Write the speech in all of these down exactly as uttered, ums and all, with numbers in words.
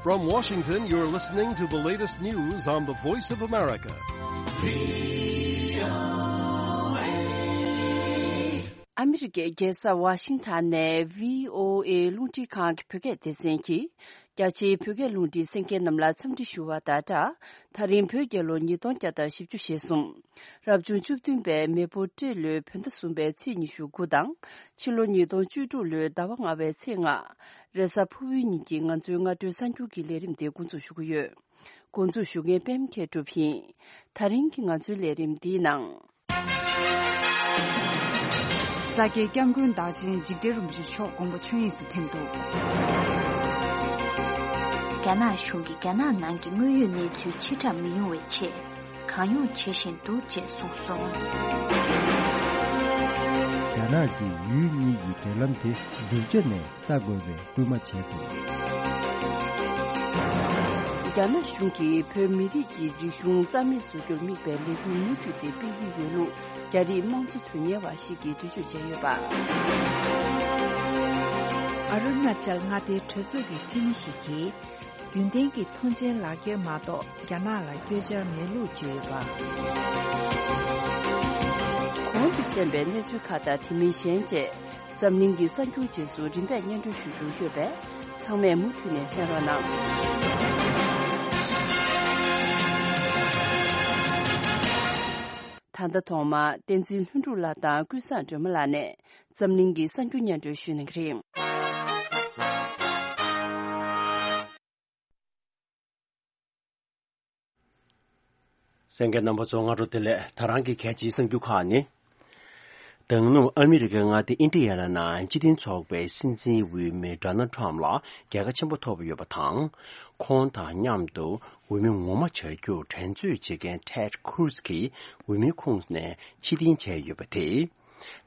From Washington, you're listening to the latest news on the Voice of America. ཨ་མི་རི་ཀའི་རྒྱལ་ས་ཝ་ཤིང་ཊོན་ནས་བྷི་ཨོ་ཨེ་རླུང་འཕྲིན་ཁང་གི་བོད་སྐད་སྡེ་ཚན་གྱིས། རྒྱ་ཆེའི་བོད་སྐད་རླུང་འཕྲིན་གསན་མཁན་རྣམས་ལ་འཚམས་འདྲི་ཞུ་བ་དང་སྦྲགས། ད་རིང་བོད་རྒྱལ་ལོ་ཉིས་སྟོང་བརྒྱ་དང་བཞི་བཅུ་ཞེ་གསུམ། རབ་བྱུང་བཅུ་བདུན་པའི་མེ་ཕོ་སྤྲེལ་ལོའི་བོད་ཟླ་གསུམ་པའི་ཚེས་ཉི་ཤུ་དགུ་དང་། ཕྱི་ལོ་ཉིས་སྟོང་བཅུ་དྲུག་ལོའི་ཟླ་བ་ལྔ་པའི་ཚེས་ལྔ། རེས་གཟའ་ཕུར་བུའི་ཉིན་གྱི་ང་ཚོའི་སྔ་དྲོའི་གསར་འགྱུར་གྱི་ལས་རིམ་དེ་འགོ་འཛུགས་ཞུ་གི་ཡོད། འགོ་འཛུགས་ཞུ་མཁན་པད་མ་མཁས་གྲུབ་ཡིན། ད་རིང་གི་ང་ཚོའི་ལས་རིམ་འདིའི་ནང་། ས་སྐྱའི་སྐྱབས་མགོན་བདག་ཆེན་འཇིགས་བྲལ་རིན་པོ་ཆེ་མཆོག་དགོངས་པ་ཆོས་དབྱིངས་སུ་ཐིམ་འདུག། རྒྱ་ནག་གཞུང་གིས་རྒྱ་ནག་ནང་གི་དངོས་ཡོད་གནས་ཚུལ་ཕྱིར་བསྒྲགས་མི་ཡོང་བའི་ཆེད། གང་ཡོང་བྱེད་བཞིན་འདུག་ཅེས་གསུངས་སོང་། རྒྱ་ནག་གིས་ཡུལ་གཉིས་ཀྱི་འབྲེལ་ལམ་དེ་སྡུག་ཅག་ནས་ལྟ་དགོས་པའི་སྐུལ་མ་བྱས་འདུག། རྒྱ་ནག་གཞུང་གིས་བོད་མི་རིགས་ཀྱི་རིག་གཞུང་རྩ་མེད་བཟོ་རྒྱུར་དམིགས་པའི་ལས་འགུལ་མུ་མཐུད་དེ་སྤེལ་གྱི་ཡོད་ལུགས་རྒྱ་རིགས་དམངས་གཙོ་དོན་གཉེར་བ་ཞིག་གིས་འགྲེལ་བརྗོད་བྱས་ཡོད་པ། ཨ་རུ་ན་ཅལ་མངའ་སྡེའི་གྲོས་ཚོགས་ཀྱི་འཐུས་མི་ཞིག་གིས། རྒྱུན་ལྡན་གྱི་ཐོངས་མཆན་ལག་འཁྱེར་མ་གཏོགས་རྒྱ་ནག་ལ་བསྐྱོད་འཆར་མེད་ལུགས་བརྗོད་ཡོད་པ། གོང་དུ་གསན་པའི་གནས་ཚུལ་ཁག་དང་དེ་མིན་གཞན་བཅས་འཛམ་གླིང་གི་གསར་འགྱུར་རྗེས་སུ་རིམ་པས་སྙན་སྒྲོན་ཞུ་རྒྱུ་ཡོད་པས་ཚང་མས་མུ་མཐུད་ནས་གསན་རོགས་གནང་། ད་ལྟ་ཐོག་མར་བསྟན་འཛིན་ལྷུན་གྲུབ་ལགས་དང་ཀུན་བཟང་སྒྲོལ་མ་ལགས་ནས་འཛམ་གླིང་གི་གསར་འགྱུར་སྙན་སྒྲོན་ཞུ་གནང་གི་རེད། གསན་མཁན་རྣམ་པ་ཚོ་སྔ་དྲོ་བདེ་ལེགས། ད་རང་གི་གལ་ཆེའི་གསར་འགྱུར་ཁག་ནི། ད་དུང་ཨ་མི་རི་ཀའི་མངའ་སྡེ་ཨིན་ཌི་ཡ་ན་ནང་སྤྱི་མཐུན་ཚོགས་པའི་སྲིད་འཛིན་འོས་མི་ཌོ་ནལ་ཊམ་ལ་རྒྱལ་ཁ་ཆེན་པོ་ཐོབ་ཡོད་པ་དང་། ཁོང་དང་མཉམ་དུ་འོས་མི་ངོ་མ་བྱ་རྒྱུར་འགྲན་རྩོད་བྱེད་མཁན་ཊེཌ་ཁུ་རུ་ཛི་གིས་འོས་མིའི་ཁོངས་ནས་ཕྱིར་འཐེན་བྱས་ཡོད་པ་དེས།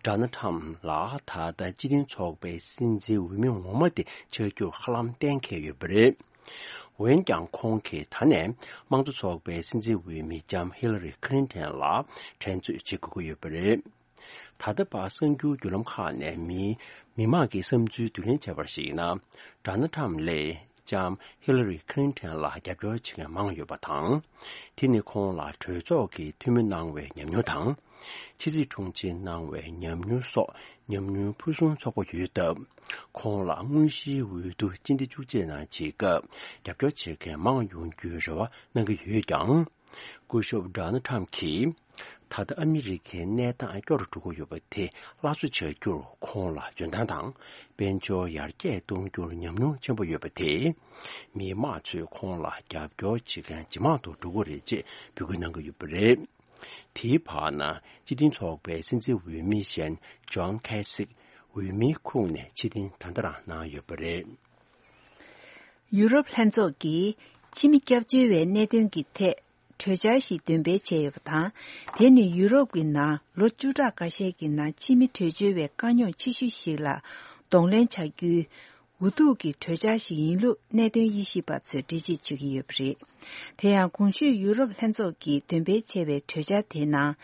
ཌོ་ནལ་ཊམ་ལ་ད་ལྟ་སྤྱི་མཐུན་ཚོགས་པའི་སྲིད་འཛིན་འོས་མི་ངོ་མ་དེ་ཆགས་རྒྱུར་ཧ་ལམ་གཏན་འཁེལ་ཡོད་པ་རེད། འོན་ཀྱང་ཁོང་གིས་ད་ནས་དམངས་གཙོ་ཚོགས་པའི་སྲིད་འཛིན་འོས་མི་ལྕམ་ཧི་ལ་རི་ཁི་ལིན་ཊོན་ལ་འགྲན་རྩོད་བྱེད་དགོས་ཀྱི་ཡོད་པ་རེད། ད་ལྟ་བར་གསར་འགྱུར་བརྒྱུད་ལམ་ཁག་ནས་མི་མི་མང་གི་བསམ་ཚུལ་བསྡུ་ལེན་བྱས་པར་གཞིགས་ན། ཌོ་ནལ་ཊམ་ལས་ལྕམ་ཧི་ལ་རི་ཁི་ལིན་ཊོན་ལ་རྒྱབ་སྐྱོར་བྱེད་མཁན་མང་ཡོད་པ་དང་། དེ་ནི་ཁོང་ལ་གྲོས་ཚོགས་ཀྱི་འཐུས་མི་གནང་བའི་ཉམས་མྱོང་དང་། ཕྱི་སྲིད་དྲུང་ཆེ་གནང་བའི་ཉམས་མྱོང་སོགས་ཉམས་མྱོང་ཕུན་སུམ་ཚོགས་པོ་ཡོད་སྟབས། ཁོང་ལ་དངོས་གཞིའི་འོས་བསྡུ་སྤྱི་ཟླ་བཅུ་གཅིག་ནང་བྱེད་སྐབས་རྒྱབ་སྐྱོར་བྱེད་མཁན་མང་ཡོང་རྒྱུའི་རེ་བ་གནང་གི་ཡོད་ཀྱང་། སྐུ་ཞབས་ཌོ་ནལ་ཊམ་གྱིས། ད་ལྟ་ཨ་མི་རི་ཀའི་གནས་སྟངས་སྐྱོ་རུ་འགྲོ་གི་ཡོད་པ་དེ་སླར་གསོ་བྱ་རྒྱུར་ཁོང་ལ་འཇོན་ཐང་དང་དཔལ་འབྱོར་ཡར་རྒྱས་གཏོང་རྒྱུར་ཉམས་མྱོང་ཆེན་པོ་ཡོད་པ་དེས། མི་མང་ཚོས་ཁོང་ལ་རྒྱབ་སྐྱོར་བྱེད་མཁན་ཇེ་མང་དུ་འགྲོ་གི་རེད་ཅེས་འབོད་སྐུལ་གནང་གི་ཡོད་པ་རེད། དེའི་བར་ན་སྤྱི་མཐུན་ཚོགས་པའི་སྲིད་འཛིན་འོས་མི་གཞན་ཇོན་ཁེ་སིག་འོས་མིའི་ཁོངས་ནས་ཕྱིར་འཐེན་ད་ལྟ་རང་གནང་ཡོད་པ་རེད། ཡུ་རོབ་ལྷན་ཚོགས་ཀྱིས་ཕྱི་མི་སྐྱབས་བཅོལ་བའི་གནད་དོན་གྱི་ཐད་གྲོས་འཆར་ཞིག་འདོན་སྤེལ་བྱས་ཡོད་པ་དང་། དེ་ནི་ཡུ་རོབ་ཀྱི་ནང་ལོ་བཅུ་ཕྲག་འགའ་ཤས་ཀྱི་ནང་ཕྱི་མི་བྲོས་བྱོལ་བའི་དཀའ་རྙོག་ཆེ་ཤོས་ཤིག་ལ་གདོང་ལེན་བྱ་རྒྱུའི་འུ་ཐུག་གི་གྲོས་འཆར་ཞིག་ཡིན་ལུགས་གནད་དོན་དབྱེ་ཞིབ་པ་ཚོས་འགྲེལ་བརྗོད་བྱེད་ཀྱི་ཡོད་པ་རེད། དེ་ཡང་གོང་ཞུས་ཡུ་རོབ་ལྷན་ཚོགས་ཀྱིས་འདོན་སྤེལ་བྱས་པའི་གྲོས་འཆར་དེའི་ནང་།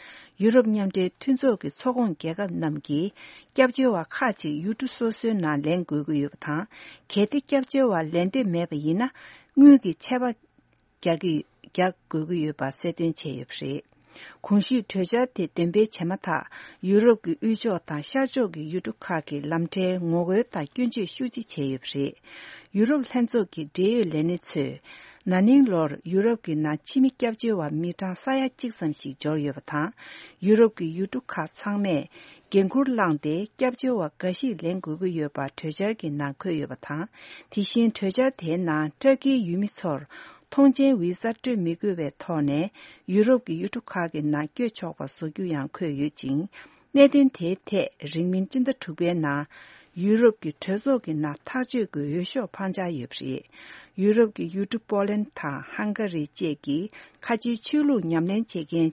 ཡུ་རོབ་མཉམ་འབྲེལ་མཐུན་ཚོགས་ཀྱི་ཚོགས་ཁོངས་རྒྱལ་ཁབ་རྣམས་ཀྱིས་སྐྱབས་བཅོལ་བ་ཁག་ཅིག་ཡུལ་གྲུ་སོ་སོའི་ནང་ལེན་དགོས་ཀྱི་ཡོད་པ་དང་། གལ་ཏེ་སྐྱབས་བཅོལ་བ་ལེན་འདོད་མེད་པ་ཡིན་ན། དངུལ་གྱི་ཆད་པ་རྒྱག་གི་རྒྱག་དགོས་ཀྱི་ཡོད་པ་གསལ་སྟོན་བྱས་ཡོད་པ་རེད། གོང་ཞུས་གྲོས་འཆར་དེ་འདོན་སྤེལ་བྱས་མ་ཐག་ཡུ་རོབ་ཀྱི་དབུས་ཕྱོགས་དང་ཤར་ཕྱོགས་ཀྱི་ཡུལ་གྲུ་ཁག་གི་ལམ་ཁྲལ་ངོ་རྒོལ་དང་སྐྱོན་བརྗོད་ཤུགས་ཆེ་བྱས་ཡོད་པ་རེད། ཡུ་རོབ་ལྷན་ཚོགས་ཀྱི་འབྲེལ་ཡོད་ལས་སྣེ་ཚོས། ན་ནིང་ལོར་ཡུ་རོབ་ཀྱི་ནང་ཕྱི་མི་སྐྱབས་བཅོལ་བ་མི་གྲངས་ས་ཡ་གཅིག་ཙམ་ཞིག་འབྱོར་ཡོད་པ་དང་། ཡུ་རོབ་ཀྱི་ཡུལ་གྲུ་ཁག་ཚང་མས་འགན་འཁུར་བླངས་ཏེ་སྐྱབས་བཅོལ་བ་འགའ་ཞིག་ལེན་དགོས་ཀྱི་ཡོད་པ་གྲོས་འཆར་གྱི་ནང་འཁོད་ཡོད་པ་དང་། དེ་བཞིན་གྲོས་འཆར་དེའི་ནང་ཏུར་ཀིའི་ཡུལ་མི་ཚོར་ཐོངས་མཆན་བི་ཟ་སྤྲོད་མི་དགོས་པའི་ཐོག་ནས་ཡུ་རོབ་ཀྱི་ཡུལ་གྲུ་ཁག་གི་ནང་བསྐྱོད་ཆོག་པ་བཟོ་རྒྱུ་ཡང་འཁོད་ཡོད་ཅིང་། གནད་དོན་དེའི་ཐད་རིང་མིན་སྤྱི་ཟླ་དྲུག་པའི་ནང་ཡུ་རོབ་ཀྱི་གྲོས་ཚོགས་ཀྱི་ནང་ཐག་གཅོད་ཀྱི་འོས་ཤོག་འཕང་འཆར་ཡོད་པ་རེད། ཡུ་རོབ་ཀྱི་ཡུལ་གྲུ་པོ་ལན་དང་ཧང་ག་རི་བཅས་ཀྱི་ཁ་ཆེའི་ཆོས་ལུགས་ཉམས་ལེན་བྱེད་མཁན་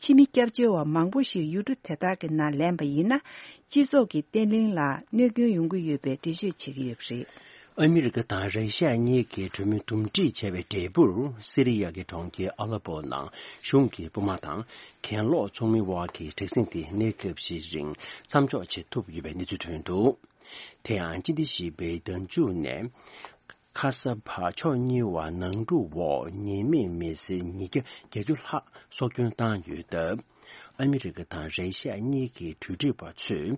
ཕྱི་མི་སྐྱབས་བཅོལ་བ་མང་པོ་ཞིག་ཡུལ་གྲུ་དེ་དག་གི་ནང་ལེན་པ་ཡིན་ན། སྤྱི་ཚོགས་ཀྱི་བརྟན་ལྷིང་ལ་གནོད་སྐྱོན་ཡོང་གི་ཡོད་པའི་འགྲེལ་བརྗོད་བྱེད་ཀྱི་ཡོད་པ་རེད། ཨ་མི་རི་ཀ་དང་ར་ཤི་ཡ་གཉིས་ཀྱིས་གྲོས་མོལ་འདུམ་འགྲིག་བྱས་པའི་འབྲས་བུར། སི་རི་ཡ་གི་གྲོང་ཁྱེར་ཨ་ལེ་པོ་ནང་གཞུང་གི་དཔུང་དམག་དང་གྱེན་ལོག་ཚོགས་མིའི་དབར་གྱི་དྲག་ཟིང་དེ་གནས་སྐབས་ཤིག་རིང་མཚམས་འཇོག་བྱེད་ཐུབ་ཡོད་པའི་གནས་ཚུལ་ཐོན་འདུག། དེ་ཡང་སྤྱི་ཟླ་བཞི་པའི་ཟླ་མཇུག་ནས། ཁ་ས་བ་ཕྱོགས་གཉིས་བར་ནང་འཁྲུག་འོག་ཉེས་མེད་མི་སེར་ཉིས་བརྒྱ་བརྒྱད་ཅུ་ལྷག་སྲོག་སྐྱོན་བཏང་ཡོད་སྟབས། ཨ་མི་རི་ཀ་དང་རེ་ཤ་གཉིས་ཀྱི་གྲོས་སྒྲིག་པ་ཚོས་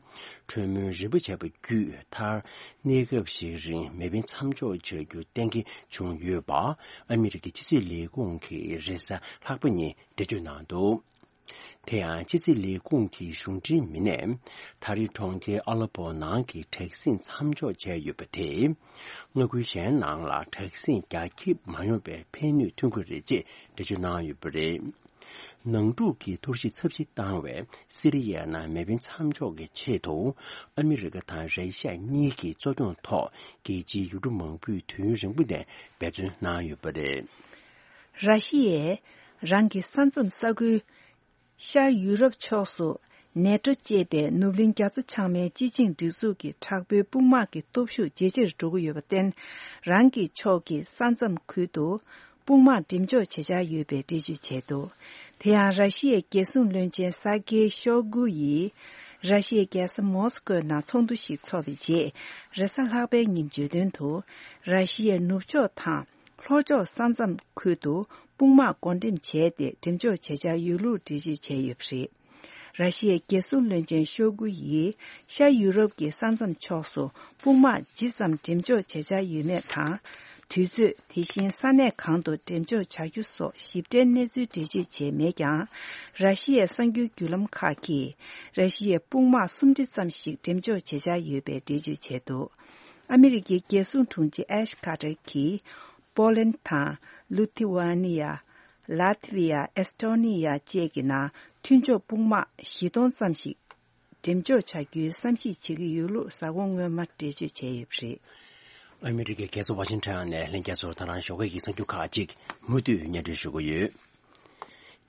གྲོས་མོལ་རིམ་པ་བྱས་པ་བརྒྱུད། མཐར་གནས་སྐབས་ཤིག་རིང་མེ་འཕེན་མཚམས་འཇོག་བྱ་རྒྱུ་གཏན་འཁེལ་བྱུང་ཡོད་པ། ཨ་མི་རི་ཀའི་ཕྱི་སྲིད་ལས་ཁུངས་ཀྱིས་རེས་གཟའ་ལྷག་པ་ཉིན་འགྲེལ་བརྗོད་གནང་འདུག་དེ་ཡང་ཕྱི་སྲིད་ལས་ཁུངས་ཀྱི་གཞུང་འབྲེལ་མི་སྣས་ད་རེས་གྲོང་ཁྱེར་ཨ་ལ་པོ་ནང་གི་དྲག་ཟིང་མཚམས་འཇོག་བྱས་ཡོད་པ་དེས། མངའ་ཁུལ་གཞན་ནང་ལ་དྲག་ཟིང་རྒྱ་ཁྱབ་མ་ཡོང་བའི་ཕན་ནུས་ཐོན་གྱི་རེད་ཅེས་འགྲེལ་བརྗོད་གནང་ཡོད་པ་རེད། ནང་འཁྲུག་གི་འཐོར་ཞིག་ཚབས་ཆེ་བཏང་བའི་སི་རི་ཡའི་ནང་མེ་འཕེན་མཚམས་འཇོག་གི་ཆེད་དུ། ཨ་མི་རི་ཀ་དང་རེ་ཤ་གཉིས་ཀྱི་གཙོ་སྐྱོང་ཐོག་རྒྱལ་སྤྱིའི་ཡུལ་གྲུ་མང་པོས་དུས་ཡུན་རིང་པོ་ནས་འབད་བརྩོན་གནང་ཡོད་པ་རེད། ར་ཤི་ཡས་རང་གི་ས་མཚམས་ས་ཁུལ་ཤར་ཡུ་རོབ་ཕྱོགས་སུ་ནེ་ཊོ་ཅེས་པའི་ནུབ་གླིང་རྒྱ་མཚོ་བྱང་མའི་སྤྱི་ཆིངས་སྒྲིག་འཛུགས་ཀྱི་དྲག་པོའི་དཔུང་དམག་གི་སྟོབས་ཤུགས་ཇེ་ཆེར་འགྲོ་གི་ཡོད་པར་བརྟེན། རང་གི་ཕྱོགས་ཀྱི་ས་མཚམས་ཁུལ་དུ་དཔུང་དམག་འགྲེམས་འཇོག་བྱེད་འཆར་ཡོད་པའི་འགྲེལ་བརྗོད་བྱས་འདུག་དེ་ཡང་ར་ཤི་ཡའི་རྒྱལ་སྲུང་བློན་ཆེན་སར་ཀེ་ཤོ་གུ་ཡིས་ར་ཤི་ཡའི་རྒྱལ་ས་མོ་སི་ཀོའི་ནང་ཚོགས་འདུ་ཞིག་འཚོགས་པའི་རྗེས། རེས་གཟའ་ལྷག་པའི་ཉིན་བརྗོད་དོན་དུ། ར་ཤི་ཡའི་ནུབ་ཕྱོགས་དང་། ལྷོ་ཕྱོགས་ས་མཚམས་ཁུལ་དུ་དཔུང་དམག་བགོ་འགྲེམས་བྱས་ཏེ་འགྲེམས་འཇོག་བྱེད་འཆར་ཡོད་ལུགས་འགྲེལ་བརྗོད་བྱས་ཡོད་པ་རེད། ར་ཤི་ཡའི་རྒྱལ་སྲུང་བློན་ཆེན་ཤོ་གུ་ཡིས་ཤར་ཡུ་རོབ་ཀྱི་ས་མཚམས་ཕྱོགས་སུ་དཔུང་དམག་ཇི་ཙམ་འགྲེམས་འཇོག་བྱེད་འཆར་ཡོད་མེད་དང་། དུས་ཚོད། དེ་བཞིན་ས་གནས་གང་དུ་འགྲེམས་འཇོག་བྱ་རྒྱུ་སོགས་ཞིབ་ཕྲའི་གནས་ཚུལ་འགྲེལ་བརྗོད་བྱས་མེད་ཀྱང་། ར་ཤི་ཡའི་གསར་འགྱུར་བརྒྱུད་ལམ་ཁག་གིས་ར་ཤི་ཡའི་དཔུང་དམག་སུམ་ཁྲི་ཙམ་ཞིག་འགྲེམས་འཇོག་བྱེད་འཆར་ཡོད་པའི་འགྲེལ་བརྗོད་བྱས་འདུག་ཨ་མི་རི་ཀའི་རྒྱལ་སྲུང་དྲུང་ཆེ་ཨེཤ་ཁ་ཏར་གྱིས། པོ་ལན་དང་། ལུ་ཐི་ཝ་ནི་ཡ། ལཱ་ཐི་ཝི་ཡ། ཨེས་ཏོ་ནི་ཡ་བཅས་ཀྱི་ནང་མཐུན་ཕྱོགས་དཔུང་དམག་བཞི་སྟོང་ཙམ་ཞིག་འགྲེམས་འཇོག་བྱ་རྒྱུའི་བསམ་གཞིག་བྱེད་ཀྱི་ཡོད་ལུགས་གཟའ་འཁོར་སྔོན་མ་འགྲེལ་བརྗོད་བྱས་ཡོད་པ་རེད། ཨ་མི་རི་ཀའི་རྒྱལ་ས་ཝ་ཤིང་ཊོན་ནས་ལྷན་རྒྱས་ཚོར་ད་རང་ཞོགས་ཀས་ཀྱི་གསར་འགྱུར་ཁག་ཅིག་མུ་མཐུད་སྙན་སྒྲོན་ཞུ་གི་ཡོད།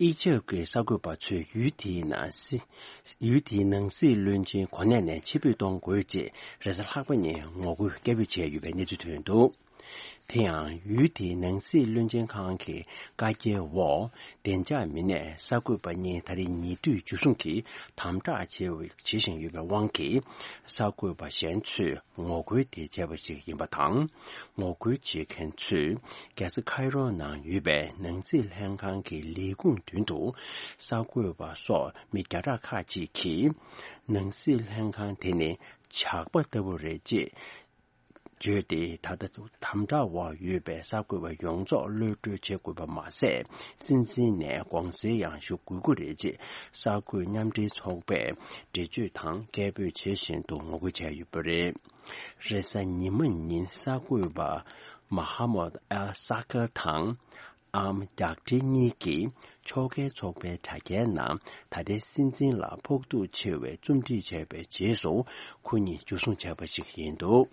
ཨི་ཇེབ་ཀྱི་གསར་འགོད་པ་ཚོས་ཡུལ་དེའི་ནང་སྲིད། ཡུལ་དེའི་ནང་སྲིད་བློན་ཆེན་གོ་གནས་ནས་ཕྱིར་འབུད་གཏོང་དགོས་ཅེས་རེས་གཟའ་ལྷག་པ་ཉིན་ངོ་རྒོལ་སྐད་འབོད་བྱས་ཡོད་པའི་གནས་ཚུལ་ཐོན་འདུག་དེ་ཡང་ཡུལ་དེའི་ནང་སྲིད་བློན་ཆེན་ཁང་གི་བཀའ་རྒྱའི་འོག་བདེ་འཇགས་མི་སྣས་གསར་འགོད་པ་གཉིས་ད་རེས་ཉེ་དུས་འཇུ་བཟུང་གིས་དམ་དྲག་བྱེད་བྱེད་བཞིན་ཡོད་པའི་དབང་གིས། གསར་འགོད་པ་གཞན་ཚོས་ངོ་རྒོལ་དེ་བྱས་པ་ཞིག་ཡིན་པ་དང་། ངོ་རྒོལ་བྱེད་མཁན་ཚོས་རྒྱལ་ས་ཁའི་རོ་ནང་ཡོད་པའི་ནང་སྲིད་ལྷན་ཁང་གི་ལས་ཁུངས་མདུན་དུ་གསར་འགོད་པ་སོགས་མི་བརྒྱ་ཕྲག་ཁག་ཅིག་གིས་ནང་སྲིད་ལྷན་ཁང་དེ་ནི་ཇག་པ་ལྟ་བུ་རེད་ཅེས་བརྗོད་དེ། ད་ལྟ་དམ་དྲག་འོག་ཡོད་པའི་གསར་འགོད་པ་ཡོངས་རྫོགས་གློད་བཀྲོལ་བྱེད་དགོས་པ་མ་ཟད། སྲིད་འཛིན་ནས་དགོངས་སེལ་ཡང་ཞུ་དགོས་ཀྱི་རེད་ཅེས་གསར་འགོད་མཉམ་འབྲེལ་ཚོགས་པས་འགྲེལ་བརྗོད་དང་སྐད་འབོད་བྱེད་བཞིན་དུ་ངོ་རྒོལ་བྱས་ཡོད་པ་རེད། རེས་གཟའ་ཉི་མ་ཉིན་གསར་འགོད་པ་མ་ཧ་མོད་ཨལ་ས་ཀར་དང་ཨམ་རྒྱག་ཁྲི་གཉིས་ཀྱིས་ཕྱོགས་འགལ་ཚོགས་པའི་དྲ་རྒྱའི་ནང་ད་ལྟའི་སྲིད་འཛིན་ལ་ཕོག་ཐུག་ཆེ་བའི་རྩོམ་སྒྲིག་བྱས་པའི་རྗེས་སུ་ཁོ་གཉིས་འཇུ་བཟུང་བྱས་པ་ཞིག་ཡིན་འདུག་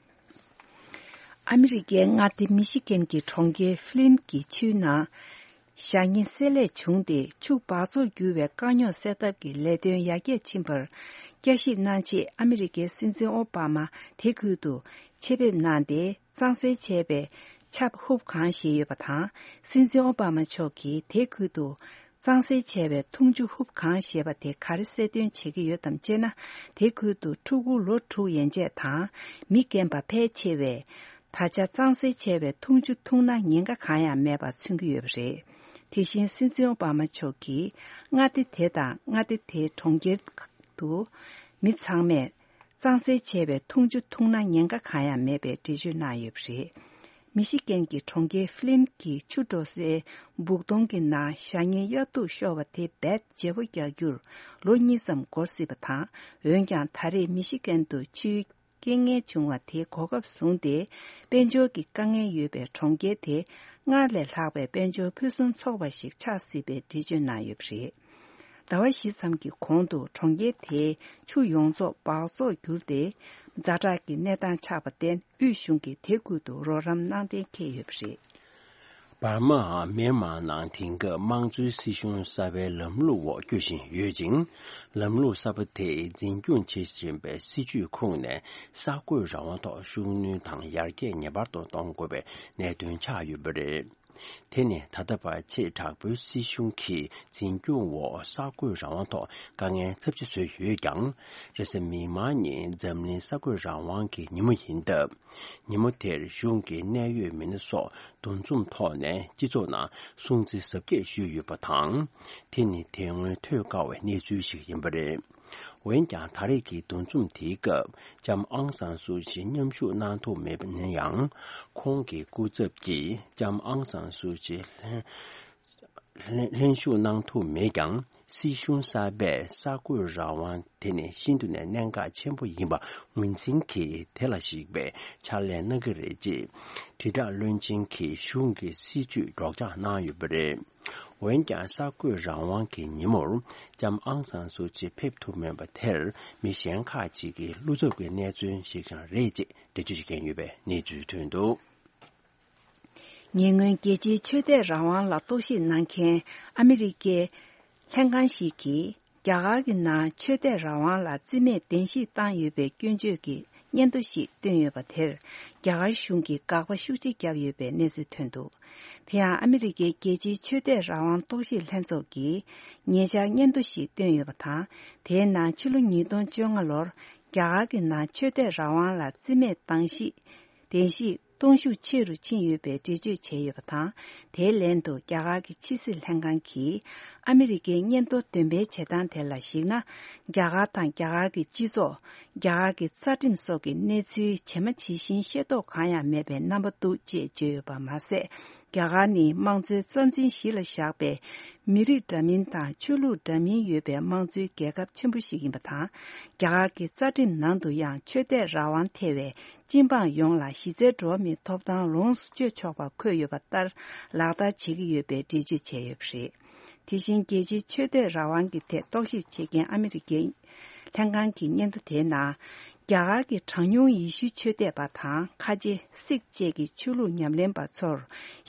ཨ་མི་རི་ཀའི་མངའ་སྡེ་མི་ཤི་གན་གྱི་གྲོང་ཁྱེར་ཧྥི་ལིན་གྱི་ཆུའི་ནང་ཞ་ཉེན་བསྲེ་ལྷད་བྱུང་སྟེ་ཆུ་འབག་བཙོག་འགྱུར་བའི་དཀའ་རྙོག་སེལ་ཐབས་ཀྱི་ལས་དོན་ཡར་རྒྱས་ཕྱིན་པར་བསྐྱར་ཞིབ་གནང་ཆེད་ཨ་མི་རི་ཀའི་སྲིད་འཛིན་ཨོ་བྷ་མ་དེ་ཁུལ་དུ་ཆེད་ཕེབས་གནང་སྟེ། གཙང་སེལ་བྱས་པའི་ཆབ་ཧུབ་གང་བཞེས་ཡོད་པ་དང་། སྲིད་འཛིན་ཨོ་བྷ་མ་མཆོག་གིས་དེ་ཁུལ་དུ་གཙང་སེལ་བྱས་པའི་འཐུང་ཆུ་ཧུབ་གང་ཞེས་པ་དེ་ག་རེ་གསལ་སྟོན་བྱེད་ཀྱི་ཡོད་དམ་ཅེ་ན། དེ་ཁུལ་དུ་ཕྲུ་གུ་ལོ་དྲུག་ཡན་ཆད་དང་མི་རྒན་པ་ཕལ་ཆེ་བས་ད་ཆ་གཙང་སེལ་བྱས་པའི་འཐུང་ཆུ་འཐུང་ན་ཉེན་ཁ་གང་ཡང་མེད་པ་མཚོན་གྱི་ཡོད་པ་རེད། དེ་བཞིན་སྲིད་འཛིན་ཨོ་བྷ་མ་མཆོག་གིས་མངའ་སྡེ་དེ་དང་མངའ་སྡེ་དེའི་གྲོང་ཁྱེར་དུ་མི་ཚང་མས་གཙང་སེལ་བྱས་པའི་འཐུང་ཆུ་འཐུང་ན་ཉེན་ཁ་གང་ཡང་མེད་པའི་འགྲེལ་བརྗོད་གནང་ཡོད་པ་རེད། མི་ཤི་གན་གྱི་གྲོང་ཁྱེར་ཧྥི་ལིན་གྱི་ཆུ་འགྲོ་སའི་སྦུག་དོང་གི་ནང་ཞ་ཉེན་གཡར་ཐུག་ཤོར་བ་དེ་རྦད་བརྗེ་པོ་རྒྱག་རྒྱུར་ལོ་གཉིས་ཙམ་འགོར་སྲིད་པ་དང་། འོན་ཀྱང་ད་རེས་མི་ཤི་གན་དུ་ཆུའི་རྐྱེན་ངན་བྱུང་བ་དེ་གོ་སྐབས་བཟུང་སྟེ། དཔལ་འབྱོར་གྱི་དཀའ་ངལ་ཡོད་པའི་གྲོང་ཁྱེར་དེ་སྔར་ལས་ལྷག་པའི་དཔལ་འབྱོར་ཕུན་སུམ་ཚོགས་པ་ཞིག་ཆགས་སྲིད་པའི་འགྲེལ་བརྗོད་གནང་ཡོད་པ་རེད། ཟླ་བ་བཞི་ཙམ་གྱི་གོང་དུ་གྲོང་ཁྱེར་དེའི་ཆུ་ཡོངས་རྫོགས་འབག་བཙོག་གྱུར་ཏེ། ཛ་དྲག་གི་གནས་སྟངས་ཆགས་པར་བརྟེན། དབུས་གཞུང་གིས་དེ་ཁུལ་དུ་རོགས་རམ་གནང་གཏན་འཁེལ་ཡོད་པ་རེད། འབར་མ་མེན་མར་ནང་དེང་སྐབས་དམངས་གཙོའི་སྲིད་གཞུང་གསར་པའི་ལམ་ལུགས་འོག་སྐྱོད་བཞིན་ཡོད་ཅིང་། ལམ་ལུགས་གསར་པ་དེས་འཛིན་སྐྱོང་བྱེད་བཞིན་པའི་སྲིད་ཇུས་ཁུངས་ནས་གསར་འགོད་རང་དབང་ཐོག་ཤུགས་སྣོན་དང་ཡར་རྒྱས་ངེས་པར་དུ་གཏོང་དགོས་པའི་གནད་དོན་ཆགས་ཡོད་པ་རེད། དེ་ནི་ད་ལྟ་བར་ཆེས་དྲག་པོའི་སྲིད་གཞུང་གི་འཛིན་སྐྱོང་འོག་གསར་འགོད་རང་དབང་ཐོག་དཀའ་ངལ་ཚབས་ཆེ་བཟོས་ཡོད་ཀྱང་། རེས་གཟའ་མིག་དམར་ཉིན་འཛམ་གླིང་གསར་འགོད་རང་དབང་གི་ཉིན་མོ་ཡིན་སྟབས། ཉིན་མོ་དེར་གཞུང་གི་གནད་ཡོད་མི་སྣ་སོགས་འདུ་འཛོམས་ཐོག་ནས་སྤྱི་ཚོགས་ནང་སྲུང་བརྩི་གཟབ་རྒྱས་ཞུས་ཡོད་པ་དང་། དེ་ནི་དེ་སྔོན་ཐོས་དཀའ་བའི་གནས་ཚུལ་ཞིག་ཡིན་པ་རེད། འོན་ཀྱང་། ད་རེས་ཀྱི་འདུ་འཛོམས་དེའི་སྐབས་ལྕམ་ཨང་སང་སུའུ་ཅི་མཉམ་ཞུགས་གནང་ཐུབ་མེད་པ་ན་ཡང་། ཁོང་གི་སྐུ་ཚབ་ཀྱིས་ལྕམ་ཨང་སང་སུའུ་ཅི་ལྷན་ལྷན་ལྷན་ཞུགས་གནང་ཐུབ་མེད་ཀྱང་། སྲིད་གཞུང་གསར་པས་གསར་འགོད་རང་དབང་དེ་ནི་ཤིན་ཏུ་ནས་གནད་འགག་ཆེན་པོ་ཡིན་པ་ངོས་འཛིན་གྱིས་དེ་ལ་གཞིགས་པའི་ཕྱག་ལས་གནང་གི་རེད་ཅེས། དྲིལ་བསྒྲགས་བློན་ཆེན་གྱིས་གཞུང་གི་སྲིད་བྱུས་སྒྲོག་སྦྱང་གནང་ཡོད་པ་རེད། འོན་ཀྱང་། གསར་འགོད་རང་དབང་གི་ཉིན་མོར་ལྕམ་ཨང་སང་སུའུ་ཅི་ཕེབས་ཐུབ་མེད་པ་དེར། མི་གཞན་ཁག་ཅིག་གི་བློ་འཚབ་ཀྱི་གནས་ཚུལ་ཞིག་ཀྱང་རེད་ཅེས་འགྲེལ་བརྗོད་བྱེད་མཁན་ཡོད་པའི་གནས་ཚུལ་ཐོན་འདུག། ཉེ་སྔོན་རྒྱལ་སྤྱིའི་ཆོས་དད་རང་དབང་ལ་རྟོག་ཞིབ་གནང་མཁན་ཨ་མི་རི་ཀའི་ལྷན་ཁང་ཞིག་གིས། རྒྱ་གར་གྱི་ནང་ཆོས་དད་རང་དབང་ལ་རྩིས་མེད་བདེན་བཞིག་བཏང་ཡོད་པའི་སྐྱོན་བརྗོད་ཀྱི་སྙན་ཐོ་ཞིག་བཏོན་ཡོད་པ་དེར། རྒྱ་གར་གཞུང་གིས་དགག་པ་ཤུགས་ཆེ་བརྒྱབ་ཡོད་པའི་གནས་ཚུལ་ཐོན་འདུག། དེ་ཡང་ཨ་མི་རི་ཀའི་རྒྱལ་སྤྱིའི་ཆོས་དད་རང་དབང་རྟོག་ཞིབ་ལྷན་ཚོགས་ཀྱིས་ཉེ་ཆར་སྙན་ཐོ་ཞིག་བཏོན་ཡོད་པ་དང་། དེའི་ནང་ཕྱི་ལོ་ཉིས་སྟོང་བཅོ་ལྔ་ལོར་རྒྱ་གར་གྱི་ནང་ཆོས་དད་རང་དབང་ལ་རྩིས་མེད་བཏང་ཞིག་བདེན་བཞིག་གཏོང་ཤུགས་ཆེ་རུ་ཕྱིན་ཡོད་པའི་འགྲེལ་བརྗོད་བྱས་ཡོད་པ་དང་། དེའི་ལན་དུ་རྒྱ་གར་གྱི་ཕྱི་སྲིད་ལྷན་ཁང་གིས་ཨ་མི་རི་ཀའི་སྙན་ཐོ་འདོན་སྤེལ་བྱེད་སྟངས་དེ་ལ་གཞིགས་ན། རྒྱ་གར་དང་རྒྱ་གར་གྱི་སྤྱི་ཚོགས། རྒྱ་གར་གྱི་རྩ་ཁྲིམས་སོགས་ཀྱི་གནས་ཚུལ་ཇི་མ་ཇི་བཞིན་ཤེས་རྟོགས་གང་ཡང་མེད་པའི་རྣམ་པ་འདུག་ཅེས་བརྗོད་ཡོད་པ་མ་ཟད། རྒྱ་གར་ནི་དམངས་གཙོའི་རྩ་འཛིན་གཞི་ལ་བཞག་པའི་མི་རིགས་འདྲ་མིན་དང་ཆོས་ལུགས་འདྲ་མིན་ཡོད་པའི་དམངས་གཙོའི་རྒྱལ་ཁབ་ཆེན་པོ་ཞིག་ཡིན་པ་དང་། རྒྱ་གར་གྱི་རྩ་ཁྲིམས་ནང་དུ་ཡང་ཆོས་དད་རང་དབང་ཐེ་བའི་སྤྱི་འབངས་ཡོངས་ལ་གཞི་རྩའི་འགྲོ་བ་མིའི་ཐོབ་ཐང་ལོངས་སུ་སྤྱོད་ཆོག་པ་འཁོད་ཡོད་པ་ལྟར་ལག་བསྟར་བྱེད་ཀྱི་ཡོད་པའི་འགྲེལ་བརྗོད་བྱས་ཡོད་པ་རེད། དེ་བཞིན་རྒྱལ་སྤྱིའི་ཆོས་དད་རང་དབང་གི་ཐད་རྟོག་ཞིབ་བྱེད་མཁན་ཨ་མི་རི་ཀའི་ལྷན་ཁང་གི་སྙན་ཐོ་དེའི་ནང་། རྒྱ་གར་གྱི་གྲངས་ཉུང་ཡེ་ཤུའི་ཆོས་དད་པ་དང་ཁ་ཆེ་སིག་བཅས་ཀྱི་ཆོས་ལུགས་ཉམས་ལེན་པ་ཚོར་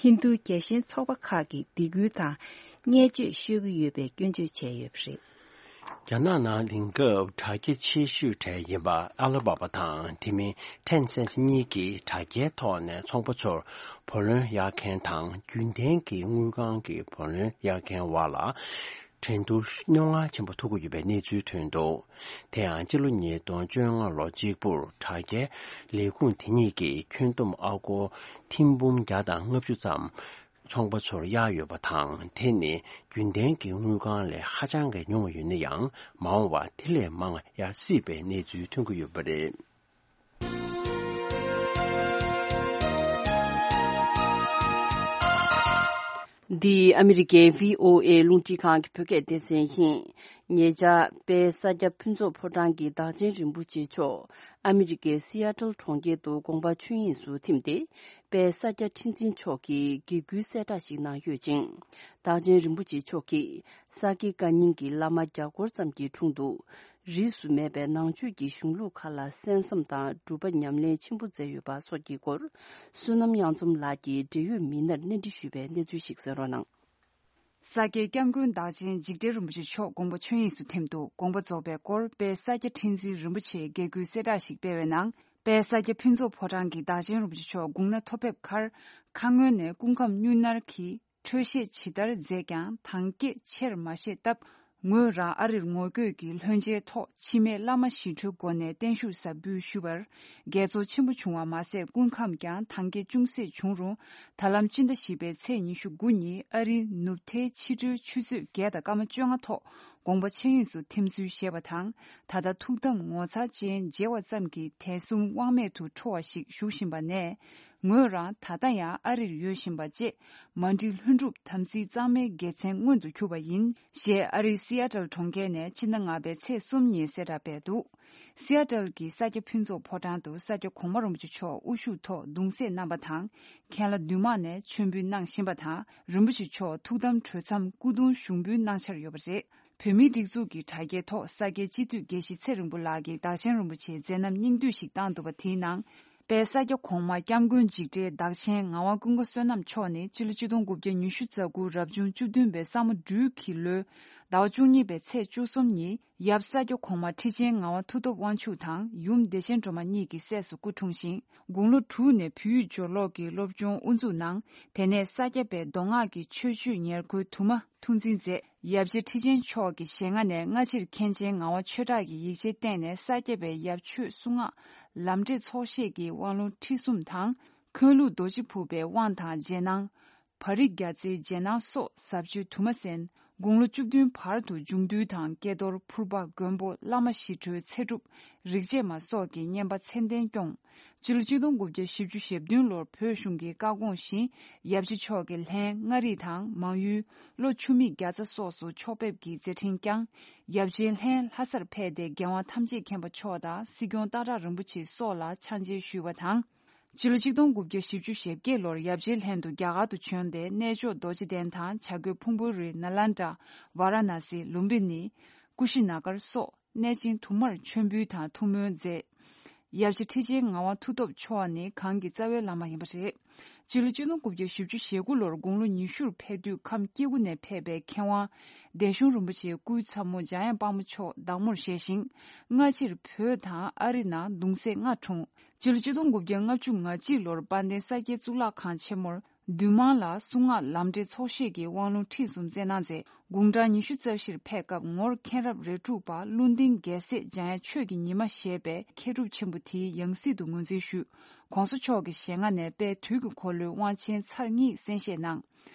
ཧིན་རྡུའི་རྒྱལ་ཞེན་ཚོགས་པ་ཁག་གིས་སྡིགས་སྐུལ་དང་བརྙས་བཅོས་ཤོད་ཀྱི་ཡོད་པའི་སྐྱོན་བརྗོད་བྱས་ཡོད་པ་རེད། རྒྱ་ནག་ནང་དེང་སྐབས་དྲ་རྒྱ་ཆེ་ཤོས་གྲས་ཡིན་པ་ཨ་ལ་བྷ་བྷ་དང་དེ་མིན་ཊེན་སེན་གཉིས་ཀྱིས་དྲ་རྒྱའི་ཐོག་ནས་ཚོང་པ་ཚོར་བུ་ལོན་གཡར་མཁན་དང་རྒྱུན་ལྡན་གྱི་དངུལ་ཁང་གི་བུ་ལོན་གཡར་མཁན་བར་ལ་འགྲན་བསྡུར་རྙོག་འངར་ཆེན་པོ་ཐུག་གི་ཡོད་པའི་གནས་ཚུལ་ཐོན་འདུག། དེ་ཡང་སྤྱི་ལོ་ཉིས་སྟོང་བཅོ་ལྔ་ལོ་གཅིག་པུར་དྲ་རྒྱའི་ལས་ཁུངས་དེ་གཉིས་ཀྱིས་ཁྱོན་བསྡོམས་ཨ་སྒོར་ཐེར་འབུམ་བརྒྱ་དང་ལྔ་བཅུ་ཙམ། ཚོང་པ་ཚོར་གཡར་ཡོད་པ་དང་། དེ་ནི་རྒྱུན་ལྡན་གྱི་དངུལ་ཁང་ལས་ཧ་ཅང་གི་ཉུང་བ་ཡོད་ན་ཡང་། མ་འོངས་པར་དེ་ལས་མང་བ་གཡར་སྲིད་པའི་གནས་ཚུལ་ཐོན་གྱི་ཡོད་པ་རེད། འདི་ཨ་མི་རི་ཀའི་བྷི་ཨོ་ཨེ་རླུང་འཕྲིན་ཁང་གི་བོད་སྐད་སྡེ་ཚན་ཡིན། ཉེ་ཆར་དཔལ་ས་སྐྱ་ཕུན་ཚོགས་ཕོ་བྲང་གི་བདག་ཆེན་རིན་པོ་ཆེ་མཆོག་ཨ་མི་རི་ཀའི་སི་ཨ་ཏལ་གྲོང་ཁྱེར་དུ་དགོངས་པ་ཆོས་དབྱིངས་སུ་ཐིམ་སྟེ། དཔལ་ས་སྐྱ་ཁྲི་འཛིན་མཆོག་གིས་དགེ་སྐུལ་གསལ་བསྒྲགས་ཤིག་གནང་ཡོད་ཅིང་། བདག་ཆེན་རིན་པོ་ཆེ་མཆོག་གིས་ས་དགེ་བཀའ་རྙིང་གི་བླ་མ་བརྒྱ་སྐོར་ཙམ་གྱི་དྲུང་དུ། རིས་སུ་མེད་པའི་ནང་ཆོས་ཀྱི་གཞུང་ལུགས་ཁག་ལ་གསན་བསམ་དང་སྒྲུབ་པ་ཉམས་ལེན་ཆེན་པོ་མཛད་ཡོད་པ་སོགས་ཀྱི་སྐོར། བསོད་ནམས་དབྱངས་འཛོམས་ལགས་ཀྱིས་འབྲེལ་ཡོད་མི་སྣར་གནས་འདྲི་ཞུས་པའི་གནས་ཚུལ་ཞིག་གསན་རོགས་གནང་། ས་སྐྱའི་སྐྱབས་མགོན་བདག་ཆེན་འཇིགས་བྲལ་རིན་པོ་ཆེ་མཆོག་དགོངས་པ་ཆོས་དབྱིངས་སུ་ཐིམ་དུ། དགོངས་པ་རྫོགས་པའི་སྐོར་དཔལ་ས་སྐྱ་ཁྲི་འཛིན་རིན་པོ་ཆེས་དགེ་སྐུལ་གསལ་བསྒྲགས་ཤིག་སྤེལ་བའི་ནང་། དཔལ་ས་སྐྱ་ཕུན་ཚོགས་ཕོ་བྲང་གི་བདག་ཆེན་རིན་པོ་ཆེ་མཆོག་དགུང་ན་མཐོ་ཕེབས་ཁར། ཁ་སྔོན་ནས་སྐུ་ཁམས་སྨྱུང་གནས་ཀྱི་འཕྲོད་བཞེས་ཇི་ལྟར་མཛད་ཀྱང་དང་སྐྱེད་ཆེར་མ་བཞེས་སྟབས། ངོས་རང་ཨ་རིར་ངོ་བསྐྱོད་ཀྱིས་ལྷན་མཇལ་ཐོག་འཆི་མེད་བླ་མ་ཞི་ཁྲོའི་སྒོ་ནས་བརྟན་བཞུགས་གཟབ་འབུལ་ཞུས་པར། དགྱེས་ཚོར་ཆེན་པོ་བྱུང་བ་མ་ཟད། སྐུ་ཁམས་ཀྱང་དང་སྐྱེད་ཅུང་ཟད་བྱུང་རུང་། ད་ལམ་སྤྱི་ཟླ་བཞི་པའི་ཚེས་ཉི་ཤུ་དགུ་ཉིན་ཨ་རིའི་ནུབ་མཐའི་ཕྱི་དྲོའི་ཆུ་ཚོད་བརྒྱད་དང་སྐར་མ་བཅོ་ལྔ་ཐོག་དགོངས་པ་ཆོས་དབྱིངས་སུ་ཐིམ་ཚུལ་བཞེས་པ་དང་། ད་ལྟ་ཐུགས་དམ་ངོ་མཚར་ཅན་མཇལ་བ་ཙམ་གྱིས་དད་གསུམ་དབང་མེད་དུ་འཕྲོ་བ་ཞིག་བཞུགས་བཞིན་པ་ནས། ངོས་རང་ད་ལྟ་ཡང་ཨ་རིར་ཡོད་བཞིན་པ་བཅས། མ་འགྲིག་ལྷུན་གྲུབ་དམ་ཚིག་གཙང་མའི་དགེ་མཚན་མངོན་དུ་གྱུར་པ་ཡིན། ཞེས་ཨ་རིའི་སི་ཨ་ཏལ་གྲོང་ཁྱེར་ནས་སྤྱི་ཟླ་ལྔ་པའི་ཚེས་གསུམ་ཉིན་གསལ་བསྒྲགས་སྤེལ་འདུག། སི་ཨ་ཏལ་གྱི་ས་སྐྱ་ཕུན་ཚོགས་ཕོ་བྲང་དུ་ས་སྐྱ་གོང་མ་རིན་པོ་ཆེ་མཆོག་དབུ་བཞུགས་ཐོག་གདུང་སྲས་རྣམ་པ་དང་། མཁན་བླ་འདུས་མང་ནས་མཆོད་འབུལ་གནང་བཞིན་པ་དང་། རིན་པོ་ཆེ་མཆོག་ཐུགས་དམ་གྲོལ་མཚམས་སྐུ་གདུང་ཞུགས་འབུལ་གནང་འཆར་ཡོད་པ་རེད། བོད་མིའི་སྒྲིག་འཛུགས་ཀྱི་དྲ་རྒྱའི་ཐོག་ས་སྐྱའི་སྤྱི་འཐུས་དགེ་བཤེས་ཚེ་རིང་པོ་ལགས་ཀྱིས་བདག་ཆེན་རིན་པོ་ཆེའི་མཛད་རྣམ་སྙིང་བསྡུས་ཤིག་བཏང་འདུག་པ། དེའི་ནང་། དཔལ་ས་སྐྱ་གོང་མ་སྐྱབས་མགོན་འཇིགས་བྲལ་བདག་ཆེན་ངག་དབང་ཀུན་དགའ་བསོད་ནམས་མཆོག་ནི་སྤྱི་ལོ་ཆིག་སྟོང་དགུ་བརྒྱ་ཉི་ཤུ་རྩ་དགུ་རབ་བྱུང་བཅུ་བདུན་པའི་ས་མོ་སྦྲུལ་གྱི་ལོའི་ ཟླ་བ་བཅུ་གཉིས་པའི་ཚེས་བཅུ་གསུམ་ཉིན་ཡབ་ས་སྐྱ་གོང་མ་ཁྲི་ཆེན་ངག་དབང་མཐུ་སྟོབས་དབང་ཕྱུག་དང་ཡུམ་བདེ་ཆེན་སྒྲོལ་མ་གཉིས་ཀྱི་སྲས་སུ་སྐུ་འཁྲུངས་ཤིང་། དགུང་ལོ་དྲུག་ནས་བོད་ཡིག་སྦྱོར་ཀློག་གི་སློབ་སྦྱོང་དབུ་འཛུགས་གནང་། དེ་ནས་ས་སྐྱ་པའི་མདོ་སྔགས་ཀྱི་ཆོས་སྤྱོད་ཉེར་མཁོའི་དུ་མ་ཐུགས་འཛིན་མཛད། ཡབ་རྗེ་ཁྲི་ཆེན་མཆོག་གི་ཞལ་སྔ་ནས་སྔ་ཕྱིར་མཁན་ཆེན་ངག་དབང་ཆོས་གྲགས་ཀྱི་ཡིག་ཆའི་སྟེང་ནས་ས་སྐྱ་པའི་ཡབ་ཆོས་གསུང་ངག་ལམ་འབྲས་ཚོགས་ཤེས་ཀྱི་དབང་ལུང་ཁྲིད་གསུམ་དང་། མཁན་ལུགས་རྡོ་རྗེ་ཕུར་པའི་དབང་དང་རྗེས་གནང་། བ་རི་རྒྱ་རྩེའི་རྗེས་གནང་སོགས་ཟབ་ཆོས་དུ་མ་གསན། དགུང་ལོ་བཅུ་བདུན་བར་དུ་འབྱུང་འདུལ་དང་ཀྱེ་རྡོར་ཕུར་པ་མགོན་པོ་བླ་མ་ཞི་ཁྲོའི་ཚེ་སྒྲུབ་རིག་བྱེད་མ་སོགས་ཀྱི་བསྙེན་པ་ཚད་ལྡན་སྐྱོང་། སྤྱི་ལོ་གཅིག་སྟོང་དགུ་བརྒྱ་བཞི་བཅུ་ཞེ་བདུན་ལོར་བོད་གཞུང་གི་བཀའ་དགོངས་བཞིན་ཡབ་རྗེ་མཆོག་གི་ལྷན་མངའ་རིས་དང་མང་ཡུལ། ལྷོ་ཆུ་མིག་རྒྱ་ཚ་སོགས་སུ་ཕྱོགས་ཕེབས་ཀྱི་མཛད་འཕྲིན་བསྐྱངས། ཡབ་རྗེའི་ལྷན་ལྷ་སར་ཕེབས་ཏེ་རྒྱལ་དབང་ཐམས་ཅད་མཁྱེན་པ་མཆོག་དང་སྲིད་སྐྱོང་སྟག་བྲག་རིན་པོ་ཆེ་སོགས་ལ་ཕྱག་མཇལ་ཞུས་པ་དང་། སྤྱི་ལོ་གཅིག་སྟོང་དགུ་བརྒྱ་བཞི་བཅུ་ཞེ་བརྒྱད་ལོར་ཡབ་རྗེའི་ལྷན་དུ་རྒྱ་གར་དུ་བྱོན་ཏེ་གནས་མཆོག་རྡོ་རྗེ་གདན་དང་བྱ་རྒོད་ཕུང་པོའི་རི་ནཱ་ལེནྡྲ། ཝཱ་ར་ཎཱ་སི། ལུམ་བི་ནི། ཀུ་ཤི་ན་གར་སོགས་གནས་ཆེན་དུ་མར་མཆོད་འབུལ་དང་ཐུགས་སྨོན་མཛད། ཡབ་རྗེ་ཁྲི་ཆེན་ངག་དབང་མཐུ་སྟོབས་མཆོག་ནི་གང་གི་རྩ་བའི་བླ་མ་ཡིན་པ་རེད། སྤྱི་ལོ་གཅིག་སྟོང་དགུ་བརྒྱ་བཞི་བཅུ་ཞེ་དགུ་ལོར་དགུང་ལོ་ཉི་ཤུར་ཕེབས་དུས་ཁམས་སྐྱེ་དགུ་ནས་ཕེབས་པའི་མཁས་དབང་སྡེ་གཞུང་རིན་པོ་ཆེའི་སྐུའི་ཚ་མོ་འཇམ་དབྱངས་དཔལ་མོ་མཆོག་བདག་མོར་བཞེས་ཤིང་། སྔ་ཕྱིར་བོད་དང་ཨ་རི་ནང་གདུང་སྲས་ལྔ་འཁྲུངས། སྤྱི་ལོ་གཅིག་སྟོང་དགུ་བརྒྱ་ལྔ་བཅུ་ང་གཅིག་ལོར་དཔལ་ལྡན་ས་སྐྱའི་གཙུག་ལག་ཁང་ཆེན་མོར་འདུས་མང་ལ་གསུང་ངག་ལམ་འབྲས་ཚོགས་ཤེས་ཀྱི་དབང་ལུང་ཁྲིད་གསུམ་སྩལ་གནང་མཛད། དགུང་གྲངས་ཉི་ཤུ་རྩ་བཞིར་ཕེབས་སྐབས་ངོར་མཁན་རབས་རེ་དྲུག་པ་ཀླུ་ལྡིང་རྒྱལ་སྲས་འཇམ་དབྱངས་ཆོས་ཀྱི་ཉི་མ་ཞེས་པའི་མཁས་གྲུབ་ཆེན་པོ་དེའི་ཡང་སྲིད་དུ་ངོས་འཛིན་ཞུས། ྋགོང་ས་མཆོག་གི་ཞལ་སྔ་ནས་དཔལ་དུས་ཀྱི་འཁོར་ལོའི་དབང་ཆེན་ཚར་གཉིས་གསན་བཞེས་གནང་།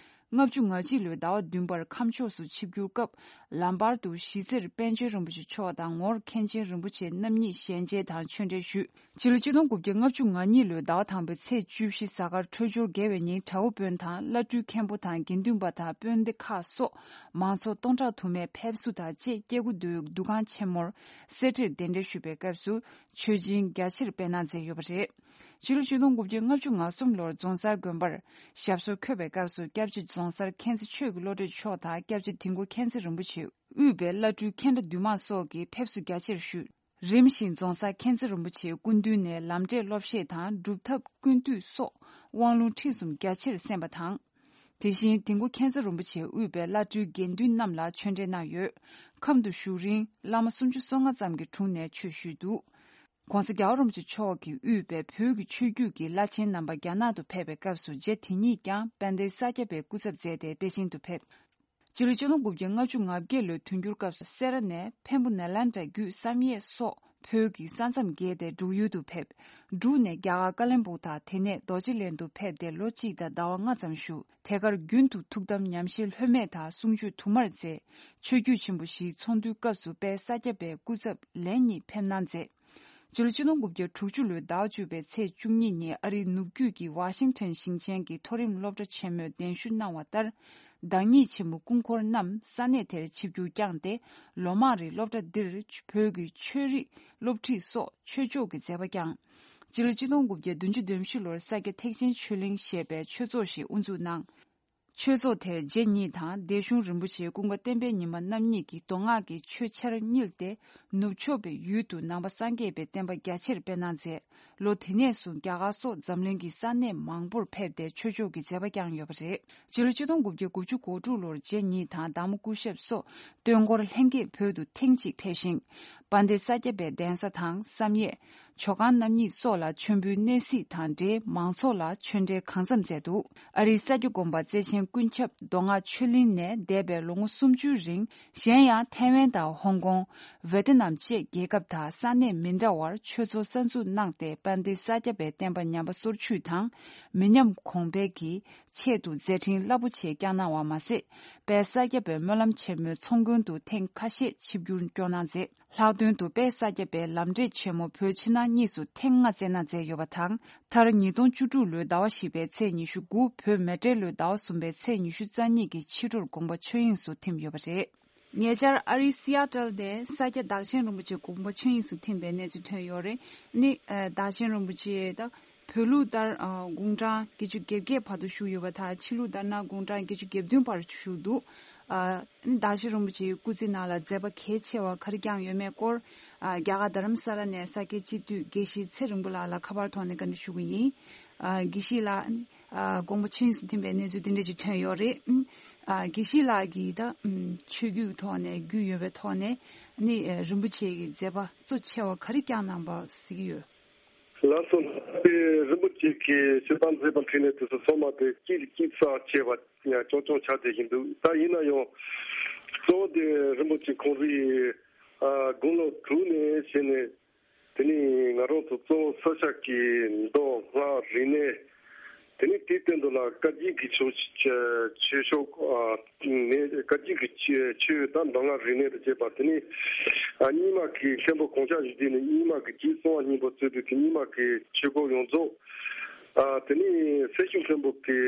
ལྔ་བཅུ་ང་གཅིག་ལོའི་ཟླ་བ་བདུན་པར་ཁམས་ཕྱོགས་སུ་ཆིབས་བསྒྱུར་སྐབས་ལམ་བར་དུ་གཞིས་རྩེར་པཎ་ཆེན་རིན་པོ་ཆེ་མཆོག་དང་ངོར་མཁན་ཆེན་རིན་པོ་ཆེ་རྣམ་གཉིས་ཞལ་མཇལ་དང་ཆོས་འབྲེལ་ཞུས། སྤྱི་ལོ་གཅིག་སྟོང་དགུ་བརྒྱ་ལྔ་བཅུ་ང་གཉིས་ལོའི་ཟླ་བ་དང་པོའི་ཚེས་བཅུ་བཞི་གཟའ་སྐར་འཕྲོད་སྦྱོར་དགེ་བའི་ཉིན་བྲག་འོག་དཔོན་དང་བླ་སྤྲུལ་མཁན་པོ་དང་དགེ་འདུན་པ་དང་དཔོན་སྡེ་ཁག་སོགས་མང་ཚོགས་སྟོང་ཕྲག་དུ་མས་ཕེབས་བསུ་དང་བཅས་སྐྱེ་དགུ་མདོའི་འདུ་ཁང་ཆེན་མོར་གསེར་ཁྲིར་གདན་འདྲེན་ཞུས་པའི་སྐབས་སུ་མཆོད་སྦྱིན་རྒྱ་ཆེར་སྤེལ་གནང་མཛད་ཡོད་པ་རེད། སྤྱི་ལོ་ཆིག་སྟོང་དགུ་བརྒྱ་ལྔ་བཅུ་ང་གསུམ་ལོར་རྫོང་སར་དགོན་པར་ཞབས་སོར་འཁོད་པའི་སྐབས་སུ་སྐྱབས་རྗེ་རྫོང་སར་མཁྱེན་བརྩེ་ཆོས་ཀྱི་བློ་གྲོས་མཆོག་དང་སྐྱབས་རྗེ་དིལ་མགོ་མཁྱེན་བརྩེ་རིན་པོ་ཆེ་དབུས་པའི་བླ་སྤྲུལ་མཁན་གྲྭ་འདུས་མང་སོགས་ཀྱིས་ཕེབས་བསུ་རྒྱ་ཆེར་ཞུས། རིམ་བཞིན་རྫོང་སར་མཁྱེན་བརྩེ་རིན་པོ་ཆེའི་སྐུ་མདུན་ནས་ལམ་འབྲས་སློབ་བཤད་དང་སྒྲུབ་ཐབས་ཀུན་བཏུས་སོགས་དབང་ལུང་ཁྲིད་གསུམ་རྒྱ་ཆེར་གསན་པ་དང་། དེ་བཞིན་དིལ་མགོ་མཁྱེན་བརྩེ་རིན་པོ་ཆེ་དབུས་པའི་བླ་སྤྲུལ་དགེ་འདུན་རྣམས་ལ་ཆོས་འབྲེལ་གནང་ཡོད། ཁམས་དུ་བཞུགས་རིང་བླ་མ་སུམ་ཅུ་སོ་ལྔ་ཙམ་གྱི་དྲུང་ནས་ཆོས་ཞུས་འདུག ྋགོང་ས་རྒྱལ་བ་རིན་པོ་ཆེ་མཆོག་གིས་དབུས་པའི་བོད་ཀྱི་ཆོས་བརྒྱུད་ཀྱི་བླ་ཆེན་རྣམ་པ་རྒྱ་ནག་ཏུ་ཕེབས་པའི་སྐབས་སུ་རྗེ་དེ་ཉིད་ཀྱང་དཔལ་ལྡན་ས་སྐྱ་པའི་སྐུ་ཚབ་མཛད་དེ་པེ་ཅིང་དུ་ཕེབས། སྤྱི་ལོ་ཆིག་སྟོང་དགུ་བརྒྱ་ལྔ་བཅུ་ང་བརྒྱད་ལོའི་དུས་འགྱུར་སྐབས་སུ་སེ་ར་ནས་འཕན་པོ་ནེ་ལེནྡྲ་བརྒྱུད་བསམ་ཡས་སོགས་བོད་ཀྱི་ས་མཚམས་བརྒལ་ཏེ་འབྲུག་ཡུལ་དུ་ཕེབས། འབྲུག་ནས་རྒྱ་གར་ཀ་ལོན་སྦུག་དང་དེ་ནས་རྡོ་རྗེ་གླིང་དུ་ཕེབས་ཏེ་ལོ་གཅིག་དང་ཟླ་བ་ལྔ་ཙམ་བཞུགས། དེ་གར་རྒྱུན་དུ་ཐུགས་དམ་ཉམས་བཞེས་ལྷོད་མེད་དང་གསུང་ཆོས་དུ་མར་མཛད། ཆོས་བརྒྱུད་ཆེན་པོ་བཞིའི་ཚོགས་འདུའི་སྐབས་སུ་དཔལ་ས་སྐྱ་པའི་སྐུ་ཚབ་ལན་གཉིས་ཕེབས་གནང་མཛད། སྤྱི་ལོ་ཆིག་སྟོང་དགུ་བརྒྱ་དྲུག་ཅུ་ལོའི་ཟླ་བ་བཅུ་པའི་ཚེས་བཅུ་གཉིས་ཉིན་ཨ་རིའི་ནུབ་རྒྱུད་ཀྱི་ཝ་ཤིང་ཊོན་ཞིང་ཆེན་གྱི་མཐོ་རིམ་སློབ་གྲྭ་ཆེན་མོས་གདན་ཞུ་གནང་བ་ལྟར། བདག་ཉིད་ཆེན་མོ་སྐུ་འཁོར་རྣམས་ས་གནས་དེར་ཆིབས་བསྒྱུར་བསྐྱངས་ཏེ། ལོ་མང་རིང་སློབ་གྲྭ་འདིར་བོད་ཀྱི་ཆོས་རིག་སློབ་ཁྲིད་སོགས་ཆོས་ཕྱོགས་ཀྱི་མཛད་པ་བསྐྱངས། སྤྱི་ལོ་ཆིག་སྟོང་དགུ་བརྒྱ་བདུན་ཅུ་དོན་བཞི་ལོར་ས་སྐྱ་ཐེག་ཆེན་ཆོས་གླིང་ཞེས་པའི་ཆོས་ཚོགས་ཤིག་དབུ་འཛུགས་གནང་། ཆོས་ཚོགས་དེར་རྗེ་ཉིད་དང་སྡེ་གཞུང་རིན་པོ་ཆེ་ཀུན་དགའ་བསྟན་འཕེལ་ཉི་མ་རྣམ་གཉིས་ཀྱིས་མདོ་སྔགས་ཀྱི་ཆོས་ཆར་བསྙིལ་ཏེ། ནུབ་ཕྱོགས་པའི་ཡུལ་དུ་ནང་པ་སངས་རྒྱས་པའི་བསྟན་པ་རྒྱ་ཆེར་སྤེལ་གནང་མཛད། ལོ་དེ་ནས་བཟུང་རྒྱ་གར་སོགས་འཛམ་གླིང་གི་ས་གནས་མང་པོར་ཕེབས་ཏེ་ཆོས་ཕྱོགས་ཀྱི་མཛད་པ་བསྐྱངས་ཡོད་པ་རེད། སྤྱི་ལོ་ཆིག་སྟོང་དགུ་བརྒྱ་དགུ་བཅུ་གོ་དྲུག་ལོར་རྗེ་ཉིད་དང་དར་མོ་སྐུ་ཞབས་སོགས་སྟོན་འཁོར་ལྷན་རྒྱས་བོད་དུ་ཐེངས་གཅིག་ཕེབས་ཤིང་། དཔལ་ལྡན་ས་སྐྱ་པའི་གདན་ས་དང་བསམ་ཡས། ཇོ་ཁང་རྣམ་གཉིས་སོགས་ལ་མཆོད་འབུལ་གནས་གཟིགས་དང་འབྲེལ་མང་ཚོགས་ལ་ཆོས་འབྲེལ་གང་འཚམ་མཛད་འདུག་ཨ་རིའི་ས་སྐྱ་དགོན་པ་བརྩེ་ཆེན་ཀུན་ཁྱབ་མདོ་སྔགས་ཆོས་གླིང་ནས་འདས་པའི་ལོ་ངོ་སུམ་ཅུའི་རིང་གཞན་ཡང་ཐའེ་ཝན་དང་ཧོང་ཀོང་། ཝེ་ཏི་ནམ་བཅས་རྒྱལ་ཁབ་དང་ས་གནས་མི་འདྲ་བར་ཆོས་ཚོགས་གསར་འཛུགས་གནང་སྟེ་དཔལ་ལྡན་ས་སྐྱ་པའི་བསྟན་པ་ཉམས་པ་སོར་ཆུད་དང་མི་ཉམས་གོང་འཕེལ་གྱི་ཆེད་དུ་མཛད་འཕྲིན་རླབས་པོ་ཆེ་བསྐྱངས་གནང་བ་མ་ཟད། དཔལ་ས་སྐྱ་པའི་སྨོན་ལམ་ཆེན་མོའི་ཚོགས་མགོན་དུ་ཐེངས་ཁ་ཤས་ཆིབས་བསྒྱུར་སྐྱོང་གནང་མཛད། ལྷག་དོན་དུ་དཔལ་ས་སྐྱ་པའི་ལམ་འབྲས་ཆེན་མོ་བོད་ཕྱི་ནང་གཉིས་སུ་ཐེངས་ལྔ་བསྩལ་གནང་མཛད་ཡོད་པ་དང་། མཐར་ཉིས་སྟོང་བཅུ་དྲུག་ལོའི་ཟླ་བ་བཞི་པའི་ཚེས་ཉི་ཤུ་དགུ་བོད་མེ་སྤྲེལ་ལོའི་ཟླ་བ་གསུམ་པའི་ཚེས་ཉི་ཤུ་རྩ་གཉིས་ཀྱི་ཕྱི་དྲོར་དགོངས་པ་ཆོས་དབྱིངས་སུ་ཐིམ་ཡོད་པ་རེད། ཉེ་ཆར་ཨ་རིའི་སི་ཨ་ཏལ་ནས་ས་སྐྱ་བདག་ཆེན་རིན་པོ་ཆེ་དགོངས་པ་ཆོས་དབྱིངས་སུ་ཐིམ་པའི་གནས་ཚུལ་ཐོན་ཡོད་རེད། ནི་ཨ་བདག་ཆེན་རིན་པོ་ཆེ་དང་ བོད་ལུགས་ལྟར་ཨ་དགུང་གྲངས་བརྒྱད་ཅུ་གྱ་བརྒྱད་བར་དུ་བཞུགས་ཡོད་པ་དང་། ཕྱི་ལུགས་ལྟར་ན་དགུང་གྲངས་བརྒྱད་ཅུ་གྱ་བདུན་བར་བཞུགས་འདུག་ཨ་བདག་ཆེན་རིན་པོ་ཆེའི་སྐུ་ཚེ་ནང་ལ་མཛད་པ་གལ་ཆེ་བ་ག་རེ་བསྐྱངས་ཡོད་མེད་སྐོར། ཨ་རྒྱ་གར་རྡ་རམ་ས་ལ་ནས་ས་སྐྱའི་སྤྱི་འཐུས་དགེ་བཤེས་ཚེ་རིང་པོ་ལགས་ལ་ཁ་པར་ཐོག་ནས་བཀའ་འདྲི་ཞུ་གི་ཡིན། ཨ་དགེ་བཤེས་ལགས། ཨ་དགོངས་པ་ཆོས་དབྱིངས་སུ་ཐིམ་པའི་གནས་ཚུལ་འདི་འདྲ་ཞིག་ཐོན་ཡོད་རེད། ཨ་དགེ་བཤེས་ལགས་ཀྱིས་ད་ཆོས་བརྒྱུད་ཐོག་ནས་རྒྱུས་ཡོད་པའི་ཐོག་ནས་ནི་རིན་པོ་ཆེ་གི་མཛད་པ་གཙོ་ཆེ་བ་ག་རེ་བསྐྱངས་གནང་པ་གཟིགས་ཀྱི་ཡོད། ལགས་སོ། དེ་རིན་པོ་ཆེ་གིས་ཞུ་དང་མཛད་པ་འཕྲིན་ལས་དེ་ཚོ་ཚང་མ་དེ་གཅིག་གཅིག་རྩ་ཆེ་བ་ཆུང་ཆུང་ཆགས་བསྡད་བཞིན་འདུག་ད་ཡིན་ན་ཡང་གཙོ་བོ་དེ་རིན་པོ་ཆེ་ཁོང་རའི་ཨ་དགུང་ལོ་དྲུག་ནས་བྱས་ནས། དེ་ནས་ང་རང་ཚོ་གཙོ་བོ་ས་སྐྱ་གི་མདོ་སྔགས་རིག་གནས། དེ་ནས་དེའི་སྟེང་དུ་ལ་བཀའ་བརྒྱུད་ཀྱི་ཆོས་ཆོས་ཕྱོགས་ཨ་ནས་བཀའ་བརྒྱུད་ཀྱི་ཆོས་ཆོས་དང་མདོ་སྔགས་རིག་གནས་དང་བཅས་པ། དེ་ནས་ཨ་རྙིང་མ་གི་མཁན་པོ་གོང་ཆ་བཞི་བདུན་ནས་རྙིང་མ་གི་རྗེ་གསང་བ་སྙིང་པོ་གཙོས་པའི་དེ་རྙིང་མ་གི་ཆོས་སྐོར་ཡོངས་རྫོགས། ཨ་དེ་ནས་སེར་ཤུལ་མཁན་པོ་གི་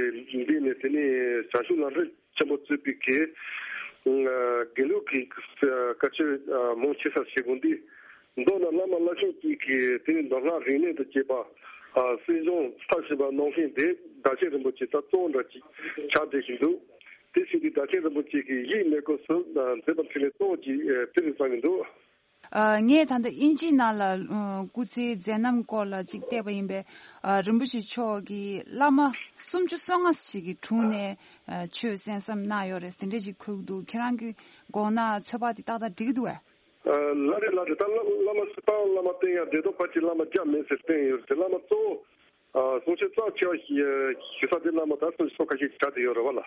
འདི་ནས་དེ་ནས་བྱང་ཆུབ་ལམ་རིམ་ཆེན་པོ་གཙོས་པའི་གི་ཨ་དགེ་ལུགས་ཀྱི་བཀའ་ཆོས་ཨ་མང་ཆེ་ས་ཞིག་གོ་འདི། མདོར་ན་བླ་མ་བླ་ཆེན་གཅིག་གིས་དེ་ནི་མདོ་སྔགས་རིག་གནས་དང་བཅས་པ་ཨ་གསན་སྦྱོང་མཐར་ཕྱིན་པ་གནང་མཁན་དེ་བདག་ཆེན་རིན་པོ་ཆེ་ད་གཙོ་བོ་འདྲ་ཅིག་ཆགས་བསྡད་བཞིན་འདུག་དེ་བཞིན་དུ་བདག་ཆེན་རིན་པོ་ཆེ་གིས་ཡིད་གནས་སྐབས་སུ་ཨ་མཛད་པ་འཕྲིན་ལས་གཙོ་བོ་ཅིག་ཨ་དེ་རེད་བསམ་གྱི་འདུག་ཨ་ངས་ད་ལྟ་དབྱིན་ཇིའི་ནང་ལ་ཨ་སྐུ་ཚེའི་མཛད་རྣམ་སྐོར་ལ་ཅིག་བལྟས་པ་ཡིན་པས། ཨ་རིན་པོ་ཆེ་མཆོག་གིས་བླ་མ་སུམ་ཅུ་སོ་ལྔ་ཞིག་གི་དྲུང་ནས་ཨ་ཆོས་གསན་བསམ་གནང་ཡོད་རེད། དེ་འདྲས་ཅིག་འཁོད་འདུག་ཁྱེད་རང་གི་དགོངས་ན་ཚོད་དཔག་དེ་ཏག་ཏག་འགྲིག་གི་འདུག་གས། ཨ་ལགས་རེད་ལགས་རེད། ད་བླ་བླ་མ་སྤྱིར་བཏང་བླ་མ་བསྟེན་ཡ་བདེ་ཏོག་ཕལ་ཆེར་བླ་མ་བརྒྱ་མེད་ཟེར་བསྟན་ཡོད་རེད་དེ། བླ་མ་གཙོ་བོ་ཨ་གསུང་ཆོས་རྩ་ཆེ་བ་ཞིག་ཞུ་ས་དེ་བླ་མ་ད་སུམ་ཅུ་སོ་ཁ་ཤས་ཆགས་བསྡད་ཡོད་རེད་བ་ལ།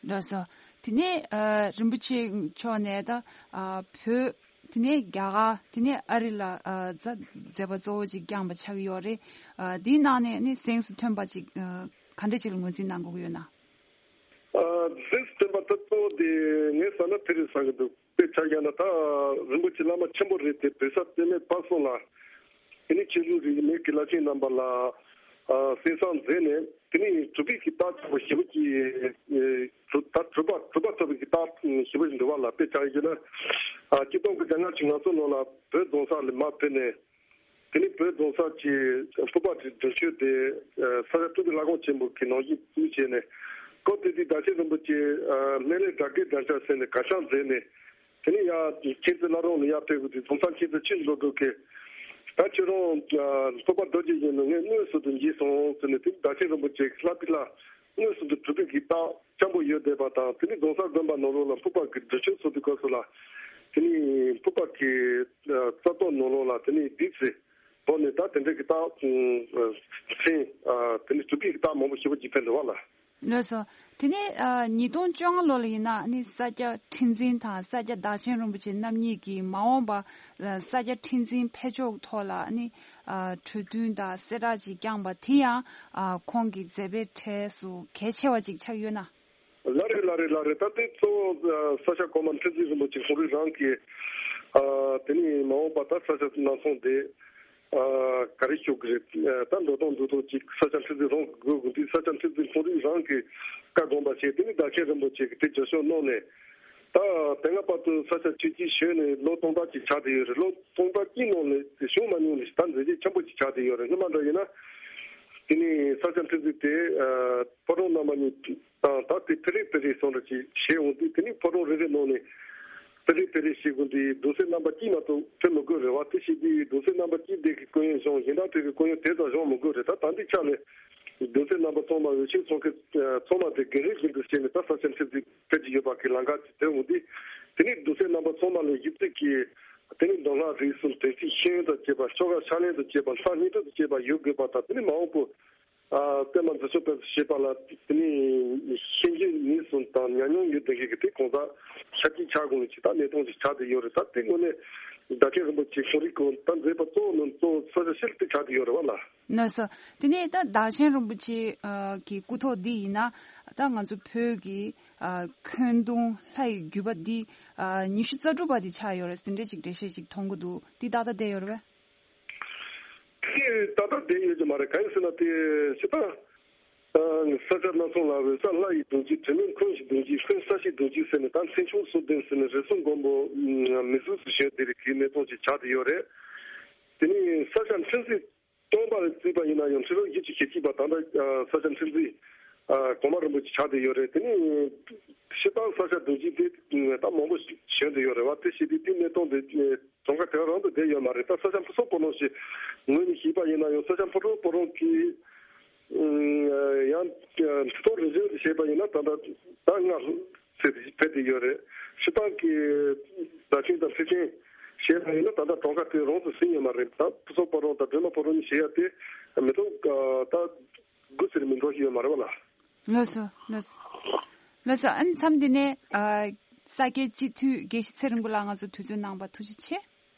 ལགས་སོ། དེ་ནས་ཨ་རིན་པོ་ཆེ་མཆོག་ནས་ད་ཨ་བོད། དེ་ནས་རྒྱ་གར། དེ་ནས་ཨ་རི་ལ་ཨ་མཛད་མཛད་པ་གཙོ་བོ་ཅིག་བསྐྱངས་པ་ཆགས་ཀྱི་ཡོད་རེད། ཨ་དེའི་ནང་ནས་ནི་གཟེངས་སུ་ཐོན་པ་ཅིག་ཨ་ག་འདྲ་ཅིག་ལ་ངོས་འཛིན་གནང་དགོས་ཀྱི་ཡོད་ན། ཨ་གཟེངས་སུ་ཐོན་པ་ད་གཙོ་བོ་དེ་ངས་བསམ་ན་དེ་རེད་བསམ་གྱི་འདུག་དཔེ་ཆ་བཞག་ན་ད་རིན་པོ་ཆེ་བླ་མ་ཆེན་པོ་རེད་དེ། བོད་ས་སྟོད་སྨད་བར་གསུམ་ལ་དེ་ནས་ཆོས་ལུགས་རིས་མེད་ཀྱི་བླ་ཆེན་རྣམ་པ་ལ་ཨ་གསན་བསམ་མཛད་ནས། དེ་ནས་གྲུབ་པའི་གི་རྟགས་ཆེན་པོ་ཞེ་པོ་ཅིག་ཨེ་གྲུབ་ད་གྲུབ་པ་གྲུབ་པ་ཐོབ་པའི་གི་རྟགས་ཞེ་པོ་ཞིག་འདུག་བ་ལ། དཔེ་ཆ་བཞག་ན་ཨ་གཅིག་སྟོང་དགུ་བརྒྱ་ལྔ་བཅུ་ང་གསུམ་ལོ་ལ་བོད་རྫོང་སར་ལ་མར་ཕེབས་ནས། དེ་ནས་བོད་རྫོང་སར་གྱི་ཕུར་པ་དེ་བདུན་ཅུ་དེ་ཨ་ས་སྐྱ་སྤྲུལ་པའི་བླ་འགོག་ཆེན་པོ་གི་ནང་བཞིན་བཙུགས་བྱས་ནས། སྐབས་དེ་དུས་བདག་ཆེན་རིན་པོ་ཆེ་ཨ་སྨན་བླའི་དགྲ་བགེགས་དམ་བཅའ་ཟེར་ནས་གར་ཆག་མཛད་ནས། དེ་ནས་ཡར་མཁྱེན་བརྩེ་བླ་རུང་ལ་ཡར་ཕེབས་དགོས་དུས། རྫོང་སར་མཁྱེན་བརྩེ་ཆོས་རྗེ་བློ་གྲོས་ཀྱིས་ད་ཁྱོད་རང་ཨ་ཕུར་པ་རྡོ་རྗེ་བཞིན་དུ་ངས་དངོས་སུ་དུ་མཇལ་སོང་ཟེར་ནས། དེ་བདག་ཆེན་རིན་པོ་ཆེ་ལྷ་པི་ལ་དངོས་སུ་དུ་གྲུབ་པའི་གི་རྟགས་སྐྱེན་པོ་ཡོད་བསྡད་པ་དང་། དེ་ནས་རྫོང་སར་དགོན་པ་ནང་ལོགས་ལ་ཕུར་པ་གི་སྒྲུབ་མཆོད་ཚོགས་དུས་སྐབས་སུ་ལ། དེ་ནས་ཕུར་པ་གི་ཨ་རྩ་ཏོག་ནང་ལོགས་ལ་དེ་ནས་བདུད་རྩི་བོར་ནས་ད་དེ་འདྲ་གི་རྟགས་ཨ་ཕན་ཨ་དེ་ནས་གྲུབ་པའི་གི་རྟགས་མང་པོ་ཞེ་པོ་ཅིག་ཕན་འདུག་བ་ལ། ལགས་སོ། དེ་ནས་ཨ་ཉིས་སྟོང་བཅོ་ལྔ་ལོ་ལ་ཡིན་ན་ནི་ས་སྐྱ་ཁྲི་འཛིན་དང་ས་སྐྱ་བདག་ཆེན་རིན་པོ་ཆེ་རྣམ་གཉིས་ཀྱིས་མ་འོངས་པ་ཨ་ས་སྐྱ་ཁྲི་འཛིན་འཕེལ་ཕྱོགས་ཐོག་ལ་ནི་ཨ་གྲོས་བསྟུན་དང་གསལ་བསྒྲགས་ཅིག་བསྐྱངས་པ་དེ་ཡང་ཨ་ཁོང་གི་མཛད་པའི་གྲས་སུ་གལ་ཆེ་བ་ཅིག་ཆགས་ཡོད་ན། ལགས་རེད་ལགས་རེད་ལགས་རེད། ད་དེ་གཙོ་བོ་ཨ་ས་སྐྱ་གོང་མ་ཁྲི་འཛིན་རིན་པོ་ཆེ་ཁོང་རང་རང་གིས་ཨ་དེ་ནས་མ་འོངས་པ་ད་ས་སྐྱ་ནང་ཚོང་དེ། ཨ་ག་རེ་ཞུ་གི་རེད། ཨ་ད་འགྲོ་སྟངས་འགྲོ་སྟངས་ཅིག་ས་སྐྱ་ཁྲི་འཛིན་རང་གི་དགོས་དགོས་དུས། ས་སྐྱ་ཁྲི་འཛིན་ཁོང་རང་རང་གིས་བཀའ་དགོངས་པ་བཞེས། དེ་ནས་བདག་ཆེན་རིན་པོ་ཆེ་གིས་དེ་རྒྱབ་སྐྱོར་གནང་ནས། ད་དེ་སྔ་བར་དུ་ས་སྐྱ་ཆོས་བརྒྱུད་ཞུས་ནས་ལོ་སྟོང་ཕྲག་ཅིག་ཆགས་བསྡད་ཡོད་རེད། ལོ་སྟོང་ཕྲག་གཅིག་ནང་ནས་བྱུང་མ་མྱོང་ནས་ད་མཛད་རྗེས་ཆེན་པོ་ཅིག་ཆགས་བསྡད་ཡོད་རེད། སྔོན་མ་འདྲ་ཡིན་ན་དེ་ནས་ས་སྐྱ་ཁྲི་འཛིན་དེ་ཨ་ཕོ་བྲང་རྣམ་པ་གཉིས་དང་། ད་དེ་ཕེ་རེ་ཕེ་རེ་སོང་འདྲ་ཅིག་བྱས་འོང་དུས། དེ་ནས་ཕོ་བྲང་རེ་རེ་ནང་ནས་ཕེ་རེ་ཕེ་རེ་བྱེད་དགོས་དུས་གདུང་སྲས་རྣམ་པ་གཅིག་མ་གཏོགས་ཕེབས་མི་དགོས་རེད་བ། དེ་བྱེད་དུས་གདུང་སྲས་རྣམ་པ་གཅིག་དེ་གི་སྐུ་ཡོན་གཞུང་། གཞན་དག་དེ་གི་སྐུ་ཡོན་དེ་ཙམ་གཞུང་མི་དགོས་རེད། ད་ད་འདི་ཆ་ནས་གདུང་སྲས་རྣམ་པ་ཚང་མ་འོས་ཆེན་ཚོགས་མཁན་ཚང་མ་དེ་རྒན་རབས་བཞིན་དུ་བྱས་ནས་ད་ས་སྐྱ་ཁྲི་འཛིན་ཕེབས་ཀྱི་ཡོད་པ་གི་ལམ་ཁ་ཅིག་བསྟན་འོང་དུས། དེ་ནས་གདུང་སྲས་རྣམ་པ་ཚང་མ་ལ་ཞིབ་རྩིས་ཀྱིས་དེ་ནས་མདོ་སྔགས་རིག་གསུམ་དོན་ཚན་ཤེས་ཡོན་དང་བཅས་པ། ཆོ་ག་ཕྱག་ལེན་དང་བཅས་པ། ལྷ་སྙིང་ཁྲག་དང་བཅས་པ་ཡོད་དགོས་པ་དང་། དེ་ནས་མ་འོངས་པ། ཨ་པད་མ་འཛིན་སྐྱོང་སྤེལ་གསུམ་བྱེད་པ་ལ་དེ་ནས་ཤེས་འཇོན་ནུས་གསུམ་དང་ཉམས་མྱོང་ཡོད་བསྡད་མཁན་གྱི་དེ་གང་ཟག་ཆ་གཅིག་ཆགས་དགོས་ཀྱི་ད་གནས་སྟངས་ཤིག་ཆགས་བསྡད་ཡོད་རེད། ད་དེ་དངོས་གནས་བདག་ཆེན་རིན་པོ་ཆེ་ཁོང་རང་གིས་ད་མཛད་པ་གཙོ་བོ་ནང་གཙོ་བོ་ས་སྐྱ་ཤེས་རབ་དེ་ཆགས་བསྡད་ཡོད་རེད་བ་ལ། ལགས་སོ། དེ་ནས་ད་བདག་ཆེན་རིན་པོ་ཆེ་ཨ་གི་སྐུ་ཐོག་འདི་ཡིན་ན། ད་ང་ཚོ་བོད་ཀྱི་ཨ་འཁོན་གདུང་ལྷ་ཡི་བརྒྱུད་པ་འདི་ཨ་ཉི་ཤུ་རྩ་དྲུག་པ་འདི་ཆགས་ཡོད་རེད། དེ་འདྲས་ཅིག་འགྲེལ་བཤད་ཅིག་མཐོང་གི་འདུག་འདི་ཏག་ཏག་བསྡད་ཡོད་རེད་པས། དེ་ཏག་ཏག་བསྡད་ཡོད་ཀྱི་མ་རེད། གང་ཡིན་ཟེར་ན་དེ་ཞེ་དྲག་ས་སྐྱ་སྣ་ཚོགས་ལ་འོད་གསལ་ལྷ་ཡི་གདུང་རྒྱུད། དྲི་མེད་འཁོན་ཞིག་གདུང་རྒྱུད། འཁོན་ས་གཞིའི་གདུང་རྒྱུད་ཟེར་ནས། ད་མཚན་བྱང་སོ་བདུན་ཟེར་ནས་རིགས་གསུམ་མགོན་པོ་མི་གཟུགས་སུ་བྱོན་དེ་རིགས་ཀྱི་གནས་སྟངས་ཅིག་ཆགས་བསྡད་ཡོད་རེད། དེ་ནས་ས་སྐྱ་ཁྲི་འཛིན་ སྟོན་པར་བརྩིས་པ་ཡིན་ན་ཡང་ཁྲི་ལོ་བཞི་བཅུ་ཞེ་གཅིག་པ་ད་ལྟ་ས་སྐྱ་མཁྲེགས་འཛིན་གོང་མ་རིན་པོ་ཆེ་ཆགས་བསྡད་ཡོད་རེད། དེ་ནི་སྤྱིར་བཏང་ས་སྐྱ་རྡོ་རྗེ་འདི་ད་མང་པོ་བྱོན་བསྡད་ཡོད་རེད་བ། དེ་བྱས་དུས་དེའི་གནས་སྟངས་དེ་གྲངས་ཀ་དེ་ག་རང་དུ་བསྡད་ཡོད་མ་རེད། ད་ས་སྐྱ་ཕུན་ཚོགས་སྤོ་རོང་ཞེས་ངོས་ནས་བཤད་པ་ཡིན་ན་ཡང་ས་སྐྱ་ཕུན་ཚོགས་སྤོ་རོང་གི་ཡང་ཁྲི་སྟོང་རེ་བཞིན་དུ་བཤད་པ་ཡིན་ན་ད་ལྟ་ཟླ་ལྔ་ཚེ་ཕེབས་བསྡད་ཡོད་རེད། སྤྱིར་བཏང་གི་བརྡ་ཆེན་དང་ཁྲི་ཆེན་བཤད་པ་ཡིན་ན་ད་ལྟ་གྲངས་ཀ་དེ་རང་དུ་ཟིན་ཡོད་མ་རེད། ད་ཕུན་ཚོགས་སྤོ་རོང་དང་སྒྲོལ་མ་སྤོ་རོང་གཉིས་བཤད་ཡ་དེ་མི་ཐུབ་ད་དགུ་ཟེར་མི་འགྲོ་ཞིག་ཡོད་མ་རེད་བ་ལ། ལགས་སོ། ལགས་སོ། ལགས་སོ། ཨ་ནི་མཚམས་འདི་ནས་ཨ་ས་སྐྱའི་སྤྱི་འཐུས་དགེ་བཤེས་ཚེ་རིང་པོ་ལགས་ང་ཚོ་དུས་ཚོད་གནང་བར་ཐུགས་རྗེ་ཆེ།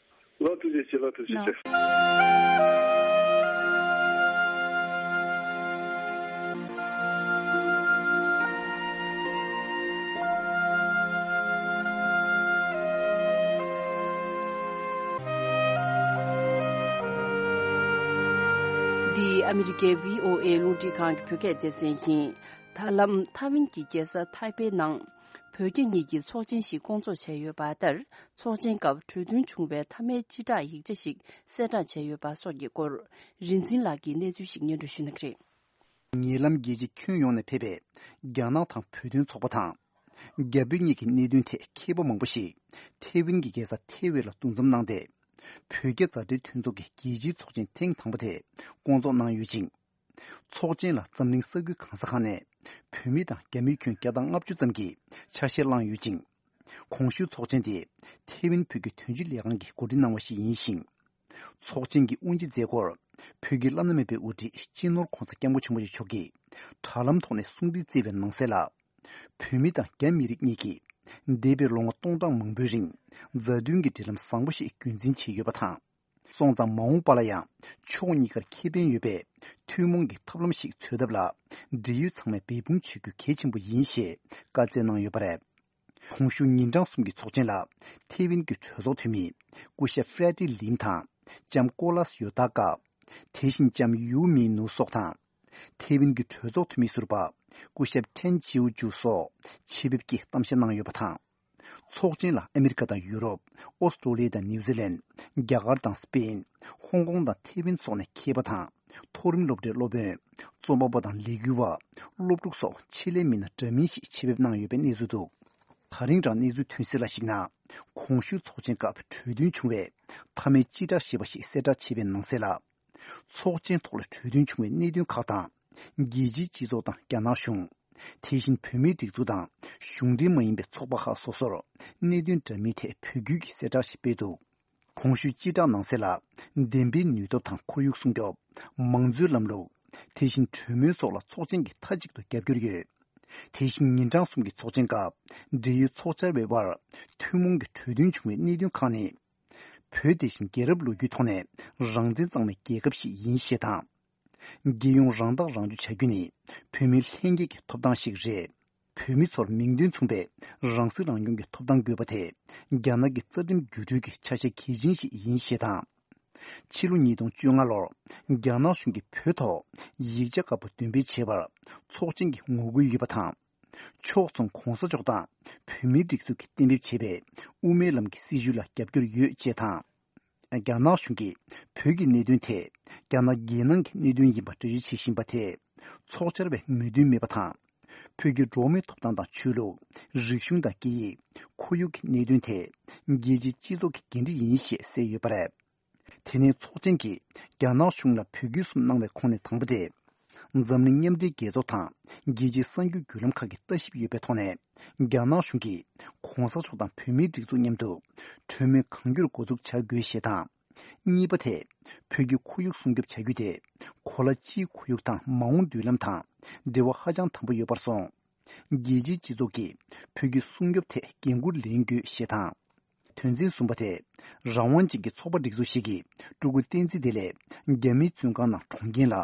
ལགས་ཐུགས་རྗེ་ཆེ། ལགས་ཐུགས་རྗེ་ཆེ། འདི་ཨ་མི་རི་ཀའི་བྷི་ཨོ་ཨེ་རླུང་འཕྲིན་ཁང་གི་བོད་སྐད་སྡེ་ཚན་ཡིན། ད་ལམ་ཐའེ་ཝན་གྱི་རྒྱལ་ས་ཐའེ་པེ་ནང་བོད་རྒྱ་གཉིས་ཀྱི་ཚོགས་ཆེན་ཞིག་བསྐོང་ཚོགས་བྱས་ཡོད་པ་ལྟར། ཚོགས་ཆེན་སྐབས་གྲོས་མཐུན་བྱུང་བའི་མཐའ་མའི་སྤྱི་བསྒྲགས་ཡིག་ཆ་ཞིག་གསལ་བསྒྲགས་བྱས་ཡོད་པ་སོགས་ཀྱི་སྐོར། རིན་འཛིན་ལགས་ཀྱིས་གནས་ཚུལ་ཞིག་སྙན་སྒྲོན་ཞུ་གནང་གི་རེད། ཉེ་ལམ་རྒྱལ་སྤྱི་ཁྱོན་ཡོངས་ནས་ཕེབས་པའི་རྒྱ་ནག་དང་བོད་དོན་ཚོགས་པ་དང་། རྒྱ་བོད་གཉིས་ཀྱི་གནད་དོན་ཐད་མཁས་པ་མང་པོ་ཞིག་ཐའེ་ཝན་གྱི་རྒྱལ་ས་ཐའེ་ཝན་ལ་འདུ་འཛོམས་གནང་སྟེ། བོད་རྒྱ་མཛའ་འབྲེལ་མཐུན་ཚོགས་ཀྱི་རྒྱལ་སྤྱིའི་ཚོགས་ཆེན་ཐེངས་དང་པོ་དེ་བསྐོང་ཚོགས་གནང་ཡོད་ཅིང་། ཚོགས་ཆེན་ལ་འཛམ་གླིང་ས་ཁུལ་གང་ས་གང་ནས་བོད་མི་དང་རྒྱ་མི་ཁྱོན་བརྒྱ་དང་ལྔ་བཅུ་ཙམ་གྱིས་ཆ་ཤས་བླངས་ཡོད་ཅིང་། གོང་ཞུས་ཚོགས་ཆེན་དེ་ཐའེ་ཝན་བོད་ཀྱི་དོན་གཅོད་ལས་ཁང་གིས་གོ་སྒྲིག་གནང་བ་ཞིག་ཡིན་ཞིང་། ཚོགས་ཆེན་གྱི་དབུ་འབྱེད་མཛད་སྒོར་བོད་ཀྱི་བླ་ན་མེད་པའི་དབུ་ཁྲིད་སྤྱི་ནོར་༧གོང་ས་༧སྐྱབས་མགོན་ཆེན་པོ་མཆོག་གིས་དྲ་ལམ་ཐོག་ནས་གསུང་འཕྲིན་བསྩལ་བའི་ནང་གསལ་ལ། བོད་མི་དང་རྒྱ་མི་རིགས་གཉིས་ཀྱིས་འདས་པའི་ལོ་ངོ་སྟོང་ཕྲག་མང་པོའི་རིང་མཛའ་མཐུན་གྱི་འབྲེལ་ལམ་བཟང་པོ་ཞིག་རྒྱུན་འཛིན་བྱས་ཡོད་པ་དང་། སོང་ཙང་མ་འོངས་པ་ལ་ཡང་ཕྱོགས་གཉིས་ཀར་ཁེ་ཕན་ཡོད་པའི་ཐུན་མོང་གི་ཐབས་ལམ་ཞིག་འཚོལ་ཐབས་ལ་འབྲེལ་ཡོད་ཚང་མས་འབད་འབུངས་བྱེད་རྒྱུ་གལ་ཆེན་པོ་ཡིན་ཞེས་བཀའ་སྩལ་གནང་ཡོད་པ་རེད། གོང་ཞུས་ཉིན་གྲངས་གསུམ་གྱི་ཚོགས་ཆེན་ལ་ཐའེ་ཝན་གྱི་གྲོས་ཚོགས་འཐུས་མི་སྐུ་ཞབས་ཧྥེ་ཏི་ལིམ་དང་ལྕམ་ཀོ་ལཱས་ཡོ་ཏཱ་ཀ། དེ་བཞིན་ལྕམ་ཡུའུ་མི་ནུ་སོགས་དང་། ཐའེ་ཝན་གྱི་གྲོས་ཚོགས་འཐུས་མི་ཟུར་པ་སྐུ་ཞབས་ཁྲེན་ཅིའུ་ཅུ་སོགས་ཆེད་ཕེབས་ཀྱིས་གཏམ་བཤད་གནང་ཡོད་པ་དང་། ཚོགས་ཆེན་ལ་ཨ་མི་རི་ཀ་དང་ཡུ་རོབ། ཨོ་སི་ཀྲོ་ལི་ཡ་དང་ནིའུ་ཛི་ལན། རྒྱ་གར་དང་སི་པེན། ཧོང་ཀོང་དང་ཐའེ་ཝན་སོགས་ནས་མཁས་པ་དང་། མཐོ་རིམ་སློབ་གྲྭའི་སློབ་དཔོན། རྩོམ་པ་པོ་དང་ལས་འགུལ་བ། སློབ་ཕྲུག་སོགས་ཆེད་ལས་མི་སྣ་འདྲ་མིན་ཞིག་ཆེད་ཕེབས་གནང་ཡོད་པའི་གནས་ཚུལ་འདུག་ད་རིང་རང་གནས་ཚུལ་ཐོན་གསལ་ལ་གཞིགས་ན། གོང་ཞུས་ཚོགས་ཆེན་སྐབས་གྲོས་མཐུན་བྱུང་བའི་མཐའ་མའི་སྤྱི་བསྒྲགས་ཞེས་པ་ཞིག་གསལ་བསྒྲགས་བྱས་པའི་ནང་གསལ་ལ། ཚོགས་ཆེན་ཐོག་ལ་གྲོས་མཐུན་བྱུང་བའི་གནད་དོན་ཁག་དང་། རྒྱལ་སྤྱིའི་སྤྱི་ཚོགས་དང་རྒྱ་ནག་གཞུང་། དེ་བཞིན་བོད་མིའི་སྒྲིག་འཛུགས་དང་གཞུང་འབྲེལ་མ་ཡིན་པའི་ཚོགས་པ་ཁག་སོ་སོར་གནད་དོན་འདྲ་མིན་ཐད་འབོད་སྐུལ་གྱི་གསལ་བསྒྲགས་ཤིག་སྤེལ་འདུག་གོང་ཞུས་སྤྱི་བསྒྲགས་ནང་གསལ་ལ། བདེན་པའི་ནུས་སྟོབས་དང་ཁོར་ཡུག་སྲུང་སྐྱོབ། མང་གཙོའི་ལམ་ལུགས། དེ་བཞིན་གྲོས་མོལ་སོགས་ལ་ཚོགས་ཆེན་གྱིས་མཐའ་གཅིག་ཏུ་རྒྱབ་སྐྱོར་ཡོད། དེ་བཞིན་ཉིན་གྲངས་གསུམ་གྱི་ཚོགས་ཆེན་སྐབས་འབྲེལ་ཡོད་ཚོགས་བཅར་བའི་དབར་ཐུན་མོང་གི་གྲོས་མཐུན་བྱུང་བའི་གནད་དོན་ཁག་ནི། བོད་དེ་བཞིན་རྒྱལ་རབས་ལོ་རྒྱུས་ཐོག་ནས་རང་བཙན་གཙང་མའི་རྒྱལ་ཁབ་ཞིག་ཡིན་ཞེས་དང་། རྒྱལ་ཡོངས་རང་ཐག་རང་གཅོད་བྱ་རྒྱུ་ནི་བོད་མིའི་ལྷན་སྐྱེས་ཀྱི་ཐོབ་ཐང་ཞིག་རེད། བོད་མི་ཚོར་མིང་དོན་མཚུངས་པའི་རང་སྲིད་རང་སྐྱོང་གི་ཐོབ་ཐང་དགོས་པ་དེ་རྒྱ་ནག་གི་རྩ་ཁྲིམས་བརྒྱུད་སྤྲོད་ཀྱི་ཆ་ཤས་གལ་ཆེན་ཞིག་ཡིན་ཞེས་དང་། ཕྱི་ལོ་ཉིས་སྟོང་བཅོ་ལྔ་ལོར་རྒྱ་ནག་གཞུང་གིས་བོད་ཐོག་ཡིག་ཆ་ཁག་པོ་འདོན་སྤེལ་བྱས་པར་ཚོགས་ཆེན་གྱི་ངོ་རྒོལ་ཡོད་པ་དང་། ཕྱོགས་མཚུངས་གོང་ས་མཆོག་དང་བོད་མིའི་སྒྲིག་འཛུགས་ཀྱིས་གཏན་འབེབས་བྱས་པའི་དབུ་མའི་ལམ་གྱི་སྲིད་བྱུས་ལ་རྒྱབ་སྐྱོར་ཡོད་ཅེས་དང་། རྒྱ་ནག་གཞུང་གིས་བོད་ཀྱི་གནད་དོན་ཐད་རྒྱ་ནག་རྒྱལ་ནང་གི་གནད་དོན་ཡིན་པ་འགྲེལ་བརྗོད་བྱེད་བཞིན་པ་དེས་ཚོགས་བཅར་བའི་མོས་མཐུན་མེད་པ་དང་། བོད་ཀྱི་འགྲོ་བ་མིའི་ཐོབ་ཐང་དང་ཆོས་ལུགས། རིག་གཞུང་དང་སྐད་ཡིག་ཁོར་ཡུག་གི་གནད་དོན་ཐད་རྒྱལ་སྤྱིའི་སྤྱི་ཚོགས་ཀྱི་འགན་འཁྲི་ཡིན་ཞེས་གསལ་ཡོད་པ་རེད། དེ་ནས་ཚོགས་ཆེན་གྱིས་རྒྱ་ནག་གཞུང་ལ་འབོད་སྐུལ་གསུམ་གནང་བའི་ཁོངས་ནས་དང་པོ་དེ། འཛམ་གླིང་མཉམ་འབྲེལ་རྒྱལ་ཚོགས་དང་རྒྱལ་སྤྱིའི་གསར་འགྱུར་བརྒྱུད་ལམ་ཁག་གིས་ལྟ་ཞིབ་ཡོད་པའི་ཐོག་ནས། རྒྱ་ནག་གཞུང་གིས་གོང་ས་མཆོག་དང་བོད་མིའི་སྒྲིག་འཛུགས་མཉམ་དུ་གྲོས་མོལ་གང་མགྱོགས་འགོ་འཛུགས་བྱ་དགོས་ཞེས་དང་། གཉིས་པ་དེ། བོད་ཀྱི་ཁོར་ཡུག་སྲུང་སྐྱོབ་བྱ་རྒྱུ་དེ། གོ་ལ་སྤྱིའི་ཁོར་ཡུག་དང་མ་འོངས་མདུན་ལམ་དང་འབྲེལ་བ་ཧ་ཅང་དམ་པོ་ཡོད་པར་སོང་། རྒྱལ་སྤྱིའི་སྤྱི་ཚོགས་ཀྱིས་བོད་ཀྱི་སྲུང་སྐྱོབ་ཐད་འགན་འཁུར་ལེན་དགོས་ཞེས་དང་། དོན་ཚན་གསུམ་པ་དེ། རང་དབང་ཅན་གྱི་ཚོགས་པ་སྒྲིག་འཛུགས་ཤིག་གིས་ཀྲུའུ་ཀུའུ་བསྟན་འཛིན་བདེ་ལེགས་རྒྱ་མིའི་བཙོན་ཁང་ནང་གྲོངས་རྐྱེན་ལ་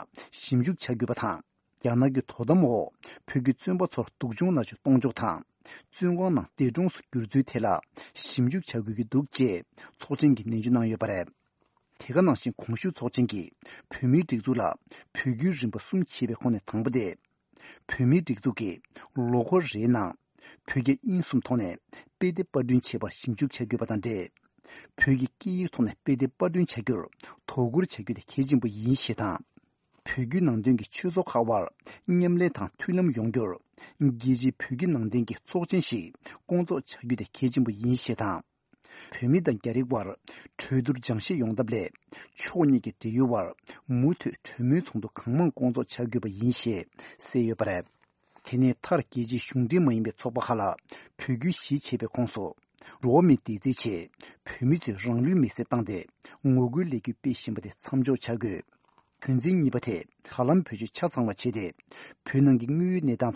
ཞིབ་འཇུག་བྱ་དགོས་པ་དང་། རྒྱ་ནག་གི་དོ་དམ་འོག་བོད་ཀྱི་བཙོན་པ་ཚོར་སྡུག་སྦྱོང་མནར་གཅོད་གཏོང་ཕྱོགས་དང་། བཙོན་ཁང་ནང་འདས་གྲོངས་སུ་གྱུར་ཚུལ་ཐད་ལ་ཞིབ་འཇུག་བྱ་དགོས་ཀྱི་འདུག་ཅེས་ཚོགས་ཆེན་གྱིས་ནན་བརྗོད་གནང་ཡོད་པ་རེད། དེ་ག་ནང་བཞིན་གོང་ཞུས་ཚོགས་ཆེན་གྱིས་བོད་མིའི་སྒྲིག་འཛུགས་ལ་འབོད་སྐུལ་རིམ་པ་གསུམ་བྱས་པའི་ཁོངས་ནས་དང་པོ་དེ། བོད་མིའི་སྒྲིག་འཛུགས་ཀྱིས་ལོ་འཁོར་རེའི་ནང་བོད་རྒྱ་དབྱིན་གསུམ་ཐོག་ནས་དཔེ་དེབ་པར་སྐྲུན་བྱེད་པར་ཞིབ་འཇུག་བྱ་དགོས་པ་དང་འབྲེལ། བོད་ཀྱི་སྐད་ཡིག་ཐོག་ནས་དཔེ་དེབ་པར་སྐྲུན་བྱ་རྒྱུར་དོ་ཁུར་བྱ་རྒྱུ་དེ་གལ་ཆེན་པོ་ཡིན་ཞེས་དང་། བོད་བརྒྱུད་ནང་བསྟན་གྱི་ཆོས་ཚོགས་ཁག་དབར་མཉམ་ལས་དང་མཐུན་ལམ་ཡོང་རྒྱུར། རྒྱལ་སྤྱིའི་བོད་བརྒྱུད་ནང་བསྟན་གྱི་ཚོགས་ཆེན་ཞིག་བསྐོང་ཚོགས་བྱ་རྒྱུ་དེ་གལ་ཆེན་པོ་ཡིན་ཞེས་དང་། བོད་མི་དང་རྒྱ་རིགས་དབར་གྲོས་བསྡུར་སྦྱང་ཤེས་ཡོང་ཐབས་སླད། ཕྱོགས་གཉིས་ཀྱི་འབྲེལ་ཡོད་དབར་མུ་མཐུད་གྲོས་མོལ་ཚོགས་འདུ་གང་མང་བསྐོང་ཚོགས་བྱ་དགོས་པ་ཡིན་ཞེས་གསལ་ཡོད་པ་རེད། དེ་ནས་མཐར་རྒྱལ་སྤྱིའི་གཞུང་འབྲེལ་མ་ཡིན་པའི་ཚོགས་པ་ཁག་ལ་བོད་བརྒྱུད་གཞིས་བྱེས་པའི་ཁོངས་སུ། འགྲོ་བ་མིའི་བདེ་རྩའི་ཆེད་བོད་མི་ཚོས་རང་ལུས་མེར་སྲེག་བཏང་སྟེ་ངོ་རྒོལ་ལས་འགུལ་སྤེལ་བཞིན་པ་དེ་མཚམས་འཇོག་བྱ་དགོས། དོན་ཚན་གཉིས་པ་དེ་ད་ལམ་བེད་སྤྱོད་ཆ་ཚང་བ་བྱས་ཏེ། བོད་ནང་གི་དངོས་ཡོད་གནས་སྟངས་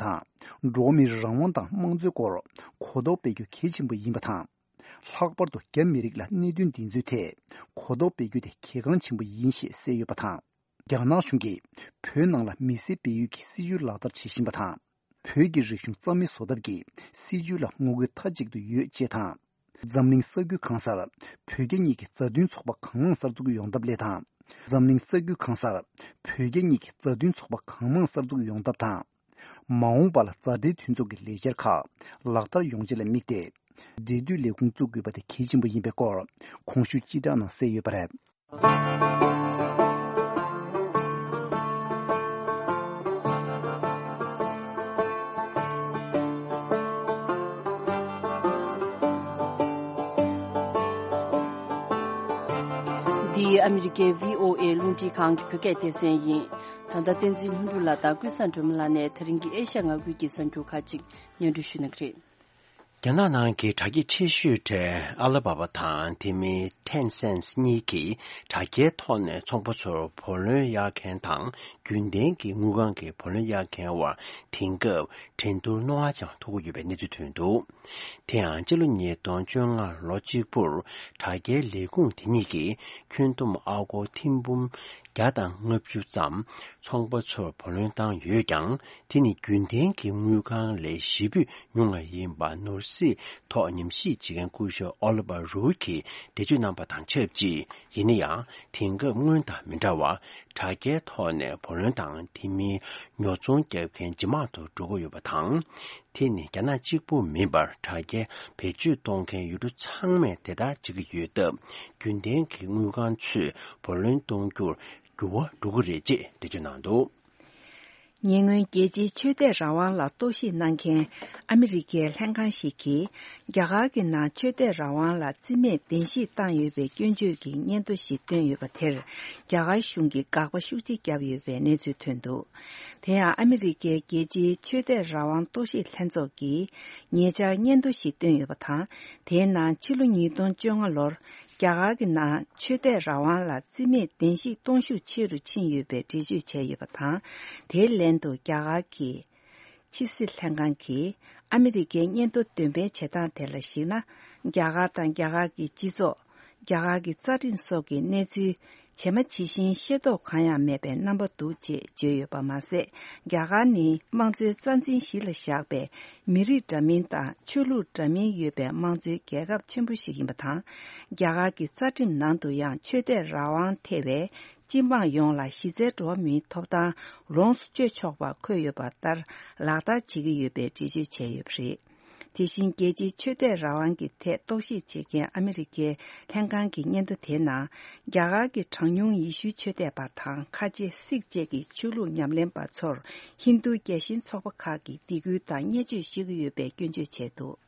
དང་འགྲོ་བ་མིའི་རང་དབང་དང་དམངས་གཙོའི་སྐོར་གོ་རྟོགས་སྤེལ་རྒྱུ་གལ་ཆེན་པོ་ཡིན་པ་དང་། ལྷག་པར་དུ་རྒྱ་མི་རིགས་ལ་གནད་དོན་འདི་ཚོའི་ཐད་གོ་རྟོགས་སྤེལ་རྒྱུ་དེ་གལ་འགངས་ཆེན་པོ་ཡིན་ཞེས་གསལ་ཡོད་པ་དང་། རྒྱ་ནག་གཞུང་གིས་བོད་ནང་ལ་མི་སེར་སྤེལ་ཡུལ་གྱི་སྲིད་ཇུས་ལག་བསྟར་བྱེད་བཞིན་པ་དང་། བོད་ཀྱི་རིག་གཞུང་རྩ་མེད་བཟོ་ཐབས་ཀྱི་སྲིད་ཇུས་ལ་ངོ་རྒོལ་མཐའ་གཅིག་ཏུ་ཡོད་ཅེས་དང་། འཛམ་གླིང་ས་ཁུལ་གང་སར་བོད་རྒྱ་གཉིས་ཀྱི་མཛའ་མཐུན་ཚོགས་པ་གང་མང་གསར་འཛུགས་ཡོང་ཐབས་སླད་དང་། འཛམ་གླིང་ས་ཁུལ་གང་སར་བོད་རྒྱ་གཉིས་ཀྱི་མཛའ་མཐུན་ཚོགས་པ་གང་མང་གསར་འཛུགས་ཡོང་ཐབས་དང་། མ་འོངས་པ་ལ་མཛའ་འབྲེལ་མཐུན་ཚོགས་ཀྱི་ལས་འཆར་ཁག་ལག་བསྟར་ཡོང་ཆེད་ལ་དམིགས་ཏེ། འབྲེལ་མཐུད་ལས་ཁུངས་བཙུགས་དགོས་པ་དེ་གལ་ཆེན་པོ་ཡིན་པའི་སྐོར་གོང་ཞུས་སྤྱི་བསྒྲགས་ནང་གསལ་ཡོད་པ་རེད། འདི་ཨ་མི་རི་ཀའི་བྷི་ཨོ་ཨེ་རླུང་འཕྲིན་ཁང་གི་བོད་སྐད་སྡེ་ཚན་ཡིན། ད་ལྟ་བསྟན་འཛིན་ལྷུན་གྲུབ་ལགས་དང་ཀུན་བཟང་སྒྲོལ་མ་ལགས་ནས་ད་རིང་གི་ཨེ་ཤ་ཡ་མངའ་ཁུལ་གྱི་གསར་འགྱུར་ཁག་ཅིག་སྙན་སྒྲོན་ཞུ་གནང་གི་རེད། རྒྱ་ནག་ནང་གི་དྲ་རྒྱའི་ཆེ་ཤོས་གྲས་ཨ་ལ་བྷ་བྷ་དང་དེ་མིན་ཊེན་སེན་སི་གཉིས་ཀྱིས་དྲ་རྒྱའི་ཐོག་ནས་ཚོང་པ་ཚོར་བུ་ལོན་གཡར་མཁན་དང་རྒྱུན་ལྡན་གྱི་དངུལ་ཁང་གི་བུ་ལོན་གཡར་མཁན་བར་དེང་སྐབས་འགྲན་བསྡུར་རྣོ་ངར་ཅན་ཐུག་གི་ཡོད་པའི་གནས་ཚུལ་ཐོན་འདུག་དེ་ཡང་སྤྱི་ལོ་ཉིས་སྟོང་བཅོ་ལྔ་ལོ་གཅིག་པུར་དྲ་རྒྱའི་ལས་ཁུངས་དེ་གཉིས་ཀྱིས་ཁྱོན་བསྡོམས་ཨ་སྒོར་ཐེར་འབུམ་བརྒྱ་དང་ལྔ་བཅུ་ཙམ་ཚོང་པ་ཚོར་བུ་ལོན་བཏང་ཡོད་ཀྱང་། དེ་ནི་རྒྱུན་ལྡན་གྱི་དངུལ་ཁང་ལས་བཞི་བཅུ་ཉུང་བ་ཡིན་པ་ནོར་སྲིད་ཐོག་ཉམས་ཞིབ་བྱེད་མཁན་སྐུ་ཞབས་ཨོ་ལི་བྷ་རུའུ་གིས་འགྲེལ་བརྗོད་གནང་པ་དང་ཆབས་ཅིག་ཡིན་ན་ཡང་། དེང་སྐབས་སྔོན་དང་མི་འདྲ་བར་དྲ་རྒྱའི་ཐོག་ནས་བུ་ལོན་དང་དེ་མིན་ཉོ་ཚོང་བརྒྱབ་མཁན་ཇེ་མང་དུ་འགྲོ་གི་ཡོད་པ་དང་། དེ་ནི་རྒྱ་ནག་གཅིག་པུ་མིན་པར་དྲ་རྒྱའི་བེད་སྤྱོད་གཏོང་མཁན་ཡུལ་གྲུ་ཚང་མས་དེ་ལྟར་བྱེད་ཀྱི་ཡོད་སྟབས། རྒྱུན་ལྡན་གྱི་དངུལ་ཁང་ཚོས་བུ་ལོན་གཏོང་རྒྱུར་འགྱུར་བ་འགྲོ་གི་རེད་ཅེས་འགྲེལ་བརྗོད་གནང་འདུག་ཉེ་སྔོན་རྒྱལ་སྤྱིའི་ཆོས་དད་རང་དབང་ལ་གཏོར་བཤིག་གནང་མཁན་ཨ་མི་རི་ཀའི་ལྷན་ཁང་ཞིག་གིས། རྒྱ་གར་གྱི་ནང་ཆོས་དད་རང་དབང་ལ་རྩིས་མེད་བདེན་བཞིག་བཏང་ཡོད་པའི་སྐྱོན་བརྗོད་ཀྱི་སྙན་ཐོ་ཞིག་བཏོན་ཡོད་པ་དེར། རྒྱ་གར་གཞུང་གིས་དགག་པ་ཤུགས་ཆེ་བརྒྱབ་ཡོད་པའི་གནས་ཚུལ་ཐོན་འདུག་དེ་ཡང་ཨ་མི་རི་ཀའི་རྒྱལ་སྤྱིའི་ཆོས་དད་རང་དབང་གཏོར་བཤིག་ལྷན་ཚོགས་ཀྱིས་ཉེ་ཆར་སྙན་ཐོ་ཞིག་བཏོན་ཡོད་པ་དང་། དེའི་ནང་ཕྱི་ལོ་ཉིས་སྟོང་བཅོ་ལྔ་ལོར་རྒྱ་གར་གྱི་ནང་ཆོས་དད་རང་དབང་ལ་རྩིས་མེད་བདེན་བཞིག་གཏོང་ཤུགས་ཆེ་རུ་ཕྱིན་ཡོད་པའི་འགྲེལ་བརྗོད་བྱས་ཡོད་པ་དང་། དེའི་ལན་དུ་རྒྱ་གར་གྱི་ཕྱི་སྲིད་ལྷན་ཁང་གིས་ཨ་མི་རི་ཀའི་སྙན་ཐོ་འདོན་སྤེལ་བྱེད་སྟངས་དེ་ལ་གཞིགས་ན། རྒྱ་གར་དང་རྒྱ་གར་གྱི་སྤྱི་ཚོགས། རྒྱ་གར་གྱི་རྩ་ཁྲིམས་སོགས་ཀྱི་གནས་ཚུལ་ཇི་མ་ཇི་བཞིན་ཤེས་རྟོགས་གང་ཡང་མེད་པའི་རྣམ་པ་འདུག་ཅེས་བརྗོད་ཡོད་པ་མ་ཟད། རྒྱ་གར་ནི་དམངས་གཙོའི་རྩ་འཛིན་གཞི་ལ་བཞག་པའི་མི་རིགས་འདྲ་མིན་དང་ཆོས་ལུགས་འདྲ་མིན་ཡོད་པའི་དམངས་གཙོའི་རྒྱལ་ཁབ་ཆེན་པོ་ཞིག་ཡིན་པ་དང་། རྒྱ་གར་གྱི་རྩ་ཁྲིམས་ནང་དུ་ཡང་ཆོས་དད་རང་དབང་ཐེ་བའི་སྤྱི་འབངས་ཡོངས་ལ་གཞི་རྩའི་འགྲོ་བ་མིའི་ཐོབ་ཐང་ལོངས་སུ་སྤྱོད་ཆོག་པ་འཁོད་ཡོད་པ་ལྟར་ལག་བསྟར་བྱེད་ཀྱི་ཡོད་པའི་འགྲེལ་བརྗོད་བྱས་ཡོད་པ་རེད། དེ་བཞིན་རྒྱལ་སྤྱིའི་ཆོས་དད་རང་དབང་གི་ཐད་རྟོག་ཞིབ་བྱེད་མཁན་ཨ་མི་རི་ཀའི་ལྷན་ཁང་གི་སྙན་ཐོ་དེའི་ནང་། རྒྱ་གར་གྱི་གྲངས་ཉུང་ཡེ་ཤུའི་ཆོས་དད་པ་དང་ཁ་ཆེ་སིག་བཅས་ཀྱི་ཆོས་ལུགས་ཉམས་ལེན་པ་ཚོར་ཧིན་རྡུ་རྒྱལ་ཞེན་ཚོགས་པ་ཁག་གིས་སྡིགས་སྐུལ་དང་བརྙས་བཅོས་བྱེད་ཀྱི་ཡོད་པའི་སྐྱོན་བརྗོད་བྱས་འདུག་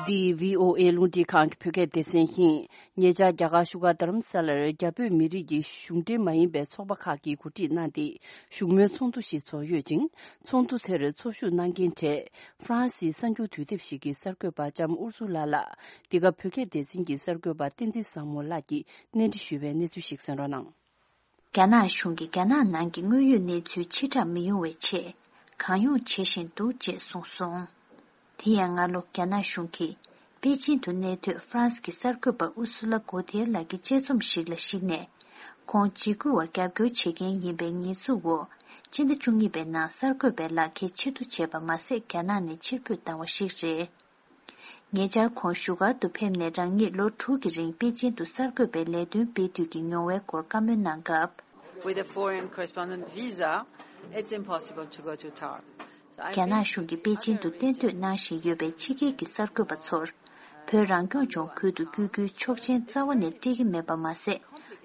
འདི་བྷི་ཨོ་ཨེ་རླུང་འཕྲིན་ཁང་གི་བོད་སྐད་སྡེ་ཚན་ཡིན། ཉེ་ཆར་རྒྱ་གར་བཞུགས་སྒར་རྡ་རམ་ས་ལར་རྒྱ་བོད་མི་རིགས་ཀྱི་གཞུང་འབྲེལ་མ་ཡིན་པའི་ཚོགས་པ་ཁག་གིས་གོ་སྒྲིག་གནང་སྟེ་བཞུགས་མོལ་ཚོགས་འདུ་ཞིག་ཚོགས་ཡོད་ཅིང་། ཚོགས་འདུ་དེར་ཚོགས་ཞུགས་གནང་མཁན་གྲས་ཧྥ་རན་སིའི་གསར་འགྱུར་དུས་དེབ་ཞིག་གི་གསར་འགོད་པ་ལྕམ་ཨུར་སུ་ལ་ལགས། འདི་ག་བོད་སྐད་སྡེ་ཚན་གྱི་གསར་འགོད་པ་བསྟན་འཛིན་བཟང་མོ་ལགས་ཀྱིས་གནས་འདྲི་ཞུས་པའི་གནས་ཚུལ་ཞིག་གསན་རོགས་གནང་། རྒྱ་ནག་གཞུང་གིས་རྒྱ་ནག་ནང་གི་དངོས་ཡོད་གནས་ཚུལ་ཕྱིར་བསྒྲགས་མི་ཡོང་བའི་ཆེད་གང་ཡོང་བྱེད་བཞིན་འདུག་ཅེས་གསུངས་སོང་། དེ་ཡང་སྔ་ལོ་རྒྱ་ནག་གཞུང་གིས་པེ་ཅིན་དུ་གནས་སྡོད་ཧྥ་རན་སི་གི་གསར་འགོད་པ་ཨུར་སུ་ལ་གོ་ཐེར་ལགས་ཀྱི་དཔྱད་རྩོམ་ཞིག་ལ་གཞིགས་ནས། ཁོང་འཇིགས་སྐུལ་བར་རྒྱབ་སྐྱོར་བྱེད་མཁན་ཡིན་པའི་ཉེས་འཛུགས་འོག་སྤྱི་ཟླ་བཅུ་གཉིས་པའི་ནང་གསར་འགོད་པའི་ལག་འཁྱེར་ཕྱིར་བསྡུ་བྱས་པ་མ་ཟད། རྒྱ་ནག་ནས་ཕྱིར་འབུད་བཏང་བ་ཞིག་རེད། ཉེ་ཆར་ཁོང་བཞུགས་སྒར་དུ་ཕེབས་ནས་རང་ཉིད་ལོ་དྲུག་གི་རིང་པེ་ཅིན་དུ་གསར་འགོད་པའི་ལས་དོན་སྤེལ་དུས་ཀྱི་མྱོང་བའི་སྐོར་བཀའ་མོལ་གནང་སྐབས། With a foreign correspondent visa, it's impossible to go to Tar. རྒྱ་ནག་གཞུང་གིས་པེ་ཅིན་དུ་གཏན་སྡོད་གནང་བཞིན་ཡོད་པའི་ཕྱི་རྒྱལ་གྱི་གསར་འགོད་པ་ཚོར། བོད་རང་སྐྱོང་ལྗོངས་ཁུལ་དུ་བསྐྱོད་རྒྱུའི་ཆོག་མཆན་རྩ་བ་ནས་སྤྲད་ཀྱི་མེད་པ་མ་ཟད།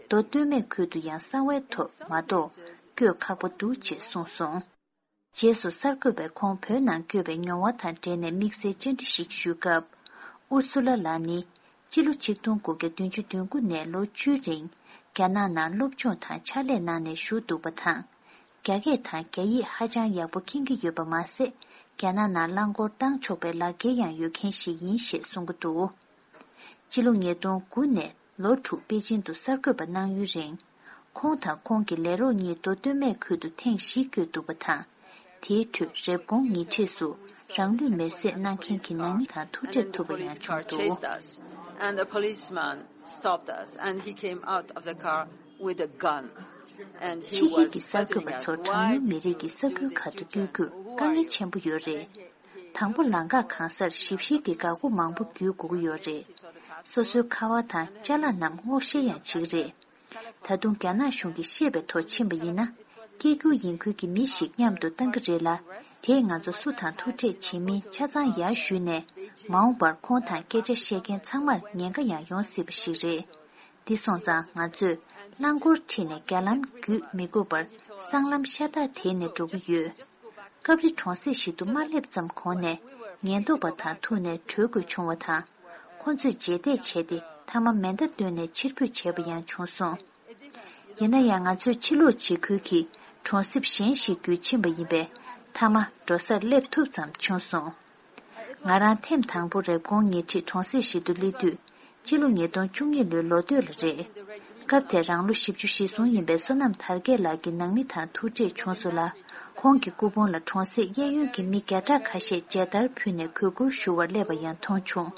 མདོ་སྟོད་སྨད་ཁུལ་དུ་ཡང་གསང་བའི་ཐོག་མ་གཏོགས་བསྐྱོད་ཁག་པོ་འདུག་ཅེས་གསུངས་སོང་། རྗེས་སུ་གསར་འགོད་པས་ཁོང་བོད་ནང་བསྐྱོད་པའི་མྱོང་བ་དང་འབྲེལ་ནས་དམིགས་བསལ་བཅར་འདྲི་ཞིག་ཞུས་སྐབས། ཨུར་སུ་ལ་ལགས་ནི། སྤྱི་ལོ་ཆིག་སྟོང་དགུ་བརྒྱ་བདུན་ཅུ་དོན་དགུ་ནས་ལོ་བཅུའི་རིང་རྒྱ་ནག་ནང་སློབ་སྦྱོང་དང་ཕྱག་ལས་གནང་ནས་བཞུགས་འདུག་པ་དང་། རྒྱ་སྐད་དང་རྒྱ་ཡིག་ཧ་ཅང་ཡག་པོ་མཁྱེན་གྱི་ཡོད་པ་མ་ཟད། རྒྱ་ནག་ནང་རླངས་འཁོར་བཏང་ཆོག་པའི་ལག་འཁྱེར་ཡང་ཡོད་མཁན་ཞིག་ཡིན་ཞེས་གསུང་གི་འདུག། སྤྱི་ལོ་ཉིས་སྟོང་དགུ་ནས་ལོ་དྲུག་པེ་ཅིན་དུ་གསར་འགོད་པ་གནང་ཡུན་རིང་། ཁོང་དང་ཁོང་གི་ལས་རོགས་གཉིས་མདོ་སྟོད་སྨད་ཁུལ་དུ་ཐེངས་བཞི་བསྐྱོད་འདུག་པ་དང་། དེའི་ཁྲོད་རེབ་གོང་ཉེ་འཁྲིས་སུ་རང་ལུས་མེར་སྲེག་གནང་མཁན་གྱི་ནང་མི་དང་ཐུག་འཕྲད་ཐུབ་པ་ཡང་བྱུང་འདུག། And the policeman stopped us and he came out of the car with a gun. And he was threatening us. ཕྱི་རྒྱལ་གྱི་གསར་འགོད་པ་ཚོར་གྲངས་ཉུང་མི་རིགས་ཀྱི་ས་ཁུལ་ཁག་ཏུ་བསྐྱོད་རྒྱུར་དཀའ་ངལ་ཆེན་པོ་ཡོད་རེད། དང་པོ་ལམ་ཁ་གང་སར་ཞིབ་བཤེར་གྱི་འགག་སྒོ་མང་པོ་བརྒྱུད་དགོས་ཀྱི་ཡོད་རེད། སོ་སོའི་ཁ་པར་དང་ཅ་ལག་རྣམས་སྔོག་བཤེར་ཡང་བྱེད་ཀྱི་རེད། ད་དུང་རྒྱ་ནག་གཞུང་གིས་བཤད་པའི་ཐོག་ཕྱིན་པ་ཡིན་ན། སྐད་སྒྱུར་ཡིན་ཁུལ་གྱི་མི་ཞིག་མཉམ་དུ་བཏང་གི་རེད་ལ། དེས་ང་ཚོ་སུ་དང་ཐུག་འཕྲད་བྱེད་མིན་ཆ་ཚང་ཡར་ཞུས་ནས། མ་འོངས་པར་ཁོང་དང་སྐད་ཆ་བཤད་མཁན་ཚང་མར་ཉེན་ཁ་ཡང་ཡོང་སྲིད་པ་ཞིག་རེད། འདི་སོང་ཙང་ང་ཚོས་རླངས་འཁོར་ཁྲིད་ནས་རྒྱ་ལམ་བརྒྱུད་མི་དགོས་པར་སྲང་ལམ་ཤ་སྟག་དེད་ནས་འགྲོ་གི་ཡོད། སྐབས་རེ་གྲོང་གསེབ་ཞིག་ཏུ་མ་སླེབས་ཙམ་གོང་ནས་ཉེན་རྟོག་པ་དང་ཐུག་ནས་གྲོལ་དགོས་བྱུང་བ་དང་། ཁོ་ཚོས་རྗེས་འདེད་བྱས་ཏེ་མཐའ་མ་མེ་མདའ་བཏོན་ནས་ཕྱིར་འབུད་བྱས་པ་ཡང་བྱུང་སོང་། ཡིན་ན་ཡང་ང་ཚོས་ཕྱིར་ལོག་བྱེད་ཁུལ་གྱིས་གྲོང་གསེབ་གཞན་ཞིག་བརྒྱུད་ཕྱིན་པ་ཡིན་པས། མཐའ་མ་འགྲོ་སར་སླེབས་ཐུབ་ཙམ་བྱུང་སོང་། ང་རང་ཐེངས་དང་པོ་རེབ་གོང་ཉེ་འཁྲིས་གྲོང་གསེབ་ཞིག་ཏུ་སླེབས་དུས། སྤྱི་ལོ་ཉིས་སྟོང་བཅུ་གཉིས་ལོའི་ལོ་སྟོད་ལ་རེད། སྐབས་དེར་རང་ལོ་བཞི་བཅུ་ཞེ་གསུམ་ཡིན་པའི་བསོད་ནམས་དར་རྒྱས་ལགས་ཀྱི་ནང་མི་དང་ཐུག་འཕྲད་བྱུང་སོང་ལ། ཁོང་གི་སྐུ་ཕུང་ལ་གྲོང་གསེབ་གཡས་གཡོན་གྱི་མི་བརྒྱ་ཕྲག་ཁ་ཤས་མཇལ་དར་ཕུལ་ནས་གུས་བཀུར་ཞུ་བར་སླེབས་པ་ཡང་མཐོང་བྱུང་།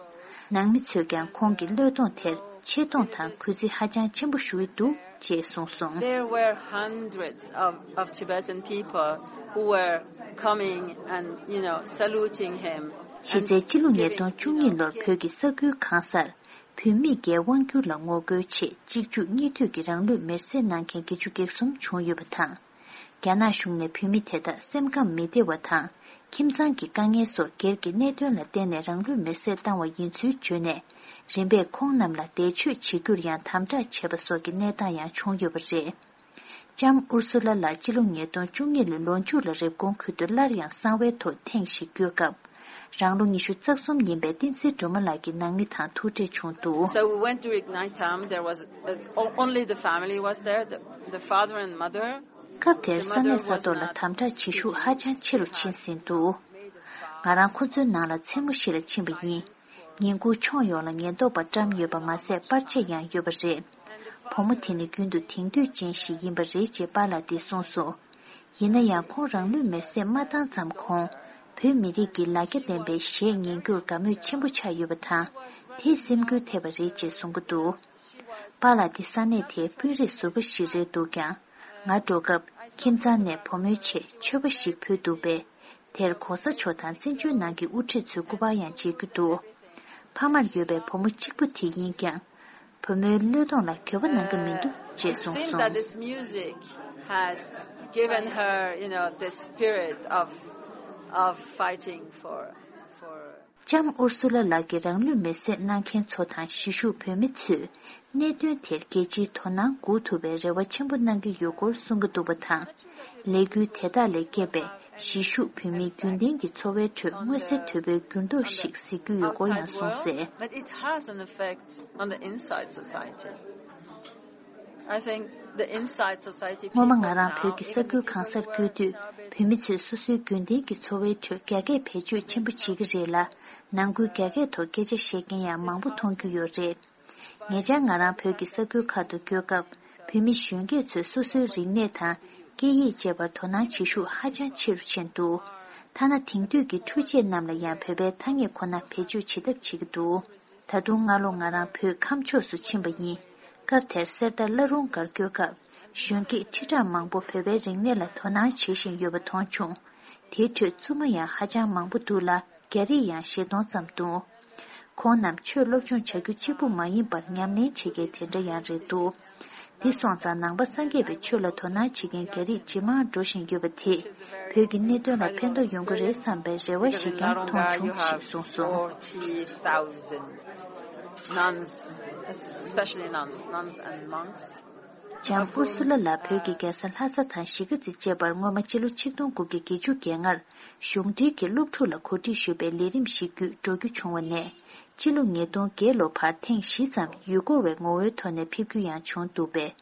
ནང་མི་ཚོས་ཀྱང་ཁོང་གི་བློས་གཏོང་དེར་ཆེ་མཐོང་དང་གུས་བརྩི་ཧ་ཅང་ཆེན་པོ་ཞུ་ཡི་འདུག་ཅེས་གསུངས་སོང་། There were hundreds of, of Tibetan people who were coming and, you know, saluting him. གཞི་རྩའི་སྤྱི་ལོ་ཉིས་སྟོང་བཅུ་གཉིས་ལོར་བོད་ཀྱི་ས་ཁུལ་གང་སར། བུད་མེད་ཀྱི་དབང་སྒྱུར་ལ་ངོ་རྒོལ་ཆེད་གཅིག་མཇུག་གཉིས་མཐུད་ཀྱིས་རང་ལུས་མེར་སྲེག་གནང་མཁན་བརྒྱད་ཅུ་གྱ་གསུམ་བྱུང་ཡོད་པ་དང་། རྒྱ་ནག་གཞུང་ནས་བུད་མེད་དེ་དག་སེམས་ཁམས་མི་བདེ་བ་དང་། ཁྱིམ་ཚང་གི་དཀའ་ངལ་སོགས་སྒེར་གྱི་གནད་དོན་ལ་བརྟེན་ནས་རང་ལུས་མེར་སྲེག་བཏང་བ་ཡིན་ཚུལ་བརྗོད་ནས། རིམ་པས་ཁོང་རྣམས་ལ་འདས་མཆོད་བྱེད་རྒྱུར་ཡང་དམ་དྲག་བྱས་པ་སོགས་ཀྱི་གནས་སྟངས་ཡང་བྱུང་ཡོད་པ་རེད། ལྕམ་ཨུར་སུ་ལ་ལགས་སྤྱི་ལོ་ཉིས་སྟོང་བཅུ་གཉིས་ལོའི་ལོ་མཇུག་ལ་རེབ་གོང་ཁུལ་དུ་སླར་ཡང་གསང་བའི་ཐོག་ཐེངས་ཤིག་བསྐྱོད་སྐབས། རང་ལོ་ཉི་ཤུ་རྩ་གསུམ་ཡིན་པའི་བསྟན་འཛིན་སྒྲོལ་མ་ལགས་ཀྱི་ནང་མི་དང་ཐུག་འཕྲད་བྱུང་འདུག། So we went during night time. There was, uh, o- only the family was there, the, the father and mother. སྐབས་དེར་ས་གནས་ས་ཐོག་ལ་དམ་དྲག་བྱེད་ཤུགས་ཧ་ཅང་ཆེ་རུ་ཕྱིན་ཟིན་འདུག། ང་རང་ཁོ་ཚོའི་ནང་ལ་མཚན་མོ་ཞིག་ལ་ཕྱིན་པ་ཡིན། ཉིན་གུང་ཕྱོགས་ཡོངས་ལ་ཉེན་རྟོག་པ་བཀྲམ་ཡོད་པ་མ་ཟད་པར་ཆས་ཡང་ཡོད་པ་རེད། བུ་མོ་དེ་ནི་རྒྱུན་དུ་དེང་དུས་ཅན་ཞིག་ཡིན་པ་རེད་ཅེས་པཱ་ལགས་འདིས་གསུངས་སོང་། ཡིན་ན་ཡང་ཁོང་རང་ལུས་མེར་སྲེག་མ་བཏང་ཙམ་གོང་། བོད་མི་རིགས་ཀྱི་ལ་རྒྱ་ལྡན་པའི་གཞས་ཉན་རྒྱུར་དགའ་མོས་ཆེན་པོ་ཆགས་ཡོད་པ་དང་། དེས་སེམས་འགུལ་ཐེབས་པ་རེད་ཅེས་གསུང་གི་འདུག། པཱ་ལགས་འདི་ས་གནས་དེའི་དཔོན་རིགས་ཟུར་པ་ཞིག་རེད་འདུག་ཀྱང་། ང་འགྲོ་སྐབས་ཁྱིམ་ཚང་ནས་བུ་མོའི་ཆེད་མཆོད་པ་ཞིག་ཕུལ་འདུག་པས། དེར་གོང་ས་མཆོག་དང་བཙན་བྱོལ་ནང་གི་དབུ་ཁྲིད་ཚོའི་སྐུ་པར་ཡང་མཇལ་རྒྱུ་འདུག། ཕ་མར་ཡོད་པའི་བུ་མོ་གཅིག་པུ་དེ་ཡིན་ཀྱང་། བུ་མོའི་བློས་གཏོང་ལ་འགྱོད་པ་གནང་གི་མི་འདུག་ཅེས་གསུངས་Seeing that སོང་། This music has given her, you know, the spirit of, of fighting for, for ལྕམ་ཨུར་སུ་ལ་ལགས་ཀྱིས་རང་ལུས་མེར་སྲེག་གནང་མཁན་ཚོ་དང་གཞིས་བཞུགས་བོད་མི་ཚོས་གནད་དོན་དེར་རྒྱལ་སྤྱིའི་དོ་སྣང་འགུག་ཐུབ་པའི་རེ་བ་ཆེན་པོ་གནང་གི་ཡོད་སྐོར་གསུང་གི་འདུག་པ་དང་། ལས་འགུལ་དེ་དག་ལས་བསྐྱེད་པའི་གཞིས་བཞུགས་བོད་མིའི་རྒྱུན་ལྡན་གྱི་འཚོ་བའི་ཁྲོད་མངོན་གསལ་དོད་པོའི་འགྱུར་ལྡོག་ཞིག་གཟིགས་རྒྱུ་ཡོད་སྐོར་ཡང་གསུངས་གསལ། But it has an effect on the inside society. I think the inside society people now, even if སྔོན་མ་ང་རང་བོད་ཀྱི་ས་ཁུལ་གང་སར་བསྐྱོད་དུས། བོད་མི་ཚོས་སོ་སོའི་རྒྱུན་ལྡན་གྱི་འཚོ་བའི་ཁྲོད་རྒྱ་སྐད་བེད་སྤྱོད་ཆེན་པོ་བྱེད་ཀྱི་རེད་ལ། ནང་ཁུལ་རྒྱ་སྐད་ཐོག་སྐད་ཆ་བཤད་མཁན་ཡང་མང་པོ་མཐོང་རྒྱུ་ཡོད་རེད། ཉེ་ཆར་ང་རང་བོད་ཀྱི་ས་ཁུལ་ཁག་ཏུ་བསྐྱོད་སྐབས། བོད་མི་གཞོན་སྐྱེས་ཚོས་སོ་སོའི་རིག་གནས་དང་སྐད་ཡིག་བཅས་པར་དོ་སྣང་བྱེད་ཤུགས་ཧ་ཅང་ཆེ་རུ་ཕྱིན་འདུག། ཐ་ན་དེང་དུས་ཀྱི་འཕྲུལ་ཆས་རྣམས་ལ་ཡང་བོད་པའི་ཐ་སྙད་ཁོ་ན་བེད་སྤྱོད་བྱེད་ཐབས་བྱེད་ཀྱི་འདུག། ད་དུང་སྔ་ལོ་ང་རང་བོད་ཁམས་ཕྱོགས་སུ་ཕྱིན་པ་ཡིན། སྐབས་དེར་གསེར་རྟ་བླ་རུང་སྒར་བསྐྱོད་སྐབས། གཞོན་སྐྱེས་ཁྲི་ཕྲག་མང་པོ་བོད་པའི་རིག་གནས་ལ་དོ་སྣང་བྱེད་བཞིན་ཡོད་པ་མཐོང་བྱུང་། དེའི་ཁྲོད་བཙུན་མ་ཡང་ཧ་ཅང་མང་པོ་འདུག་ལ། རྒྱ་རིགས་ཡང་བཞི་སྟོང་ཙམ་འདུག། ཁོང་རྣམས་ཆོས་སློབ་སྦྱོང་བྱ་རྒྱུ་གཅིག་པུ་མ་ཡིན་པར་ཉམས་ལེན་བྱེད་མཁན་དེ་འདྲ་ཡང་རེད་འདུག། འདི་སོང་ཙང་ནང་པ་སངས་རྒྱས་པའི་ཆོས་ལ་དོ་སྣང་བྱེད་མཁན་རྒྱ་རིགས་ཇེ་མང་འགྲོ་བཞིན་ཡོད་པ་དེས་བོད་ ཀྱི་གནད་དོན་ལ་ཕན་ཐོགས་ཡོང་གི་རེད་བསམ་པའི་རེ་བ་ཞིག་ཀྱང་མཐོང་བྱུང་ཞེས་གསུངས་སོང་། Nuns, especially nuns, nuns and monks. ལྕམ་ཨུར་སུ་ལ་ལགས་བོད་ཀྱི་རྒྱལ་ས་ལྷ་ས་དང་གཞིས་ཀ་རྩེ་བཅས་པར་སྔོན་མ་སྤྱི་ལོ་ཆིག་སྟོང་དགུ་བརྒྱ་བརྒྱད་ཅུ་གྱ་ལྔར་གཞུང་འབྲེལ་གྱི་སློབ་ཕྲུག་ལ་གོ་སྒྲིག་ཞུས་པའི་ལས་རིམ་ཞིག་བརྒྱུད་འགྲོ་རྒྱུ་བྱུང་བ་ནས། སྤྱི་ལོ་ཉིས་སྟོང་བརྒྱད་ལོ་བར་ཐེངས་བཞི་ཙམ་ཡུལ་སྐོར་བའི་ངོ་བོའི་ཐོག་ནས་ཕེབས་རྒྱུ་ཡང་བྱུང་འདུག་པས།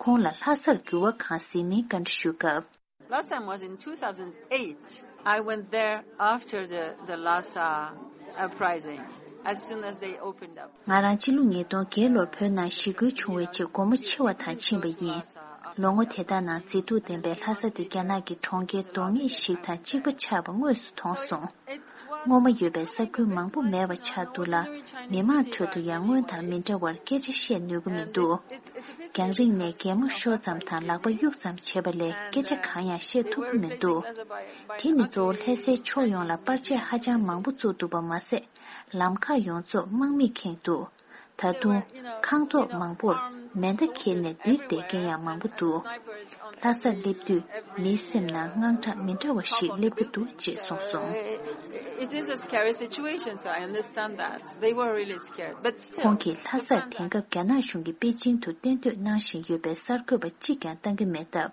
ཁོང་ལ་ལྷ་སར་འགྱུར་བ་གང་གཟིགས་མིན་བཀའ་འདྲི་ཞུས་སྐབས། Last time was in two thousand eight. I went there after the, the Lhasa uprising, as soon as they opened up. ང་རང་སྤྱི་ལོ་ཉིས་སྟོང་བརྒྱད་ལོར་བོད་ནང་ཞི་རྒོལ་བྱུང་བའི་རྗེས་སྒོ་མོ་ཕྱེ་བ་དང་ཕྱིན་པ་ཡིན། ལོ་ངོ་དེ་དག་ནང་མཛེས་སྡུག་ལྡན་པའི་ལྷ་ས་དེ་རྒྱ་ནག་གི་གྲོང་ཁྱེར་གདོང་ངེས་ཤིག་དང་གཅིག་པ་ཆགས་པ་དངོས་སུ་མཐོང་སོང་། སྔོན་མ་ཡོད་པའི་ས་ཁུལ་མང་པོ་མེད་པ་ཆགས་འདུག་ལ། མི་མང་ཁྲོད་དུ་ཡང་སྔོན་དང་མི་འདྲ་བར་སྐད་ཆ་བཤད་ནུས་ཀྱི་མི་འདུག་རྒྱང་རིང་ནས་གད་མོ་ཤོར་ཙམ་དང་ལག་པ་གཡུག་ཙམ་བྱེད་པ་ལས་སྐད་ཆ་གང་ཡང་བཤད་ཐུབ་ཀྱི་མི་འདུག་དེ་ནི་གཙོ་བོ་ལྷ་སའི་ཕྱོགས་ཡོངས་ལ་པར་ཆས་ཧ་ཅང་མང་པོ་བཙུགས་འདུག་པ་མ་ཟད། ལམ་ཁ་ཡོངས་རྫོགས་དམག་མིས་ཁེངས་འདུག་ད་དུང་ཁང་ཐོག་མང་པོར་མེ་མདའ་འཁྱེར་ནས་ལྡིར་བསྡད་མཁན་ཡང་མང་པོ་འདུག་ལྷ་སར་སླེབས་དུས་མིའི་སེམས་ནང་དངངས་སྐྲག་མི་འདྲ་བ་ཞིག་སླེབས་ཀྱི་འདུག་ཅེས་གསུངས་སོང་། It is a scary situation, so I understand that. They were really scared. But still, ཁོང་གིས་ལྷ་སར་དེང་སྐབས་རྒྱ་ནག་གཞུང་གིས་པེ་ཅིང་དུ་གཏན་སྡོད་གནང་བཞིན་ཡོད་པའི་གསར་འགོད་པ་གཅིག་ཀྱང་བཏང་གི་མེད་སྟབས།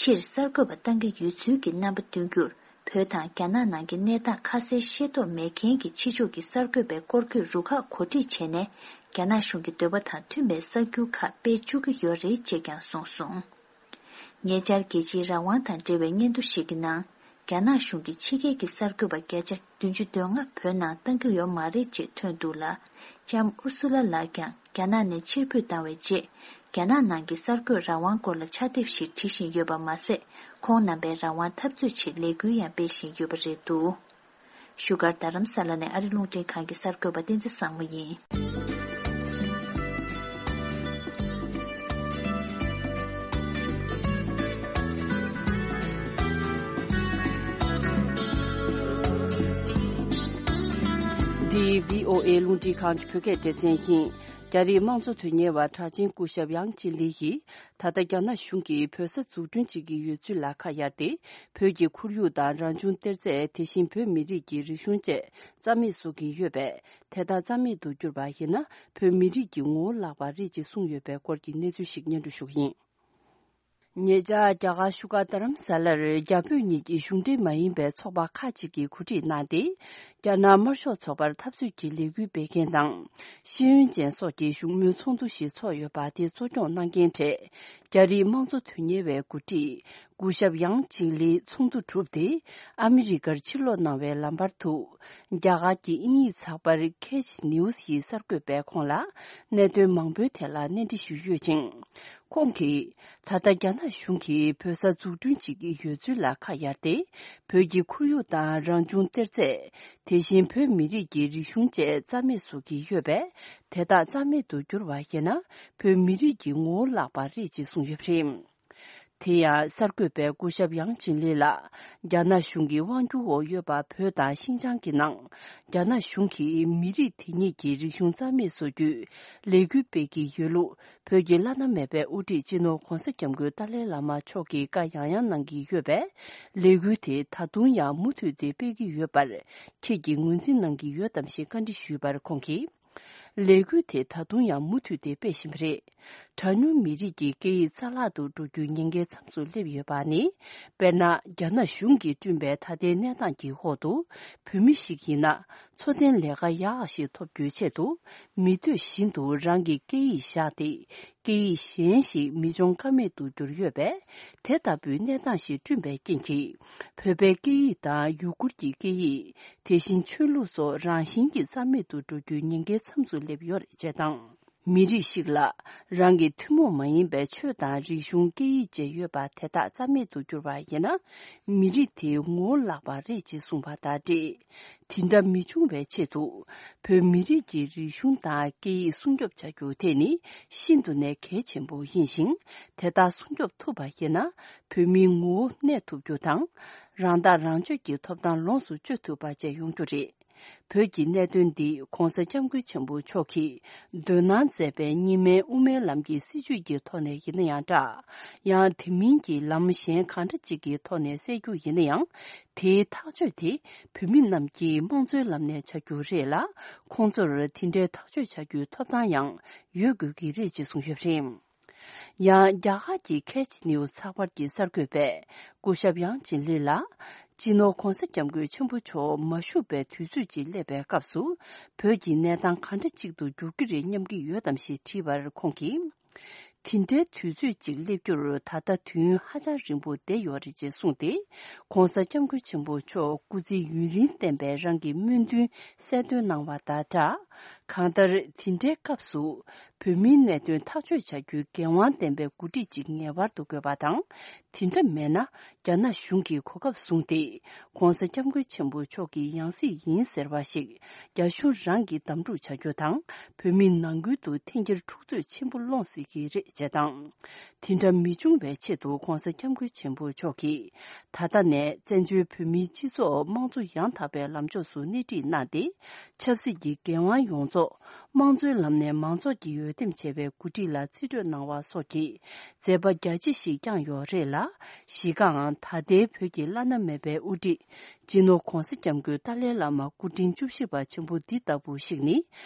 ཕྱིར་གསར་འགོད་པ་བཏང་གི་ཡོད་ཚུལ་གྱི་རྣམ་པ་སྟོན་རྒྱུར། བོད་དང་རྒྱ་ནག་ནང་གི་གནས་སྟངས་ཁ་གསལ་ཤེས་རྟོགས་མེད་མཁན་གྱི་ཕྱི་ཕྱོགས་ཀྱི་གསར་འགོད་པའི་སྐོར་སྐྱོད་རུ་ཁག་གོ་སྒྲིག་བྱས་ནས། རྒྱ་ནག་གཞུང་གི་འདོད་པ་དང་མཐུན་པའི་གསར་འགྱུར་ཁག་སྤེལ་བཅུག་གི་ཡོད་རེད་ཅེས་ཀྱང་གསུངས་སོང་། ཉེ་ཆར་རྒྱལ་སྤྱིའི་རང་དབང་དང་འབྲེལ་བའི་སྙན་ཐོ་ཞིག་གི་ནང་། རྒྱ་ནག་གཞུང་གིས་ཕྱི་རྒྱལ་གྱི་གསར་འགོད་པ་བརྒྱ་ཆ་བདུན་ཅུ་དོན་ལྔ་བོད་ནང་བཏང་གི་ཡོད་མ་རེད་ཅེས་ཐོན་འདུག་ལ། ལྕམ་ཨུར་སུ་ལ་ལགས་ཀྱང་རྒྱ་ནག་ནས་ཕྱིར་འབུད་བཏང་བའི་རྗེས། རྒྱ་ནག་ནང་གི་གསར་འགོད་རང་དབང་སྐོར་ལ་ཕྱག་དེབ་ཞིག་བྲིས་བཞིན་ཡོད་པ་མ་ཟད། ཁོང་རྣམ་པའི་རང་དབང་འཐབ་རྩོད་ཆེད་ལས་འགུལ་ཡང་སྤེལ་བཞིན་ཡོད་པ་རེད་འདུག་བཞུགས་སྒར་རྡ་རམ་ས་ལ་ནས་ཨ་རི་རླུང་འཕྲིན་ཁང་གི་གསར་འགོད་པ་བསྟན་འཛིན་བཟང་མོ་ཡིན། འདི་བྷི་ཨོ་ཨེ་རླུང་འཕྲིན་ཁང་གི་བོད་སྐད་སྡེ་ཚན་ཡིན། རྒྱ་རིགས་དམངས་གཙོ་དོན་གཉེར་བ་གྲགས་ཅན་སྐུ་ཞབས་ཡང་ཅིན་ལི་ཡིས། ད་ལྟ་རྒྱ་ནག་གཞུང་གིས་བོད་ས་འཛུགས་སྐྲུན་བྱེད་ཀྱི་ཡོད་ཚུལ་ལ་ཁ་གཡར་ཏེ། བོད་ཀྱི་ཁོར་ཡུག་དང་རང་བྱུང་གཏེར་རྫས། དེ་བཞིན་བོད་མི་རིགས་ཀྱི་རིག་གཞུང་བཅས་རྩ་མེད་བཟོ་གི་ཡོད་པས། དེ་ལྟར་རྩ་མེད་དུ་གྱུར་པ་ཡིན་ན། བོད་མི་རིགས་ཀྱི་ངོ་བོ་བརླག་པ་རེད་ཅེས་གསུངས་ཡོད་པའི་སྐོར་གྱི་གནས་ཚུལ་ཞིག་སྙན་སྒྲོན་ཞུ་གི་ཡིན། ཉེ་ཆར་རྒྱ་གར་བཞུགས་སྒར་རྡ་རམ་ས་ལར་རྒྱ་བོད་གཉིས་ཀྱི་གཞུང་འབྲེལ་མ་ཡིན་པའི་ཚོགས་པ་ཁག་ཅིག་གིས་གོ་སྒྲིག་གནང་སྟེ། རྒྱ་ནག་དམར་ཤོག་ཚོགས་པར་འཐབ་རྩོད་ཀྱི་ལས་འགུལ་སྤེལ་མཁན་དང་། ཤེས་ཡོན་ཅན་སོགས་ཀྱི་བཞུགས་མོལ་ཚོགས་འདུ་ཞིག་ཚོགས་ཡོད་པ་དེ་གཙོ་སྐྱོང་གནང་མཁན་གྲས། རྒྱ་རིགས་དམངས་གཙོ་དོན་གཉེར་བའི་འགོ་ཁྲིད། སྐུ་ཞབས་ཡང་ཅིང་ལི་ཚོགས་འདུ་གྲུབ་སྟེ། ཨ་མི་རི་ཀར་ཕྱིར་ལོག་གནང་བའི་ལམ་བར་དུ། རྒྱ་གར་གྱི་དབྱིན་ཡིག་ཚགས་པར་ཁེ་ཆི་ནིའུ་སི་ཡི་གསར་འགོད་པས་ཁོང་ལ་གནད་དོན་མང་པོའི་ཐད་ལ་གནས་འདྲི་ཞུས་ཡོད་ཅིང་། ཁོང་གིས། ད་ལྟ་རྒྱ་ནག་གཞུང་གིས་བོད་ས་འཛུགས་སྐྲུན་བྱེད་ཀྱི་ཡོད་ཚུལ་ལ་ཁ་གཡར་ཏེ། བོད་ཀྱི་ཁོར་ཡུག་དང་རང་བྱུང་གཏེར་རྫས། དེ་བཞིན་བོད་མི་རིགས་ཀྱི་རིག་གཞུང་བཅས་རྩ་མེད་བཟོ་གི་ཡོད་པས། དེ་དག་རྩ་མེད་དུ་གྱུར་བ་ཡིན་ན། བོད་མི་རིགས་ཀྱི་ངོ་བོ་བརླག་པ་རེད་ཅེས་གསུངས་ཡོད་པ་རེད། དེ་ཡང་གསར་འགོད་པས་སྐུ་ཞབས་ཡང་ཅིན་ལི་ལ། རྒྱ་ནག་གཞུང་གི་དབང་སྒྱུར་འོག་ཡོད་པ་བོད་དང་ཤིན་ཅང་གི་ནང་། རྒྱ་ནག་གཞུང་གིས་མི་རིགས་དེ་ཉིད་ཀྱི་རིག་གཞུང་རྩ་མེད་བཟོ་རྒྱུའི་ལས་འགུལ་སྤེལ་གྱི་ཡོད་ལུགས། བོད་ཀྱི་བླ་ན་མེད་པའི་དབུ་ཁྲིད་སྤྱི་ནོར་༧གོང་ས་༧སྐྱབས་མགོན་ཏཱ་ལའི་བླ་མ་མཆོག་གིས་བཀའ་ཡང་ཡང་གནང་གི་ཡོད་པས། ལས་འགུལ་དེ་ད་དུང་ཡང་མུ་མཐུད་དེ་སྤེལ་གྱི་ཡོད་པར། ཁྱེད་ཀྱིས་ངོས་འཛིན་གནང་གི་ཡོད་དམ་ཞེས་བཀའ་འདྲི་ཞུས་པར་ཁོང་གིས། ལས་འགུལ་དེ་ད་དུང་ཡང་མུ་མཐུད་དེ་སྤེལ་བཞིན་པ་རེད། གྲངས་ཉུང་མི་རིགས་ཀྱི་སྐད་ཡིག་རྩ་བརླག་ཏུ་འགྲོ་རྒྱུའི་ཉེན་ཁའི་མཚམས་སུ་སླེབས་ཡོད་པ་ནི། དཔེར་ན། རྒྱ་ནག་གཞུང་གིས་བསྐྲུན་པའི་ད་ལྟའི་གནས་སྟངས་ཀྱི་འོག་ཏུ། བོད་མི་ཞིག་ཡིན་ན། འཚོ་རྟེན་ལས་ཀ་ཡག་ཞིག་ཐོབ་རྒྱུའི་ཆེད་དུ། མི་འདོད་བཞིན་དུ་རང་གི་སྐད་ཡིག་བཞག་སྟེ། སྐད་ཡིག་གཞན་ཞིག་མི་སྦྱོང་ཀ་མེད་དུ་གྱུར་ཡོད་པས། དེ་ལྟ་བུའི་གནས་སྟངས་ཤིག་བསྐྲུན་པའི་རྐྱེན་གྱིས། བོད་པའི་སྐད་ཡིག་དང་ཡུ་གུར་གྱི་སྐད་ཡིག་དེ་བཞིན་ཆོས་ལུགས་སོགས་རང་བཞིན་གྱིས་རྩ་མེད་དུ་འགྲོ་རྒྱུའི་ཉེན་ཁའི་མཚམས་སུ་སླེབས་ཡོད་རེད་ཅེས་དང་། མི་རིགས་ཤིག་ལ་རང་གི་ཐུན་མོང་མ་ཡིན་པའི་ཆོས་དང་རིག་གཞུང་སྐད་ཡིག་བཅས་ཡོད་པ་དེ་དག་རྩ་མེད་དུ་གྱུར་བ་ཡིན་ན། མི་རིགས་དེའི་ངོ་བོ་བརླག་པ་རེད་ཅེས་གསུངས་པ་དང་འབྲེལ། དེ་འདྲ་མི་འབྱུང་བའི་ཆེད་དུ། བོད་མི་རིགས་ཀྱི་རིག་གཞུང་དང་སྐད་ཡིག་སྲུང་སྐྱོབ་བྱ་རྒྱུ་དེ་ནི་ཤིན་ཏུ་ནས་གལ་ཆེན་པོ་ཡིན་ཞིང་། དེ་དག་སྲུང་སྐྱོབ་ཐུབ་པ་ཡིན་ན། བོད་མིའི་ངོ་བོ་གནས་ཐུབ་རྒྱུ་དང་། རང་ཐག་རང་གཅོད་ཀྱི་ཐོབ་ཐང་ལོངས་སུ་སྤྱོད་ཐུབ་པ་བཅས་ཡོང་རྒྱུ་རེད། བོད་ཀྱི་གནད་དོན་འདི་༸གོང་ས་༸སྐྱབས་མགོན་ཆེན་པོ་མཆོག་གིས་འདོད་སྣང་མཛད་པའི་གཉིས་སྨན་དབུ་མའི་ལམ་གྱི་སྲིད་བྱུས་ཀྱི་ཐོག་ནས་ཡིན་ན་ཡང་འདྲ། ཡང་དེ་མིན་གྱི་ལམ་གཞན་གང་འདྲ་ཅིག་གི་ཐོག་ནས་སེལ་རྒྱུ་ཡིན་ན་ཡང་། དེའི་ཐག་གཅོད་དེ་བོད་མི་རྣམས་ཀྱིས་དམངས་གཙོའི་ལམ་ནས་བྱ་རྒྱུ་རེད་ལ། ཁོང་ཚོར་དེ་འདྲའི་ཐག་གཅོད་བྱ་རྒྱུའི་ཐོབ་ཐང་ཡང་ཡོད་དགོས་ཀྱི་རེད་ཅེས་གསུངས་ཡོད་པ་རེད། ཡང་རྒྱ་གར་གྱི་ཁེ་ཆི་ནིའུ་ཚགས་པར་གྱི་གསར་འགོད་པས་སྐུ་ཞབས་ཡང་ཅིན་ལི་ལ། སྤྱི་ནོར་༸གོང་ས་༸སྐྱབས་མགོན་ཆེན་པོ་མཆོག་མ་བཞུགས་པའི་དུས་ཚོད་ཅིག་སླེབས་པའི་སྐབས་སུ། བོད་ཀྱི་གནས་སྟངས་ག་འདྲ་ཅིག་ཏུ་འགྱུར་གྱི་རེད་སྙམ་གྱི་ཡོད་དམ་ཞེས་དྲིས་པར་ཁོང་གིས། དེ་འདྲའི་དུས་ཚོད་ཅིག་སླེབས་རྒྱུར་ད་ལྟ་དུས་ཡུན་ཧ་ཅང་རིང་པོ་བསྡད་ཡོད་རེད་ཅེས་གསུངས་ཏེ། ༸གོང་ས་༸སྐྱབས་མགོན་ཆེན་པོ་མཆོག་སྐུ་ཚེ་ཡུན་རིང་བརྟན་པའི་རང་གི་སྨོན་འདུན་གསལ་སྟོན་གནང་བ་དང་སྦྲགས། གང་ལྟར་དེ་འདྲའི་སྐབས་སུ། བོད་མིའི་གནད་དོན་ཐག་གཅོད་བྱ་རྒྱུའི་འགན་དབང་ལྡན་པའི་འགོ་ཁྲིད་ཅིག་ངེས་པར་དུ་དགོས་པ་དང་། དེ་འདྲ་མེད་ན། རྒྱ་ནག་གཞུང་གིས་གོ་སྐབས་བཟུང་སྟེ། ༸གོང་ས་༸སྐྱབས་མགོན་ཆེན་པོ་མཆོག་གི་ཡང་སྲིད་ཡིན་ཟེར་བ་ཞིག་རྒྱ་གཞུང་རང་གིས་གདམ་འཁྲུག་བྱ་རྒྱུ་དང་། བོད་མི་ནང་ཁུལ་དུ་འཐེན་འཁྱེར་འཁྲུག་རྩོད་ཆེན་པོ་སློང་སྲིད་ཀྱི་རེད་ཅེས་དང་། དེ་འདྲ་མི་འབྱུང་བའི་ཆེད་དུ་༸གོང་ས་༸སྐྱབས་མགོན་ཆེན་པོ་མཆོག་གིས། ད་ལྟ་ནས་བཙན་བྱོལ་བོད་མིའི་སྤྱི་ཚོགས་དམངས་གཙོ་ཡང་དག་པའི་ལམ་ཕྱོགས་སུ་སྣེ་ཁྲིད་གནང་སྟེ། ཆབ་སྲིད་ཀྱི་འགན་དབང་ཡོངས་རྫོགས་དམངས་གཙོའི་ལམ་ནས་མང་ཚོགས་ཀྱིས་འོས་འདེམས་བྱས་པའི་འགོ་ཁྲིད་ལ་རྩིས་སྤྲོད་གནང་བ་སོགས་ཀྱི་མཛད་པ་རྒྱ་ཆེ་ཞིག་བསྐྱངས་ཡོད་རེད་ལ། གཞི་རྐང་ད་ལྟའི་བོད་ཀྱི་བླ་ན་མེད་པའི་དབུ་ཁྲིད་སྤྱི་ནོར་༸གོང་ས་༸སྐྱབས་མགོན་ཏཱ་ལའི་བླ་མ་སྐུ་ཕྲེང་བཅུ་བཞི་པ་ཆེན་པོ་འདི་ལྟ་བུ་ཞིག་ནི།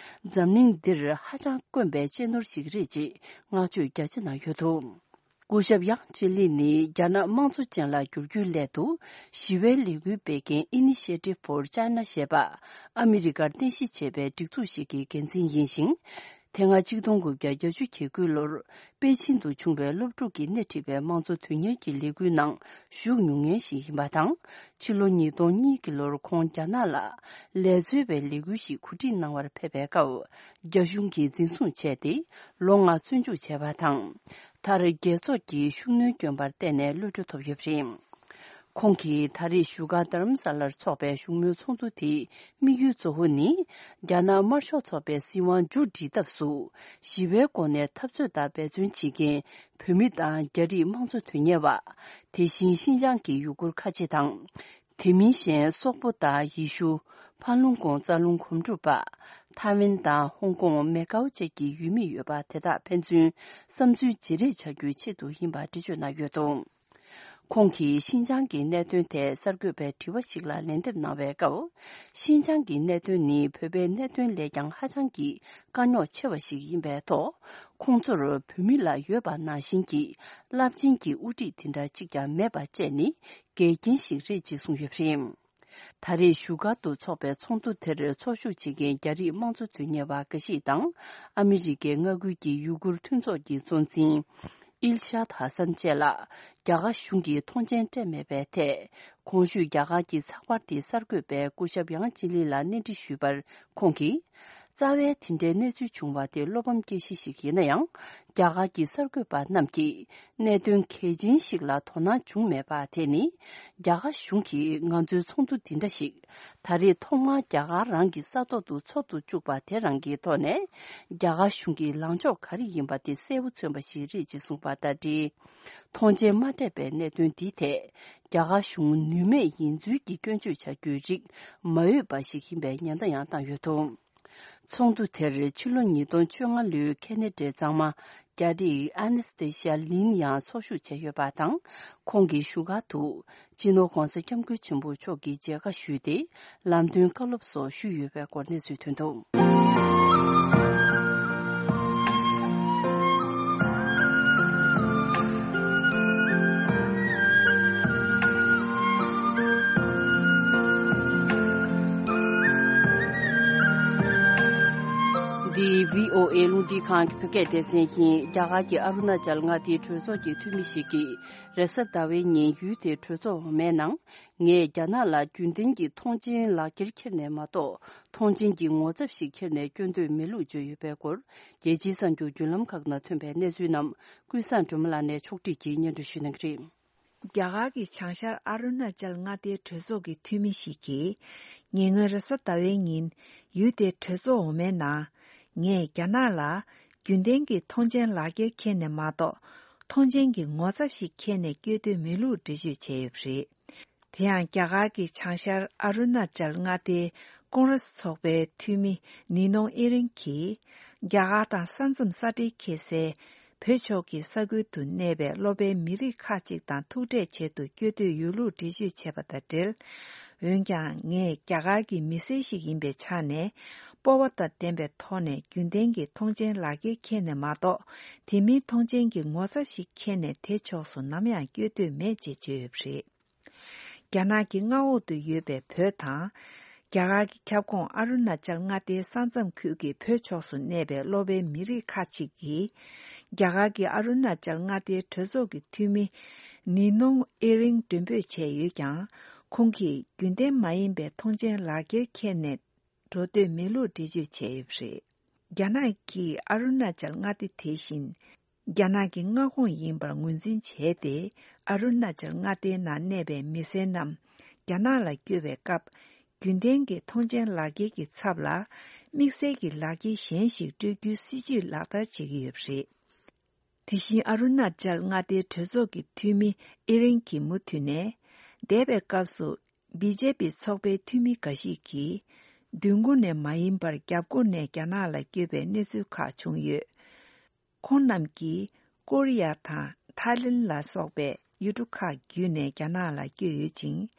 འཛམ་གླིང་འདིར་ཧ་ཅང་དཀོན་པའི་གཅེས་ནོར་ཞིག་རེད་ཅེས་བསྔགས་བརྗོད་རྒྱ་ཆེ་གནང་ཡོད་འདུག་སྐུ་ཞབས་ཡང་ཅིན་ལི་ནི་རྒྱ་ནག་དམངས་གཙོ་ཅན་ལ་བསྒྱུར་རྒྱུའི་སླད་དུ། ཞི་བའི་ལས་འགུལ་སྤེལ་མཁན་Initiative for China ཞེས་པ་ཨ་མི་རི་ཀར་རྟེན་གཞི་བྱས་པའི་སྒྲིག་འཛུགས་ཤིག་གི་འགན་འཛིན་ཡིན་ཞིང་། དེ་སྔ་ཆིག་སྟོང་དགུ་བརྒྱ་བརྒྱད་ཅུ་གྱ་དགུ་ལོར་པེ་ཅིན་དུ་བྱུང་བའི་སློབ་ཕྲུག་གིས་སྣེ་ཁྲིད་པའི་དམངས་གཙོ་དོན་གཉེར་གྱི་ལས་འགུལ་ནང་ཞུགས་མྱོང་མཁན་ཞིག་ཡིན་པ་དང་། ཕྱི་ལོ་ཉིས་སྟོང་གཉིས་ཀྱི་ལོར་ཁོང་རྒྱ་ནག་ལ་ལས་བཟོ་བའི་ལས་འགུལ་ཞིག་གོ་སྒྲིག་གནང་བར་ཕེབས་པའི་སྐབས། རྒྱ་གཞུང་གིས་འཛིན་བཟུང་བྱས་ཏེ། ལོ་ལྔ་བཙོན་འཇུག་བྱས་པ་དང་། མཐར་རྒྱལ་ཚོགས་ཀྱི་ཤུགས་སྣོན་བསྐྱོན་པར་བརྟེན་ནས་གློད་གྲོལ་ཐོབ་ཡོད་པ་རེད། ཁོང་གིས་ད་རེས་བཞུགས་སྒར་རྡ་རམ་ས་ལར་འཚོགས་པའི་བཞུགས་མོལ་ཚོགས་འདུ་དེའི་དམིགས་ཡུལ་གཙོ་བོ་ནི། རྒྱ་ནག་དམར་ཤོག་ཚོགས་པའི་སྲིད་དབང་མཇུག་སྒྲིལ་ཐབས་སུ། ཞི་བའི་སྒོ་ནས་འཐབ་རྩོད་དང་འབད་བརྩོན་བྱེད་མཁན་བོད་མི་དང་རྒྱ་རིགས་དམངས་གཙོ་དོན་གཉེར་བ། དེ་བཞིན་ཤིན་ཅང་གི་ཡུ་གུར་ཁ་ཆེ་དང་། དེ་མིན་གཞན་སོག་པོ་དང་ཡེ་ཤུ། ཕ་ལུང་ཀོང་རྩ་རླུང་གོམ་གྲུ་པ། ཐའེ་ཝན་དང་ཧོང་ཀོང་མེ་ཀའོ་བཅས་ཀྱི་ཡུལ་མི་ཡོད་པ་དེ་དག་ཕན་ཚུན་བསམ་ཚུལ་བརྗེ་རེས་བྱ་རྒྱུའི་ཆེད་དུ་ཡིན་པ་འགྲེལ་བརྗོད་གནང་ཡོད་འདུག་ཁོང་གིས་ཤིན་ཅང་གི་གནད་དོན་ཐད་གསར་འགོད་པའི་དྲི་བ་ཞིག་ལ་ལན་འདེབས་གནང་བའི་སྐབས། ཤིན་ཅང་གི་གནད་དོན་ནི་བོད་པའི་གནད་དོན་ལས་ཀྱང་ཧ་ཅང་གི་དཀའ་རྙོག་ཆེ་བ་ཞིག་ཡིན་པའི་ཐོག་ཁོང་ཚོར་བོད་མི་ལ་ཡོད་པ་ནང་བཞིན་གྱི་རླབས་ཆེན་གྱི་དབུ་ཁྲིད་དེ་འདྲ་གཅིག་ཀྱང་མེད་པ་བཅས་ནི་འགལ་རྐྱེན་ཞིག་རེད་ཅེས་གསུངས་ཡོད་པ་རེད། ད་རེས་བཞུགས་སྒར་དུ་འཚོགས་པའི་ཚོགས་འདུ་དེར་ཚོགས་ཞུགས་བྱེད་མཁན་རྒྱ་རིགས་དམངས་གཙོ་དོན་གཉེར་བ་འགའ་ཞིག་དང་། ཨ་མི་རི་ཀའི་མངའ་ཁུལ་གྱི་ཡུ་གུར་མཐུན་ཚོགས་ཀྱི་གཙོ་འཛིན་ཨིལ་ཤཱད་ཧ་སན་བཅས་ལ་རྒྱ་གར་གཞུང་གིས་མཐོང་མཆན་སྤྲད་མེད་པའི་ཐད། གོང་ཞུས་རྒྱ་གར་གྱི་ཚགས་པར་དེའི་གསར་འགོད་པས་སྐུ་ཞབས་ཡང་ཅིན་ལི་ལ་གནས་འདྲི་ཞུས་པར་ཁོང་གིས། རྩ་བའི་དེ་འདྲའི་གནས་ཚུལ་བྱུང་བ་དེ་བློ་ཕམ་སྐྱེ་གཞི་ཞིག་ཡིན་ན་ཡང་། རྒྱ་གར་གྱི་གསར་འགོད་པ་རྣམས་ཀྱིས་གནད་དོན་གལ་ཆེན་ཞིག་ལ་དོ་སྣང་བྱུང་མེད་པ་དེ་ནི། རྒྱ་གར་གཞུང་གིས་ང་ཚོའི་ཚོགས་འདུ་འདི་འདྲ་ཞིག་ད་རེས་ཐོག་མར་རྒྱ་གར་རང་གི་ས་ཐོག་ཏུ་འཚོགས་སུ་བཅུག་པ་དེ་རང་གི་ཐོག་ནས། རྒྱ་གར་གཞུང་གི་ལངས་ཕྱོགས་ག་རེ་ཡིན་པ་དེ་གསལ་པོ་མཚོན་པ་ཞིག་རེད་ཅེས་གསུངས་པ་དང་འབྲེལ། མཐོང་མཆན་མ་སྤྲད་པའི་གནད་དོན་འདིའི་ཐད། རྒྱ་གར་གཞུང་ནུས་མེད་ཡིན་ཚུལ་གྱི་སྐྱོན་བརྗོད་བྱ་རྒྱུའི་རིགས་མ་འོས་པ་ཞིག་ཡིན་པའི་ཉེན་བརྡ་ཡང་བཏང་ཡོད་འདུག་ཚོགས་འདུ་དེར་ཕྱི་ལོ་ཉིས་སྟོང་བཅོ་ལྔ་ལོའི་ཁེ་ན་ཌའི་གཙང་མ་རྒྱ་རིགས་ཨ་ནེ་སི་ཏེ་ཤི་ཡ་ལིན་ཡང་ཚོགས་ཞུགས་བྱས་ཡོད་པ་དང་། ཁོང་གིས་བཞུགས་སྒར་དུ་སྤྱི་ནོར་༸གོང་ས་༸སྐྱབས་མགོན་ཆེན་པོ་མཆོག་གི་མཇལ་ཁ་ཞུས་ཏེ། ལམ་སྟོན་བཀའ་སློབ་སོགས་ཞུས་ཡོད་པའི་སྐོར་གནས་ཚུལ་ཐོན་འདུག་འདི་བྷི་ཨོ་ཨེ་རླུང་འཕྲིན་ཁང་གི་བོད་སྐད་སྡེ་ཚན་ཡིན། རྒྱ་གར་གྱི་ཨ་རུ་ན་ཅལ་མངའ་སྡེའི་གྲོས་ཚོགས་ཀྱི་འཐུས་མི་ཞིག་གིས། རེས་གཟའ་ཟླ་བའི་ཉིན་ཡུལ་དེའི་གྲོས་ཚོགས་འོག་མའི་ནང་། ངས་རྒྱ་ནག་ལ་རྒྱུན་ལྡན་གྱི་ཐོངས་མཆན་ལག་འཁྱེར་འཁྱེར་ནས་མ་གཏོགས། ཐོངས་མཆན་གྱི་ངོ་ཚབ་ཞིག་འཁྱེར་ནས་སྐྱོན་འདོད་མེད་ལུགས་བརྗོད་ཡོད་པའི་སྐོར། རྒྱལ་སྤྱིའི་གསར་འགྱུར་བརྒྱུད་ལམ་ཁག་ནང་ཐོན་པའི་གནས་ཚུལ་རྣམས། ཀུན་བཟང་སྒྲོལ་མ་ལགས་ནས་ཕྱོགས་སྒྲིག་གིས་སྙན་སྒྲོན་ཞུ་གནང་གི་རེད། རྒྱ་གར་གྱི་བྱང་ཤར་ཨ་རུ་ན་ཅལ་མངའ་སྡེའི་གྲོས་ཚོགས་ཀྱི་འཐུས་མི་ཞིག་གིས། ཉེ་སྔོན་རེས་གཟའ་ཟླ་བའི་ཉིན། ཡུལ་དེའི་གྲོས་ཚོགས་འོག་མའི་ནང་། ངས་རྒྱ་ནག་ལ། རྒྱུན་ལྡན་གྱི་ཐོངས་མཆན་ལག་འཁྱེར་འཁྱེར་ནས་མ་གཏོགས། ཐོངས་མཆན་གྱི་ངོ་ཚབ་ཞིག་འཁྱེར་ནས་སྐྱོད་འདོད་མེད་ལུགས་འགྲེལ་བརྗོད་བྱས་ཡོད་པ་རེད། དེ་ཡང་རྒྱ་གར་གྱི་བྱང་ཤར་ཨ་རུ་ན་ཅལ་མངའ་སྡེའི་ ཀོང་རེ་སི་ཚོགས་པའི་འཐུས་མི་ནི་ནོང་ཨེ་རིང་གིས། རྒྱ་གར་དང་ས་མཚམས་ས་འབྲེལ་ཁེལ་སའི་བོད་ཕྱོགས་ཀྱི་ས་ཁུལ་དུ་གནས་པའི་སློབ་པའི་མི་རིགས་ཁག་ཅིག་དང་ཐུག་འཕྲད་བྱེད་དུ་བསྐྱོད་འདོད་ཡོད་ལུགས་འགྲེལ་བརྗོད་བྱས་པ་དང་འབྲེལ། འོན་ཀྱང་ངས་རྒྱ་གར་གྱི་མི་སེར་ཞིག་ཡིན་པའི་ཆ་ནས། སྤོབས་པ་དང་ལྡན་པའི་ཐོག་ནས་རྒྱུན་ལྡན་གྱི་ཐོངས་མཆན་ལག་འཁྱེར་འཁྱེར་ནས་མ་གཏོགས། དེ་མིན་ཐོངས་མཆན་གྱི་ངོ་ཚབ་ཞིག་འཁྱེར་ནས་དེ་ཕྱོགས་སུ་ནམ་ཡང་བསྐྱོད་འདོད་མེད་ཅེས་བརྗོད་ཡོད་པ་རེད། རྒྱ་ནག་གི་མངའ་འོག་ཏུ་ཡོད་པའི་བོད་དང་། རྒྱ་གར་གྱི་ཁྱབ་ཁོངས་ཨ་རུ་ན་ཅལ་མངའ་སྡེའི་ས་མཚམས་ཁུལ་གྱི་བོད་ཕྱོགས་སུ་གནས་པའི་སློབ་པའི་མི་རིགས་ཁག་ཅིག་གིས། རྒྱ་གར་གྱི་ཨ་རུ་ན་ཅལ་མངའ་སྡེའི་གྲོས་ཚོགས་ཀྱི་འཐུས་མི་ནི་ནོང་ཨེ་རིང་མགྲོན་འབོད་བྱས་ཡོད་ཀྱང་། ཁོང་གིས་རྒྱུན་ལྡན་མ་ཡིན་པའི་ཐོངས་མཆན་ལག་འཁྱེར་འཁྱེར་ནས་འགྲོ་འདོད་མེད་ལུགས་འགྲེལ་བརྗོད་བྱས་ཡོད་པ་རེད། རྒྱ་ནག་གིས་ཨ་རུ་ན་ཅལ་མངའ་སྡེ་དེ་བཞིན། རྒྱ་ནག་གི་མངའ་ཁོངས་ཡིན་པར་ངོས་འཛིན་བྱས་ཏེ། ཨ་རུ་ན་ཅལ་མངའ་སྡེའི་ནང་གནས་པའི་མི་སེར་རྣམས་རྒྱ་ནག་ལ་བསྐྱོད་པའི་སྐབས། རྒྱུན་ལྡན་གྱི་ཐོངས་མཆན་ལག་འཁྱེར་གྱི་ཚབ་ལ། དམིགས་བསལ་གྱི་ལག་འཁྱེར་གཞན་ཞིག་སྤྲོད་རྒྱུའི་སྲིད་ཇུས་ལག་བསྟར་བྱེད་ཀྱི་ཡོད་པ་རེད། དེ་བཞིན་ཨ་རུ་ན་ཅལ་མངའ་སྡེའི་གྲོས་ཚོགས་ཀྱི་འཐུས་མི་ཨེ་རིང་གིས་མུ་མཐུད་ནས། འདས་པའི་སྐབས་སུ་བི་ཇེ་པི་ཚོགས་པའི་འཐུས་མི་འགའ་ཞིག་གིས། མདུན་སྒོ་ནས་མ་ཡིན་པར་རྒྱབ་སྒོ་ནས་རྒྱ་ནག་ལ་བསྐྱོད་པའི་གནས་ཚུལ་ཁག་བྱུང་ཡོད། ཁོང་རྣམས་ཀྱིས་ཀོ་རི་ཡ་དང་ཐའི་ལེན་ལ་སོགས་པའི་ཡུལ་གྲུ་ཁག་བརྒྱུད་ནས་རྒྱ་ནག་ལ་བསྐྱོད་ཡོད་ཅིང་།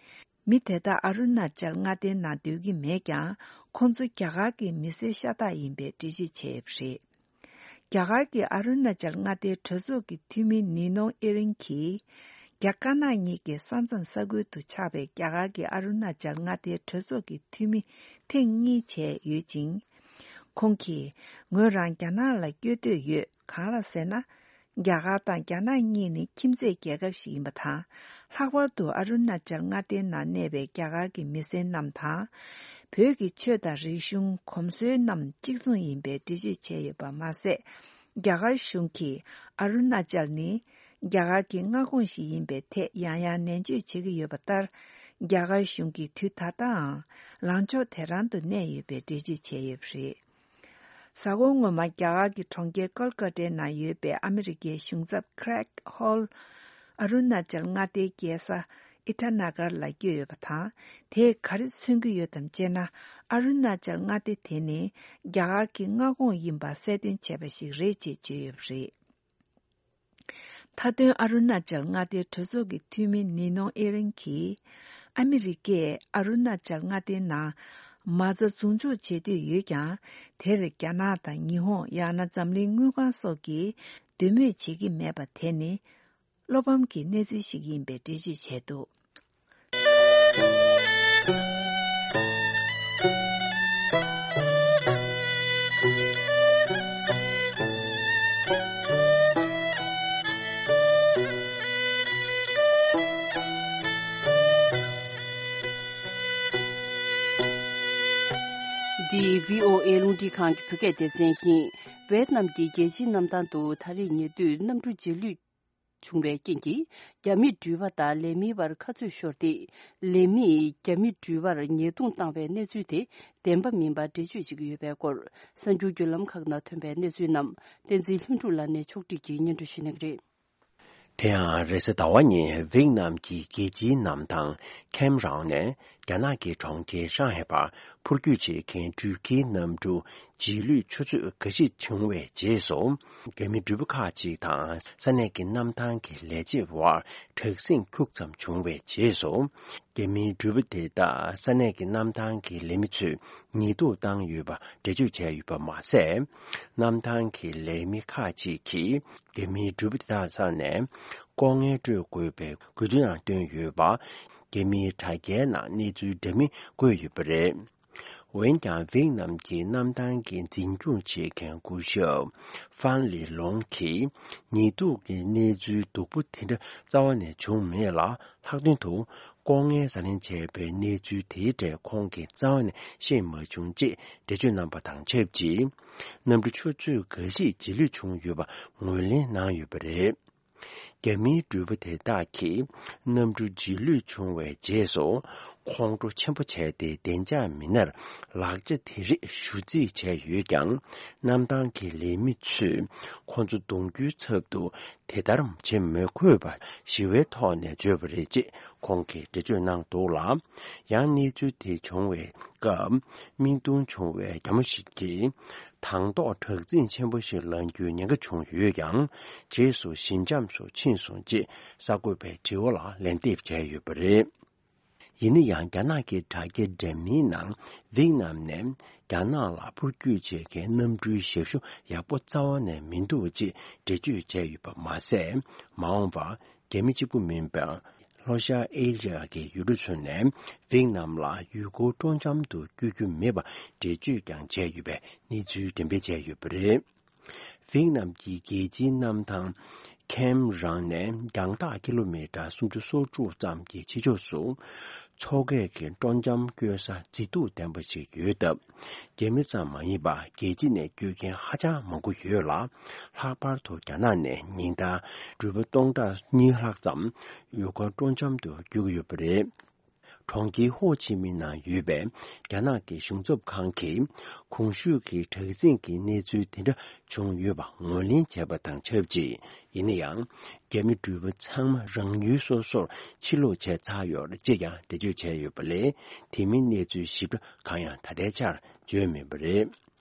མི་དེ་དག་ཨ་རུ་ན་ཅལ་མངའ་སྡེའི་ནང་སྡོད་ཀྱི་མེད་ཀྱང་། ཁོང་ཚོ་རྒྱ་གར་གྱི་མི་སེར་ཤ་སྟག་ཡིན་པའི་འགྲེལ་བརྗོད་བྱས་ཡོད་པ་རེད། རྒྱ་གར་གྱི་ཨ་རུ་ན་ཅལ་མངའ་སྡེའི་གྲོས་ཚོགས་ཀྱི་འཐུས་མི་ནི་ནོང་ཨེ་རིང་གིས། རྒྱ་དཀར་ནག་གཉིས་ཀྱི་ས་མཚམས་ས་ཁུལ་དུ་ཆགས་པའི་རྒྱ་གར་གྱི་ཨ་རུ་ན་ཅལ་མངའ་སྡེའི་གྲོས་ཚོགས་ཀྱི་འཐུས་མི་ཐེངས་གཉིས་བྱས་ཡོད་ཅིང་། ཁོང་གིས། ངོས་རང་རྒྱ་ནག་ལ་བསྐྱོད་འདོད་ཡོད། གང་ལགས་ཟེར་ན། རྒྱ་གར་དང་རྒྱ་ནག་གཉིས་ནི་ཁྱིམ་མཚེས་རྒྱལ་ཁབ་ཞིག་ཡིན་པ་དང་། ལྷག་པར་དུ་ཨ་རུ་ན་ཅལ་མངའ་སྡེའི་ནང་གནས་པའི་རྒྱ་གར་གྱི་མི་སེར་རྣམས་དང་། བོད་ཀྱི་ཆོས་དང་རིག་གཞུང་། གོམས་སྲོལ་རྣམས་གཅིག་མཚུངས་ཡིན་པའི་འགྲེལ་བརྗོད་བྱས་ཡོད་པ་མ་ཟད། རྒྱ་གར་གཞུང་གིས་ཨ་རུ་ན་ཅལ་ནི་རྒྱ་གར་གྱི་མངའ་ཁོངས་ཤིག་ཡིན་པའི་ཐད་ཡང་ཡང་ནན་བརྗོད་བྱེད་ཀྱི་ཡོད་པ་ལྟར། རྒྱ་གར་གཞུང་གིས་དུས་ད་ལྟའང་ལངས་ཕྱོགས་དེ་རང་དུ་གནས་ཡོད་པའི་འགྲེལ་བརྗོད་བྱས་ཡོད་པ་རེད། གཟའ་འཁོར་སྔོན་མ་རྒྱ་གར་གྱི་གྲོང་ཁྱེར་ཀོལ་ཀ་ཏའི་ནང་ཡོད་པའི་ཨ་མི་རི་ཀའི་གཞུང་ཚབ་Craig Hall ཨ་རུ་ན་ཅལ་མངའ་སྡེའི་རྒྱལ་ས་ཨི་ཊ་ན་གར་ལ་བསྐྱོད་ཡོད་པ་དང་། དེས་ག་རེ་མཚོན་གྱི་ཡོད་དམ་ཅེ་ན། ཨ་རུ་ན་ཅལ་མངའ་སྡེ་དེ་ནི་རྒྱ་གར་གྱི་མངའ་ཁོངས་ཡིན་པ་གསལ་སྟོན་བྱས་པ་ཞིག་རེད་ཅེས་བརྗོད་ཡོད་པ་རེད། མཐའ་དོན་ཨ་རུ་ན་ཅལ་མངའ་སྡེའི་གྲོས་ཚོགས་ཀྱི་འཐུས་མི་ནི་ནོང་ཨེ་རིང་གིས། ཨ་མི་རི་ཀས་ཨ་རུ་ན་ཅལ་མངའ་སྡེའི་ནང་མ་རྩ་འཛུགས་འཇོག་བྱེད་འདོད་ཡོད་ཀྱང་། དེར་རྒྱ་ནག་དང་ཉི་ཧོང་། ཡང་ན་འཛམ་གླིང་དངུལ་ཁང་སོགས་ཀྱིས་འདོད་མོས་བྱེད་ཀྱི་མེད་པ་དེ་ནི་བློ་ཕམ་གྱི་གནས་ཚུལ་ཞིག་ཡིན་པའི་འགྲེལ་བརྗོད་བྱས་འདུག། འདི་བྷི་ཨོ་ཨེ་རླུང་འཕྲིན་ཁང་གི་བོད་སྐད་སྡེ་ཚན་ཡིན། ཝེ་ཏི་ནམ་གྱི་རྒྱལ་སྤྱིའི་གནམ་ཐང་དུ་ད་རེས་ཉེ་དུས་གནམ་གྲུ་རྗེས་ལུས་བྱུང་བའི་རྐྱེན་གྱིས། རྒྱ་མིའི་འགྲུལ་པ་དང་ལས་མིའི་བར་ཁ་རྩོད་ཤོར་ཏེ། ལས་མིས་རྒྱ་མིའི་འགྲུལ་པར་ཉེས་རྡུང་བཏང་བའི་གནས་ཚུལ་དེ་བདེན་པ་མིན་པ་འགྲེལ་བརྗོད་བྱེད་ཀྱི་ཡོད་པའི་སྐོར། གསར་འགྱུར་བརྒྱུད་ལམ་ཁག་ནང་ཐོན་པའི་གནས་ཚུལ་རྣམས་བསྟན་འཛིན་ལྷུན་གྲུབ་ལགས་ནས་ཕྱོགས་སྒྲིག་གིས་སྙན་སྒྲོན་ཞུ་གནང་གི་རེད། དེ་ཡང་རེས་གཟའ་ཟླ་བ་ཉིན་ཝེད་ནམ་གྱི་རྒྱལ་སྤྱིའི་གནམ་ཐང་ཁེམ་རང་ནས་རྒྱ་ནག་གི་གྲོང་ཁྱེར་ཧྲང་ཧའེ་བར་འཕུར་སྐྱོད་བྱེད་མཁན་འགྲུལ་སྐྱེལ་གནམ་གྲུ་རྗེས་ལུས་ཆུ་ཚོད་འགའ་ཞིག་བྱུང་བའི་རྗེས་སུ། རྒྱ་མིའི་འགྲུལ་པ་ཁག་ཅིག་དང་ས་གནས་ཀྱི་གནམ་ཐང་གི་ལས་བྱེད་བར་དྲག་ཟིང་ཁྱུག་ཙམ་བྱུང་བའི་རྗེས་སུ། རྒྱ་མིའི་འགྲུལ་པ་དེ་དག་ས་གནས་ཀྱི་གནམ་ཐང་གི་ལས་མི་ཚོས་ཉེས་འདུག་བཏང་ཡོད་པ་འགྲེལ་བརྗོད་བྱས་ཡོད་པ་མ་ཟད། གནམ་ཐང་གི་ལས་མི་ཁག་ཅིག་གིས་རྒྱ་མིའི་འགྲུལ་པ་དེ་དག་ས་ནས་ལྐོག་རྔན་སྤྲོད་དགོས་པའི་དགོས་འདུན་ཡང་བཏོན་ཡོད་པ། རྒྱ་མིའི་དྲ་རྒྱའི་ནང་གནས་ཚུལ་འདྲ་མིན་བཀོད་ཡོད་པ་རེད། འོན་ཀྱང་ཝེད་ནམ་གྱི་གནམ་ཐང་གི་འཛིན་སྐྱོང་བྱེད་མཁན་སྐུ་ཞབས་ཧྥན་ལི་ལོང་གིས། ཉེས་འདུག་གི་གནས་ཚུལ་སྡུག་པོ་དེ་འདྲ་རྩ་བ་ནས་བྱུང་མེད་ལ། ལྷག་དོན་དུ་ལྐོག་རྔན་ཟ་ལེན་བྱས་པའི་གནས་ཚུལ་དེའི་གྲས་ཁོང་གིས་རྩ་བ་ནས་ཤེས་མ་བྱུང་ཅེས་འགྲེལ་བརྗོད་གནང་པ་དང་ཆབས་ཅིག། གནམ་གྲུ་ཆུ་ཚོད་འགའ་ཞིག་རྗེས་ལུས་བྱུང་ཡོད་པ་ངོས་ལེན་གནང་ཡོད་པ་རེད། རྒྱ་མིའི་འགྲུལ་པ་དེ་དག་གིས་གནམ་གྲུ་རྗེས་ལུས་བྱུང་བའི་རྗེས་སུ། ཁོང་ཁྲོ་ཆེན་པོ་བྱས་ཏེ། བདེ་འཇགས་མི་སྣར་ལག་ཆ་དེ་རིགས་ཞུ་རྩིས་བྱས་ཡོད་ཀྱང་། གནམ་ཐང་གི་ལས་མི་ཚོས་ཁོང་ཚོ་གདོང་རྒྱུའི་ཚབ་ཏུ་དེ་ལྟར་བྱེད་མི་དགོས་པར་ཞི་བའི་ཐོག་ནས་བརྗོད་པ་རེད་ཅེས་ཁོང་གིས་འགྲེལ་བརྗོད་གནང་འདུག་ལ། ཡང་གནས་ཚུལ་དེ་བྱུང་བའི་སྐབས། མིག་མཐོང་བྱུང་བའི་རྒྱ་མོ་ཞིག་གིས། དང་ཐོག་དྲག་འཛིང་ཆེན་པོ་ཞིག་ལངས་རྒྱུའི་ཉེན་ཁ་བྱུང་ཡོད་ཀྱང་། རྗེས་སུ་ཞི་འཇམ་སུ་ཕྱིན་སོང་ཅེས་གསར་འགོད་པའི་དྲི་བ་ལ་ལན་འདེབས་བྱས་ཡོད་པ་རེད། ཡིན་ན་ཡང་། རྒྱ་ནག་གི་དྲ་རྒྱ་འདྲ་མིན་ནང་ཝེད་ནམ་ནས་རྒྱ་ནག་ལ་འཕུར་སྐྱོད་བྱེད་མཁན་གནམ་གྲུའི་ཞབས་ཞུ་ཡག་པོ་རྩ་བ་ནས་མི་འདུག་ཅེས་འགྲེལ་བརྗོད་བྱས་ཡོད་པ་མ་ཟད། མ་འོངས་པར་རྒྱ་མི་གཅིག་པུ་མིན་པར། ལྷོ་ཤར་ཨེ་ཤ་ཡ་གི་ཡུལ་གྲུ་ཚོ་ནས་ཝེད་ནམ་ལ་ཡུལ་སྐོར་སྤྲོ་འཆམ་དུ་བསྐྱོད་རྒྱུ་མེད་པ་འགྲེལ་བརྗོད་ཀྱང་བྱས་ཡོད་པའི་གནས་ཚུལ་འགྲེམས་སྤེལ་བྱས་ཡོད་པ་རེད། ཝེད་ནམ་གྱི་རྒྱལ་སྤྱིའི་གནམ་ཐང་ཁེམ་རང་ནས་རྒྱང་ཐག་ཀི་ལོ་མི་ཊར་སུམ་ཅུ་སོ་དྲུག་ཙམ་གྱི་ཕྱི་ཕྱོགས་སུ། མཚོ་སྐད་ཀྱི་སྤྲོ་འཆམ་སྐྱོད་ས་མཛེས་སྡུག་ལྡན་པ་ཞིག་ཡོད་སྟབས། རྒྱ་མི་ཙམ་མ་ཡིན་པར་རྒྱལ་སྤྱི་ནས་སྐྱོད་མཁན་ཧ་ཅང་མང་པོ་ཡོད་ལ། ལྷག་པར་དུ་རྒྱ་ནག་ནས་ཉིན་ལྟར་འགྲུལ་པ་སྟོང་ཕྲག་གཉིས་ལྷག་ཙམ་ཡུལ་སྐོར་སྤྲོ་འཆམ་དུ་བསྐྱོད་ཀྱི་ཡོད་པ་རེད། གྲོང་ཁྱེར་ཧོ་ཆི་མིན་ནང་ཡོད་པའི་རྒྱ་ནག་གི་གཞུང་ཚབ་ཁང་གིས། གོང་ཞུས་ཀྱི་དྲག་འཛིང་གི་གནས་ཚུལ་དེ་འདྲ་བྱུང་ཡོད་པ་ངོས་ལེན་བྱས་པ་དང་ཆབས་ཅིག་ཡིན་ན་ཡང་། རྒྱ་མི་འགྲུལ་པ་ཚང་མ་རང་ཡུལ་སོ་སོར་ཕྱིར་ལོག་བྱས་ཚར་ཡོད་རེད་ཅེས་ཀྱང་འགྲེལ་བརྗོད་བྱས་ཡོད་པ་ལས། དེ་མིན་གནས་ཚུལ་ཞིབ་ཕྲ་གང་ཡང་ད་ལྟའི་ཆར་བརྗོད་མེད་པ་རེད།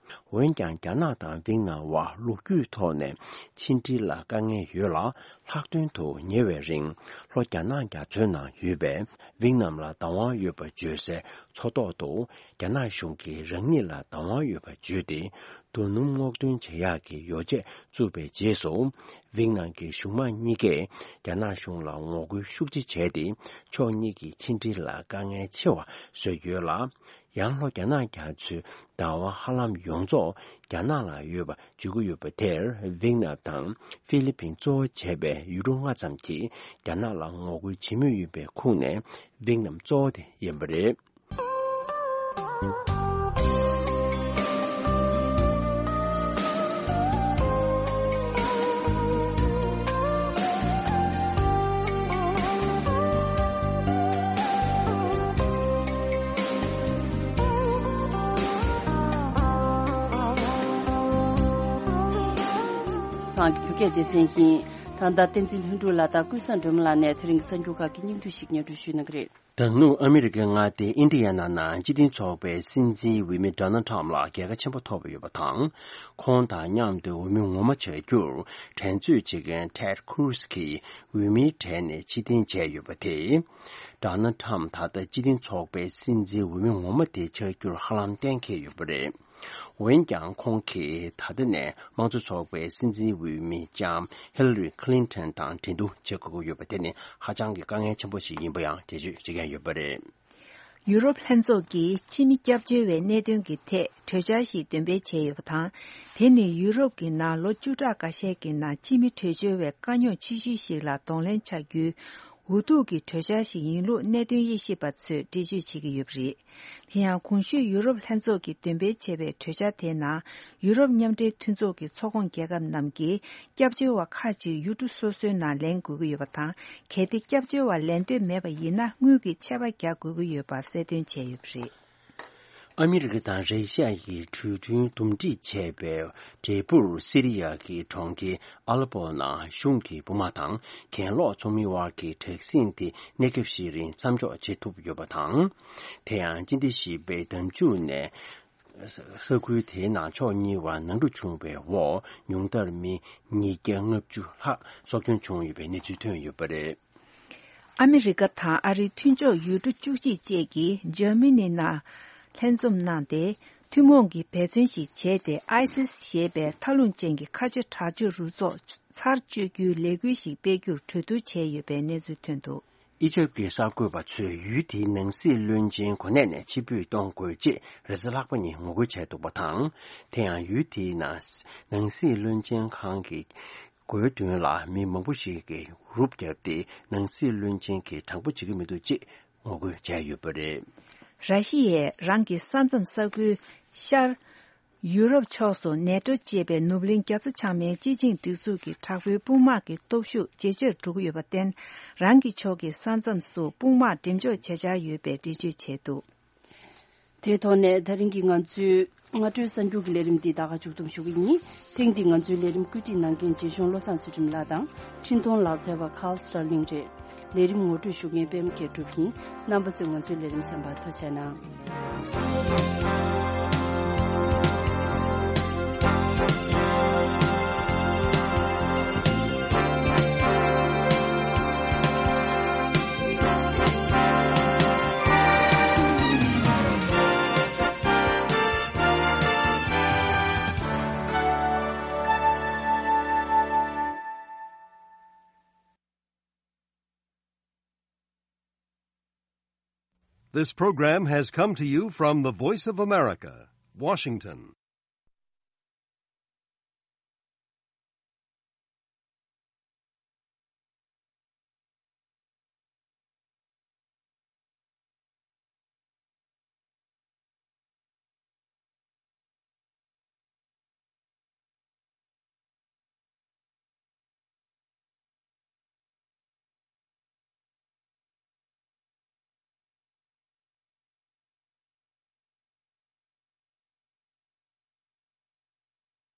འོན་ཀྱང་། རྒྱ་ནག་དང་ཝེད་ནམ་དབར་ལོ་རྒྱུས་ཐོག་ནས་ཕྱི་འབྲེལ་ལ་དཀའ་ངལ་ཡོད་ལ། ལྷག་དོན་དུ་ཉེ་བའི་རིང་ལྷོ་རྒྱ་ནག་རྒྱ་མཚོའི་ནང་ཡོད་པའི་ཝེད་ནམ་ལ་བདག་དབང་ཡོད་པ་བརྗོད་སའི་མཚོ་ཐོག་ཏུ། རྒྱ་ནག་གཞུང་གིས་རང་ཉིད་ལ་བདག་དབང་ཡོད་པ་བརྗོད་དེ། རྡོ་སྣུམ་སྔོག་འདོན་བྱེད་ཡག་གི་ཡོ་བྱད་བཙུགས་པའི་རྗེས་སུ། ཝེད་ནམ་གྱི་གཞུང་མང་གཉིས་ཀས་རྒྱ་ནག་གཞུང་ལ་ངོ་རྒོལ་ཤུགས་ཆེ་བྱས་ཏེ། ཕྱོགས་གཉིས་ཀྱི་ཕྱི་འབྲེལ་ལ་དཀའ་ངལ་ཆེ་བ་བཟོས་ཡོད་ལ། ཡང་ལྷོ་རྒྱ་ནག་རྒྱ་མཚོའི་བདག་དབང་ཧ་ལམ་ཡོངས་རྫོགས་རྒྱ་ནག་ལ་ཡོད་པ་བརྗོད་ཀྱི་ཡོད་པ་དེར། ཝེད་ནམ་དང་ཧྥི་ལི་ཕིན་གཙོ་བོ་བྱས་པའི་ཡུལ་གྲུ་ལྔ་ཙམ་གྱིས་རྒྱ་ནག་ལ་ངོ་རྒོལ་བྱེད་མུས་ཡིན་པའི་ཁོངས་ནས་ཝེད་ནམ་གཙོ་བོ་དེ་ཡིན་པ་རེད། ཏང་གི་བོད་སྐད་སྡེ་ཚན་ཡིན། ད་ལྟ་བསྟན་འཛིན་ལྷུན་གྲུབ་ལགས་དང་ཀུན་བཟང་སྒྲོལ་མ་ལགས་ནས་དེ་རིང་གི་གསར་འགྱུར་ཁག་གི་སྙིང་བསྡུས་ཤིག་སྙན་སྒྲོན་ཞུ་གནང་གི་རེད། ད་ནུབ་ཨ་མི་རི་ཀའི་མངའ་སྡེ་ཨིན་ཌི་ཡ་ན་ནང་སྤྱི་མཐུན་ཚོགས་པའི་སྲིད་འཛིན་འོས་མི་ཌོ་ནལ་ཊམ་ལ་རྒྱལ་ཁ་ཆེན་པོ་ཐོབ་ཡོད་པ་དང་། ཁོང་དང་མཉམ་དུ་འོས་མི་ངོ་མ་བྱ་རྒྱུར་འགྲན་རྩོད་བྱེད་མཁན་ཊེཌ་ཁུ་རུ་སི་གིས་འོས་མིའི་གྲས་ནས་ཕྱིར་འཐེན་བྱས་ཡོད་པ་དེས། ཌོ་ནལ་ཊམ་ད་ལྟ་སྤྱི་མཐུན་ཚོགས་པའི་སྲིད་འཛིན་འོས་མི་ངོ་མ་དེ་ཆགས་རྒྱུར་ཧ་ལམ་གཏན་འཁེལ་ཡོད་པ་རེད། འོན་ཀྱང་། ཁོང་གིས་ད་ལྟ་ནས་དམངས་གཙོ་ཚོགས་པའི་སྲིད་འཛིན་འོས་མི་ལྕམ་ཧི་ལ་རི་ཁི་ལིན་ཐོན་དང་འགྲན་བསྡུར་བྱེད་དགོས་ཀྱི་ཡོད་པ་དེ་ནི་ཧ་ཅང་གི་དཀའ་ངལ་ཆེན་པོ་ཞིག་ཡིན་པ་ཡང་འགྲེལ་བརྗོད་བྱེད་མཁན་ཡོད་པ་རེད། ཡུ་རོབ་ལྷན་ཚོགས་ཀྱིས་ཕྱི་མི་སྐྱབས་བཅོལ་བའི་གནད་དོན་གྱི་ཐད་གྲོས་འཆར་ཞིག་འདོན་སྤེལ་བྱས་ཡོད་པ་དང་། དེ་ནི་ཡུ་རོབ་ཀྱི་ནང་ལོ་བཅུ་ཕྲག་འགའ་ཤས་ཀྱི་ནང་ཕྱི་མི་བྲོས་བྱོལ་བའི་དཀའ་རྙོག་ཆེ་ཤོས་ཤིག་ལ་གདོང་ལེན་བྱ་རྒྱུའི་འུ་ཐུག་གི་གྲོས་འཆར་ཞིག་ཡིན་ལུགས་གནད་དོན་དབྱེ་ཞིབ་པ་ཚོས་འགྲེལ་བརྗོད་བྱེད་ཀྱི་ཡོད་པ་རེད། དེ་ཡང་གོང་ཞུས་ཡུ་རོབ་ལྷན་ཚོགས་ཀྱིས་འདོན་སྤེལ་བྱས་པའི་གྲོས་འཆར་དེའི་ནང་། ཡུ་རོབ་མཉམ་འབྲེལ་མཐུན་ཚོགས་ཀྱི་ཚོགས་ཁོངས་རྒྱལ་ཁབ་རྣམས་ཀྱིས་སྐྱབས་བཅོལ་བ་ཁག་ཅིག་ཡུལ་གྲུ་སོ་སོའི་ནང་ལེན་དགོས་ཀྱི་ཡོད་པ་དང་། གལ་ཏེ་སྐྱབས་བཅོལ་བ་ལེན་འདོད་མེད་པ་ཡིན་ན། དངུལ་གྱི་ཆད་པ་རྒྱག་དགོས་ཀྱི་ཡོད་པ་གསལ་སྟོན་བྱས་ཡོད་པ་རེད། ཨ་མི་རི་ཀ་དང་རེ་ཤ་ཡིས་གྲོས་མཐུན་འདུམ་འགྲིག་བྱས་པའི་འབྲས་བུར། སི་རི་ཡ་གི་གྲོང་ཁྱེར་ཨ་ལ་པོ་ནང་གཞུང་གི་དཔུང་དམག་དང་གྱེན་ལོག་ཚོགས་མིའི་དབར་གྱི་དྲག་ཟིང་དེ་གནས་སྐབས་ཤིག་རིང་མཚམས་འཇོག་བྱེད་ཐུབ་ཡོད་པ་དང་། དེ་ཡང་སྤྱི་ཟླ་བཞི་པའི་ཟླ་མཇུག་ནས་ས་ཁུལ་དེའི་ནང་ཕྱོགས་གཉིས་བར་ནང་འཁྲུག་བྱུང་བའི་འོག་ཉུང་མཐར་མི་ཉིས་བརྒྱ་ལྔ་བཅུ་ལྷག་སྲོག་སྐྱོན་བྱུང་ཡོད་པའི་གནས་ཚུལ་ཐོན་ཡོད་པ་རེད། ཨ་མི་རི་ཀ་དང་ཨ་རིའི་མཐུན་ཕྱོགས་ཡུལ་གྲུ་བཅུ་གཅིག་བཅས་ཀྱིས་འཇར་མ་ནི་ནང་ལྷན་འཛོམས་གནང་སྟེ། ཐུན་མོང་གི་འབད་བརྩོན་ཞིག་བྱས་ཏེ། ཨའི་སིས་ཞེས་པའི་མཐའ་ལྷུང་ཅན་གྱི་ཁ་ཆེ་དྲག་སྤྱོད་རུ་ཚོགས་ཚར་གཅོད་རྒྱུའི་ལས་འགུལ་ཞིག་སྤེལ་རྒྱུར་གྲོས་བསྡུར་བྱས་ཡོད་པའི་གནས་ཚུལ་ཐོན་འདུག། ཨི་ཇེབ་ཀྱི་གསར་འགོད་པ་ཚོས་ཡུལ་དེའི་ནང་སྲིད་བློན་ཆེན་གོ་གནས་ནས་ཕྱིར་འབུད་གཏོང་དགོས་ཅེས་རེས་གཟའ་ལྷག་པ་ཉིན་ངོ་རྒོལ་བྱས་འདུག་པ་དང་། དེ་ཡང་ཡུལ་དེའི་ནང་ནང་སྲིད་བློན་ཆེན་ཁང་གི་སྒོའི་མདུན་ལ་མི་མང་པོ་ཞིག་གིས་རུབ་བརྒྱབ་སྟེ། ནང་སྲིད་བློན་ཆེན་གྱིས་དྲང་པོ་བྱེད་ཀྱི་མི་འདུག་ཅེས་ངོ་རྒོལ་བྱས་ཡོད་པ་རེད། ར་ཤི་ཡས་རང་གི་ས་མཚམས་ས་ཁུལ་ཤར་ ཡུ་རོབ་ཕྱོགས་སུ་ནེ་ཏོ་ཅེས་པའི་ནུབ་གླིང་རྒྱ་མཚོ་བྱང་མའི་སྤྱི་ཆིངས་སྒྲིག་འཛུགས་ཀྱི་དྲག་པོའི་དཔུང་དམག་གི་སྟོབས་ཤུགས་ཇེ་ཆེར་འགྲོ་གི་ཡོད་པར་བརྟེན། རང་གི་ཕྱོགས་ཀྱི་ས་མཚམས་སུ་དཔུང་དམག་འགྲེམས་འཇོག་བྱེད་འཆར་ཡོད་པའི་འགྲེལ་བརྗོད་བྱས་འདུག། དེའི་ཐོག་ནས་ད་རིང་གི་ང་ཚོའི་སྔ་དྲོའི་གསར་འགྱུར་གྱི་ལས་རིམ་འདི་ད་ག་མཇུག་བསྡོམས་ཞུ་གི་ཡིན། ཐེངས་འདིའི་ང་ཚོའི་ལས་རིམ་བཀོད་སྒྲིག་གནང་མཁན་རྗེ་གཞུང་བློ་བཟང་ཚུལ་ཁྲིམས་ལགས་དང་། འཕྲིན་གཏོང་ལག་རྩལ་བ་ཁཱལ་སི་ཊར་ལིང་རེད། ལས་རིམ་ངོ་སྤྲོད་ཞུ་མཁན་པད་མ་མཁས་གྲུབ་ཡིན། རྣམ་པ་ཚོས་ང་ཚོའི་ལས་རིམ་གསན་པར་ཐུགས་རྗེ་གནང་། This program has come to you from the Voice of America, Washington.